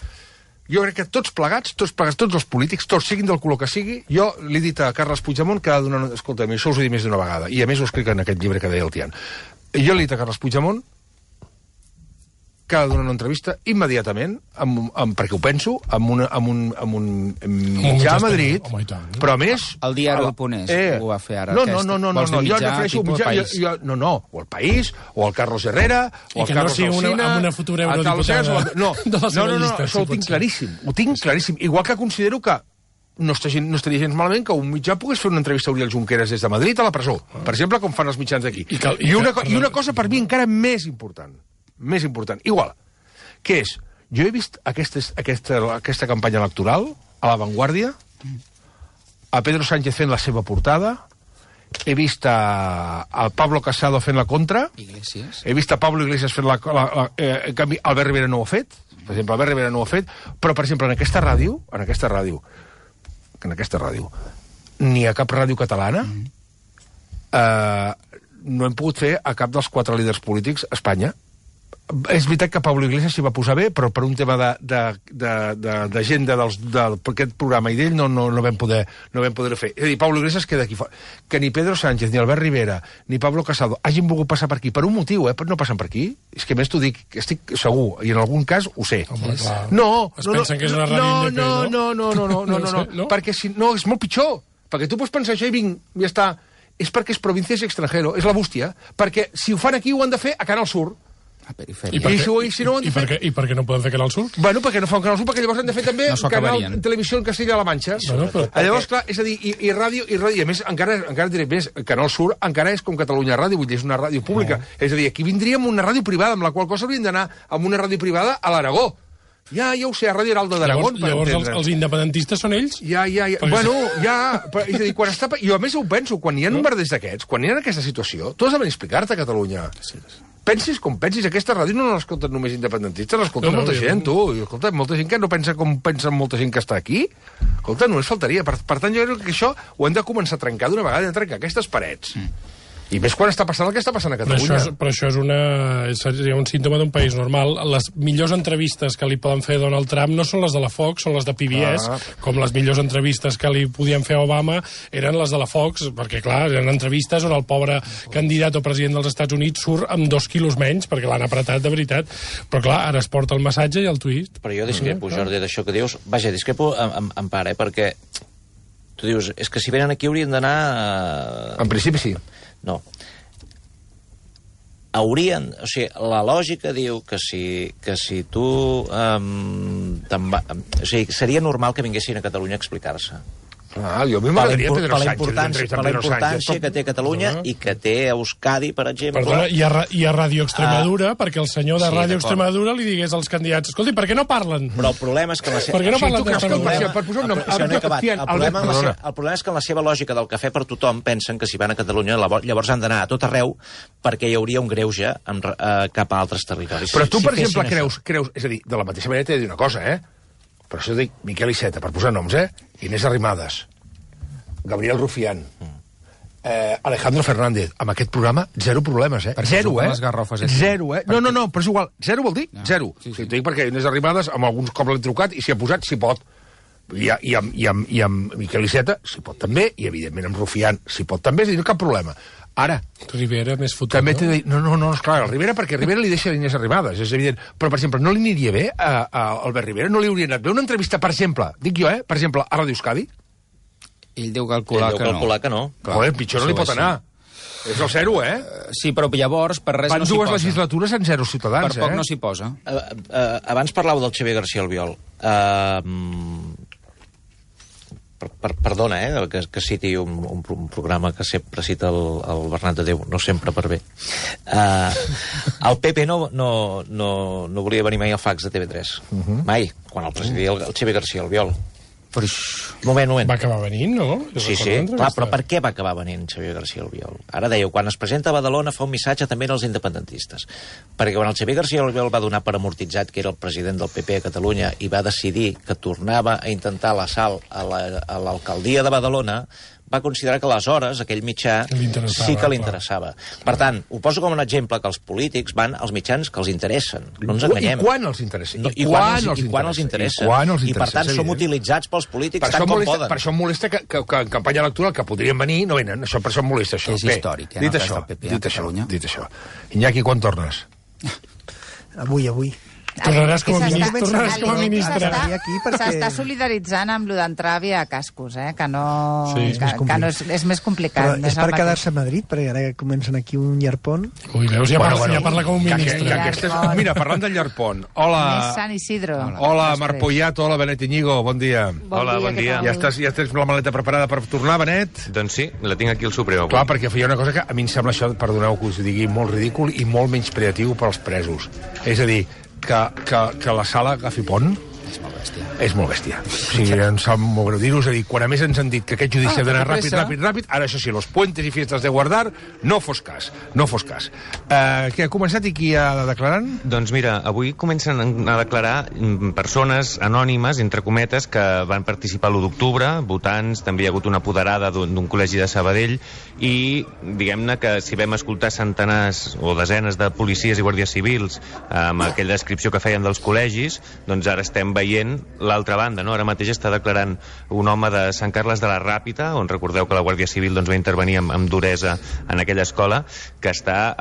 jo crec que tots plegats, tots els polítics, tots siguin del color que sigui, jo li he dit a Carles Puigdemont que ha de donar... Escolta'm, això us ho he dit més d'una vegada, i a més ho escric en aquest llibre que deia el Tian. Jo li he dit a Carles Puigdemont que ha de donar una entrevista immediatament, perquè ho penso, amb un mitjà a Madrid, però a més... El Diari.es ho va fer ara. No, jo refereixo un mitjà... No, o el País, o el Carlos Herrera, o el Carlos Alsina... amb una futura eurodiputada No, això ho tinc claríssim. Igual que considero que no estaria gens malament que un mitjà pogués fer una entrevista a Oriol Junqueras des de Madrid a la presó, per exemple, com fan els mitjans d'aquí. I una cosa per mi encara més important, igual, que és, Jo he vist aquesta campanya electoral a La Vanguardia, a Pedro Sánchez fent la seva portada, he vist a Pablo Casado fent la contra, Iglesias. He vist a Pablo Iglesias fent en canvi, Albert Rivera no ho ha fet, per exemple, Albert Rivera no ho ha fet, però, per exemple, en aquesta ràdio, ni a cap ràdio catalana, no hem pogut fer a cap dels 4 líders polítics a Espanya. És veritat que Pablo Iglesias s'hi va posar bé, però per un tema d'agenda d'aquest programa i d'ell no vam poder fer. És a dir, Pablo Iglesias queda aquí fora. Que ni Pedro Sánchez, ni Albert Rivera, ni Pablo Casado hagin volgut passar per aquí per un motiu, no passen per aquí. És que més t'ho dic, estic segur, i en algun cas ho sé. No, pensen que és una ràdio independent. No, perquè no, és molt pitjor. Perquè tu pots pensar això i vinc, ja està. És perquè és província i extranjero, és la bústia. Perquè si ho fan aquí ho han de fer a Canal Sur. I per què no poden fer Canal Sur? Bueno, perquè no fan Canal Sur, perquè llavors han de fer també Canal Televisió en Castilla-La Manxa. Llavors, clar, és a dir, i ràdio, i a més, encara diré més, Canal Sur encara és com Catalunya Ràdio, vull dir, és una ràdio pública. És a dir, aquí vindríem una ràdio privada, amb la qual cosa hauríem d'anar amb una ràdio privada a l'Aragó. Ja ho sé, a Ràdio Heraldo d'Aragó. Llavors els independentistes són ells? Bueno, és a dir, quan està... Jo a més ho penso, quan hi ha bombarders d'aquests, quan hi ha aquesta situació, tu has de venir a explicar-te a Catalunya. Pensis com pensis, aquesta ràdio no l'escolten només independentistes, l'escolten molta gent, tu. Escolta, molta gent que no pensa com pensa molta gent que està aquí. Escolta, només faltaria. Per tant, jo crec que això ho hem de començar a trencar d'una vegada, hem de trencar aquestes parets. I més quan està passant el que està passant a Catalunya. Però això seria un símptoma d'un país normal. Les millors entrevistes que li poden fer Donald Trump no són les de la Fox, són les de PBS, com les millors entrevistes que li podien fer a Obama eren les de la Fox, perquè, clar, eren entrevistes on el pobre candidat o president dels Estats Units surt amb 2 quilos menys, perquè l'han apretat de veritat. Però, clar, ara es porta el massatge i el twist. Però jo discrepo, Jordi, d'això que dius. Vaja, discrepo en part, perquè tu dius, és que si venen aquí haurien d'anar... En principi sí. No. Haurien... O sigui, la lògica diu que si tu... o sigui, seria normal que vinguessin a Catalunya a explicar-se. Jo a mi m'agradaria Pedro Sánchez. Per la importància que té Catalunya i que té Euskadi, per exemple. Perdona, i a Ràdio Extremadura, perquè el senyor de Ràdio Extremadura li digués als candidats, escolti, per què no parlen? Però el problema és que... Per què no parlen d'Extremadura? El problema és que en la seva lògica del cafè per tothom pensen que si van a Catalunya llavors han d'anar a tot arreu perquè hi hauria un greuge cap a altres territoris. Però tu, per exemple, creus... És a dir, de la mateixa manera t'he de dir una cosa, Per això dic Miquel Iceta, per posar noms, Inés Arrimadas, Gabriel Rufián, Alejandro Fernández. Amb aquest programa, 0 problemes, Zero, Zero, No, però és igual. 0 vol dir 0. T'ho dic perquè Inés Arrimadas, amb alguns cops l'he trucat, i s'hi ha posat, s'hi pot. I amb Miquel Iceta s'hi pot també, i evidentment amb Rufián s'hi pot també, és a dir, no cap problema. Ara... Rivera més fotut, també t'he de dir... No, esclar, el Rivera, perquè Rivera li deixa Inés Arrimadas, és evident. Però, per exemple, no li aniria bé a Albert Rivera? No li hauria anat bé una entrevista, per exemple, dic jo, per exemple, a Ràdio Euskadi? Ell deu calcular que no. Joder, pitjor no li pot anar. És el 0, Sí, però llavors per res no s'hi posa. Van 2 legislatures en 0 ciutadans, Per poc no s'hi posa. Abans parlàveu del Xavier García Albiol. Perdona, que citi un programa que sempre cita el Bernat de Déu, no sempre per bé. El PP no volia venir mai al fax de TV3. Mai, quan el presidia el Xavier García Albiol. Moment. Va acabar venint, no? Sí, clar, però per què va acabar venint Xavier García Albiol? Ara dèieu, quan es presenta a Badalona fa un missatge també als independentistes. Perquè quan el Xavier García Albiol va donar per amortitzat que era el president del PP a Catalunya i va decidir que tornava a intentar l'assalt a l'alcaldia de Badalona, va considerar que aleshores aquell mitjà sí que li interessava. Per tant, ho poso com un exemple que els polítics van als mitjans que els interessen. No ens enganyem. I quan els interessen? I quan els interessen. I per tant som utilitzats pels polítics tant com poden. Per això em molesta que en campanya electoral que podrien venir no venen. Per això em molesta això. És històric, Dit això. Iñaki, quan tornes? Avui. Tornaràs com a ministre. S'està solidaritzant amb lo d'entrar via cascos, que no... És més complicat. Però és per quedar-se a Madrid, perquè ara comencen aquí un llarpón. Ui, veus, ja parla com un ministre. Mira, parlant del llarpón. Hola. Sant Isidro. Hola, Marc Poyato, hola, Benet Iñigo, bon dia. Hola, bon dia. Ja tens la maleta preparada per tornar, Benet? Doncs sí, la tinc aquí al Suprem. Clar, perquè feia una cosa que a mi em sembla això, perdoneu que us digui, molt ridícul i molt menys creatiu per als presos. És a dir, que la sala agafi pont és molt bèstia. O sigui, em sap molt greu dir-ho. És a dir, quan a més ens han dit que aquest judici ha d'anar ràpid, ara això sí, los puentes i fiestas de guardar, no fos cas. Què ha començat i qui ha declarant? Doncs mira, avui comencen a declarar persones anònimes, entre cometes, que van participar l'1 d'octubre, votants, també hi ha hagut una apoderada d'un col·legi de Sabadell, i diguem-ne que si vam escoltar centenars o desenes de policies i guàrdies civils amb aquella descripció que feien dels col·legis, doncs ara estem veient l'altra banda, no? Ara mateix està declarant un home de Sant Carles de la Ràpita, on recordeu que la Guàrdia Civil va intervenir amb duresa en aquella escola, que està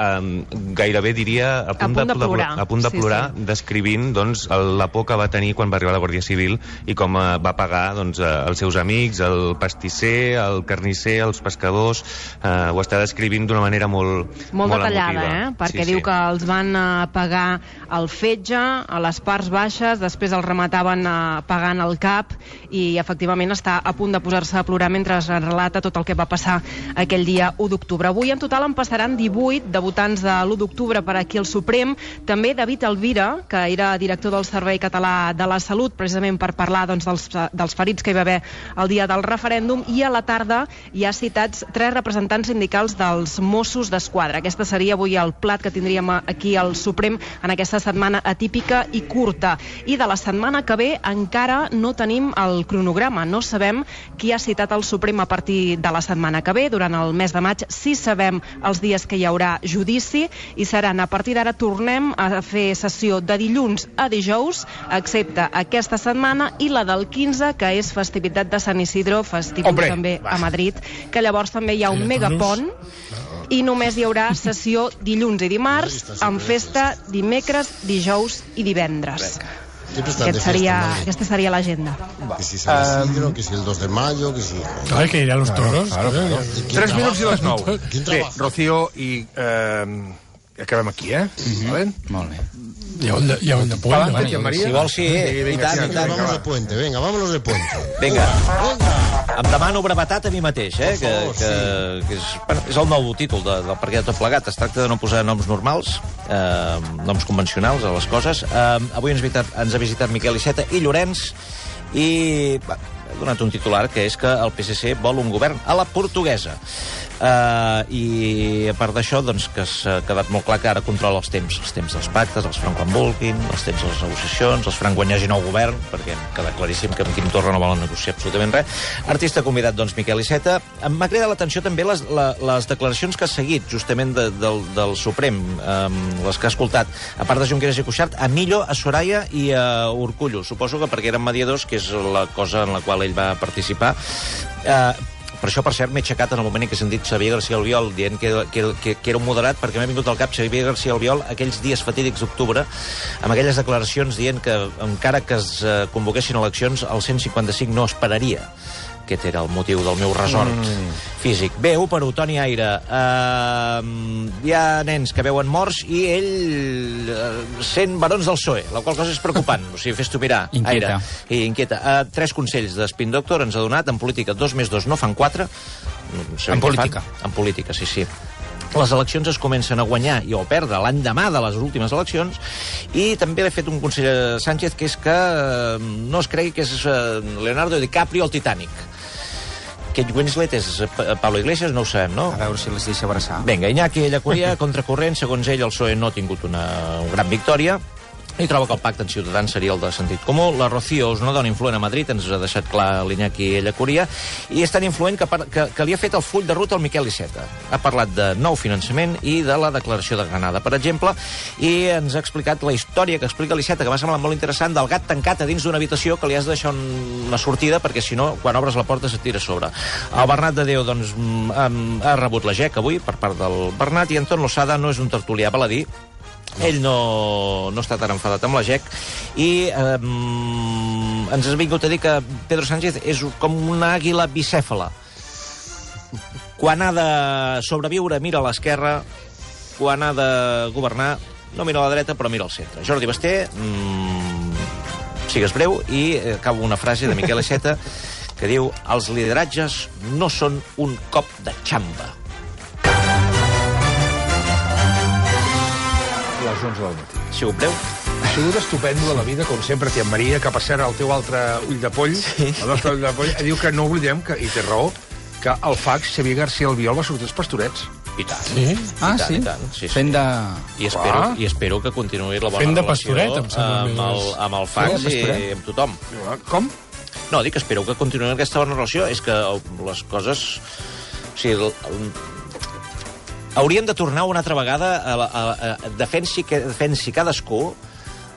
gairebé, diria, a punt de plorar, descrivint la por que va tenir quan va arribar la Guàrdia Civil i com va pagar els seus amics, el pastisser, el carnisser, els pescadors. Ho està descrivint d'una manera molt detallada, perquè diu que els van pagar el fetge a les parts baixes, després el remataven pagant el cap, i efectivament està a punt de posar-se a plorar mentre es relata tot el que va passar aquell dia 1 d'octubre. Avui en total en passaran 18 de votants de l'1 d'octubre per aquí al Suprem, també David Alvira, que era director del Servei Català de la Salut, precisament per parlar dels ferits que hi va haver el dia del referèndum, i a la tarda hi ha citats 3 representants sindicals dels Mossos d'Esquadra. Aquesta seria avui el plat que tindríem aquí al Suprem en aquesta setmana atípica i curta. I de la setmana que ve encara no tenim el cronograma, no sabem qui ha citat al Suprem a partir de la setmana que ve. Durant el mes de maig sí sabem els dies que hi haurà judici, i seran, a partir d'ara tornem a fer sessió de dilluns a dijous, excepte aquesta setmana i la del 15, que és festivitat de Sant Isidro, festiu també a Madrid, que llavors també hi ha un megapont, i només hi haurà sessió dilluns i dimarts, amb festa dimecres, dijous i divendres. Aquesta sería la agenda. Que si San Isidro, que si el 2 de mayo, que si... Ay, que iré a los toros. Claro. 3 minuts i les 9. Bé, Rocío, i acabem aquí, Molt bé. Y aún de puente. Si vols, sí, i tant. Vámonos de puente, venga, vámonos de puente. Vinga. Em demano brevetat a mi mateix, que és el nou títol del perquè de tot plegat. Es tracta de no posar noms normals, noms convencionals a les coses. Avui ens ha visitat Miquel Iceta i Llorenç, i ha donat un titular, que és que el PSC vol un govern a la portuguesa. I a part d'això, que s'ha quedat molt clar que ara controla els temps dels pactes, els faran quan vulguin, els temps de les negociacions, els faran quan hi hagi nou govern, perquè queda claríssim que amb Quim Torra no volen negociar absolutament res. Artista convidat, Miquel Iceta. M'ha cridat l'atenció també les declaracions que ha seguit, justament del Suprem, les que ha escoltat, a part de Junqueras i Cuixart, a Millo, a Soraya i a Urkullu. Suposo que perquè eren mediadors, que és la cosa en la qual ell va participar. Per això, per cert, m'he aixecat en el moment en què he sentit Xavier García Albiol dient que era un moderat, perquè m'ha vingut al cap Xavier García Albiol aquells dies fatídics d'octubre, amb aquelles declaracions dient que encara que es convoquessin eleccions, el 155 no esperaria. Aquest era el motiu del meu resort físic. Bé, 1-1, Toni Aire. Hi ha nens que veuen morts i ell sent barons del PSOE, la qual cosa és preocupant. O sigui, fes-t'ho mirar, Aire. Inquieta. 3 consells de Spin Doctor ens ha donat. En política, 2 més 2 no fan 4. En política? En política, sí. Les eleccions es comencen a guanyar i a perdre l'endemà de les últimes eleccions, i també l'he fet un consell a Sánchez, que és que no es cregui que és Leonardo DiCaprio al Titanic. Kate Winslet és Pablo Iglesias, no ho sabem, no? A veure si les deixa abraçar. Vinga, Iñaki Ellacuría, contracorrent, segons ell, el PSOE no ha tingut una gran victòria, i troba que el pacte en Ciutadans seria el de sentit comú. La Rocío és una dona influent a Madrid, ens ha deixat clar l'Iñaki Ellacuría, i és tan influent que li ha fet el full de ruta al Miquel Iceta. Ha parlat de nou finançament i de la declaració de Granada, per exemple, i ens ha explicat la història que explica l'Iceta, que m'ha semblat molt interessant, del gat tancat a dins d'una habitació que li has de deixar una sortida, perquè si no, quan obres la porta se't tira a sobre. El Bernat de Déu, ha rebut la GEC avui per part del Bernat, i Anton Losada no és un tertulià baladí. Ell no està tan enfadat amb la GEC, i ens ha vingut a dir que Pedro Sánchez és com una àguila bicèfala. Quan ha de sobreviure mira a l'esquerra, quan ha de governar no mira a la dreta però mira al centre. Jordi Basté, sigues breu, i acabo una frase de Miquel Iceta que diu: els lideratges no són un cop de xamba. Les 11 del matí. Ha sigut breu? Ha sigut estupendo de la vida, com sempre, tia Maria, que per cert el teu altre ull de poll, el nostre ull de poll, diu que no oblidem, i té raó, que el fax Xavier García Albiol va sortir als Pastorets. I tant. Sí? I tant. Fent de... I espero que continuï la bona relació amb el fax i amb tothom. Com? No, dic, espero que continuï aquesta bona relació. És que les coses... O sigui, hauríem de tornar una altra vegada a defensi cadascú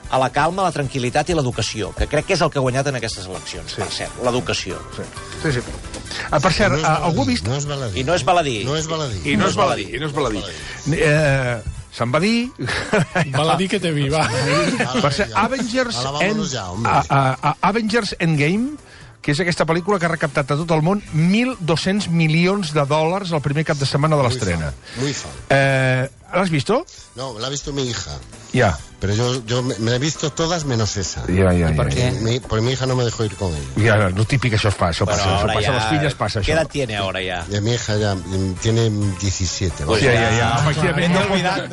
a la calma, la tranquil·litat i l'educació, que crec que és el que ha guanyat en aquestes eleccions, per cert, l'educació. Sí. Per cert, algú ha vist... No és baladí. I no és baladí. I no és baladí. Se'n va dir... Baladí que te vi, va. Per cert, Avengers Endgame, que és aquesta pel·lícula que ha recaptat a tot el món 1.200 milions de dòlars el primer cap de setmana de l'estrena. Muy fan. ¿L'has visto? No, la ha visto mi hija. Ya. Pero yo me he visto todas menos esa. Ya. ¿Por qué? Porque mi hija no me dejó ir con ella. Ya, no típico, eso pasa. Las fillas pasa. ¿Qué edad tiene ahora ya? Mi hija ya tiene 17. Pues ya. Efectivamente.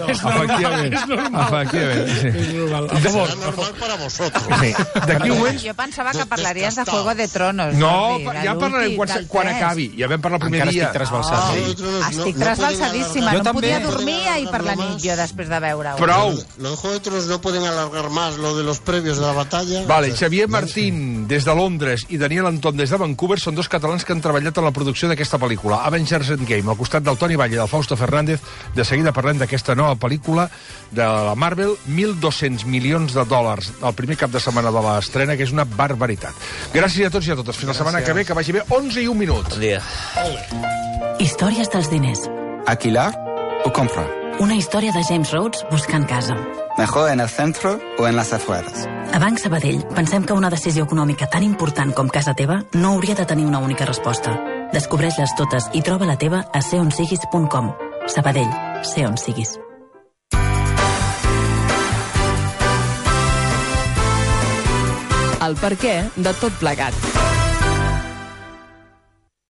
Efectivamente. Será normal para vosotros. D'aquí un moment... Jo pensava que parlaries de Juego de Tronos. No, ja parlarem quan acabi. Ja vam parlar el primer dia. Estic trasbalsadíssima. No podia dormir ahir per la nit jo després de veure-ho. Prou. Los Juegos de Tronos no pueden alargar más lo de los previos de la batalla. Vale, Xavier Martín des de Londres i Daniel Anton des de Vancouver són dos catalans que han treballat en la producció d'aquesta pel·lícula, Avengers Endgame, al costat del Toni Valle i del Fausto Fernández. De seguida parlem d'aquesta nova pel·lícula de la Marvel, 1.200 milions de dòlars el primer cap de setmana de l'estrena, que és una barbaritat. Gràcies a tots i a totes. Fins la setmana que ve, que vagi bé. 11 i 1 minut. Bon dia. Històries dels diners. ¿Alquilar o comprar? Una història de James Rhodes buscant casa. ¿Mejor en el centro o en las afueras? A Banc Sabadell pensem que una decisió econòmica tan important com casa teva no hauria de tenir una única resposta. Descobreix-les totes i troba la teva a seonsiguis.com. Sabadell, sé on siguis. El perquè de tot plegat.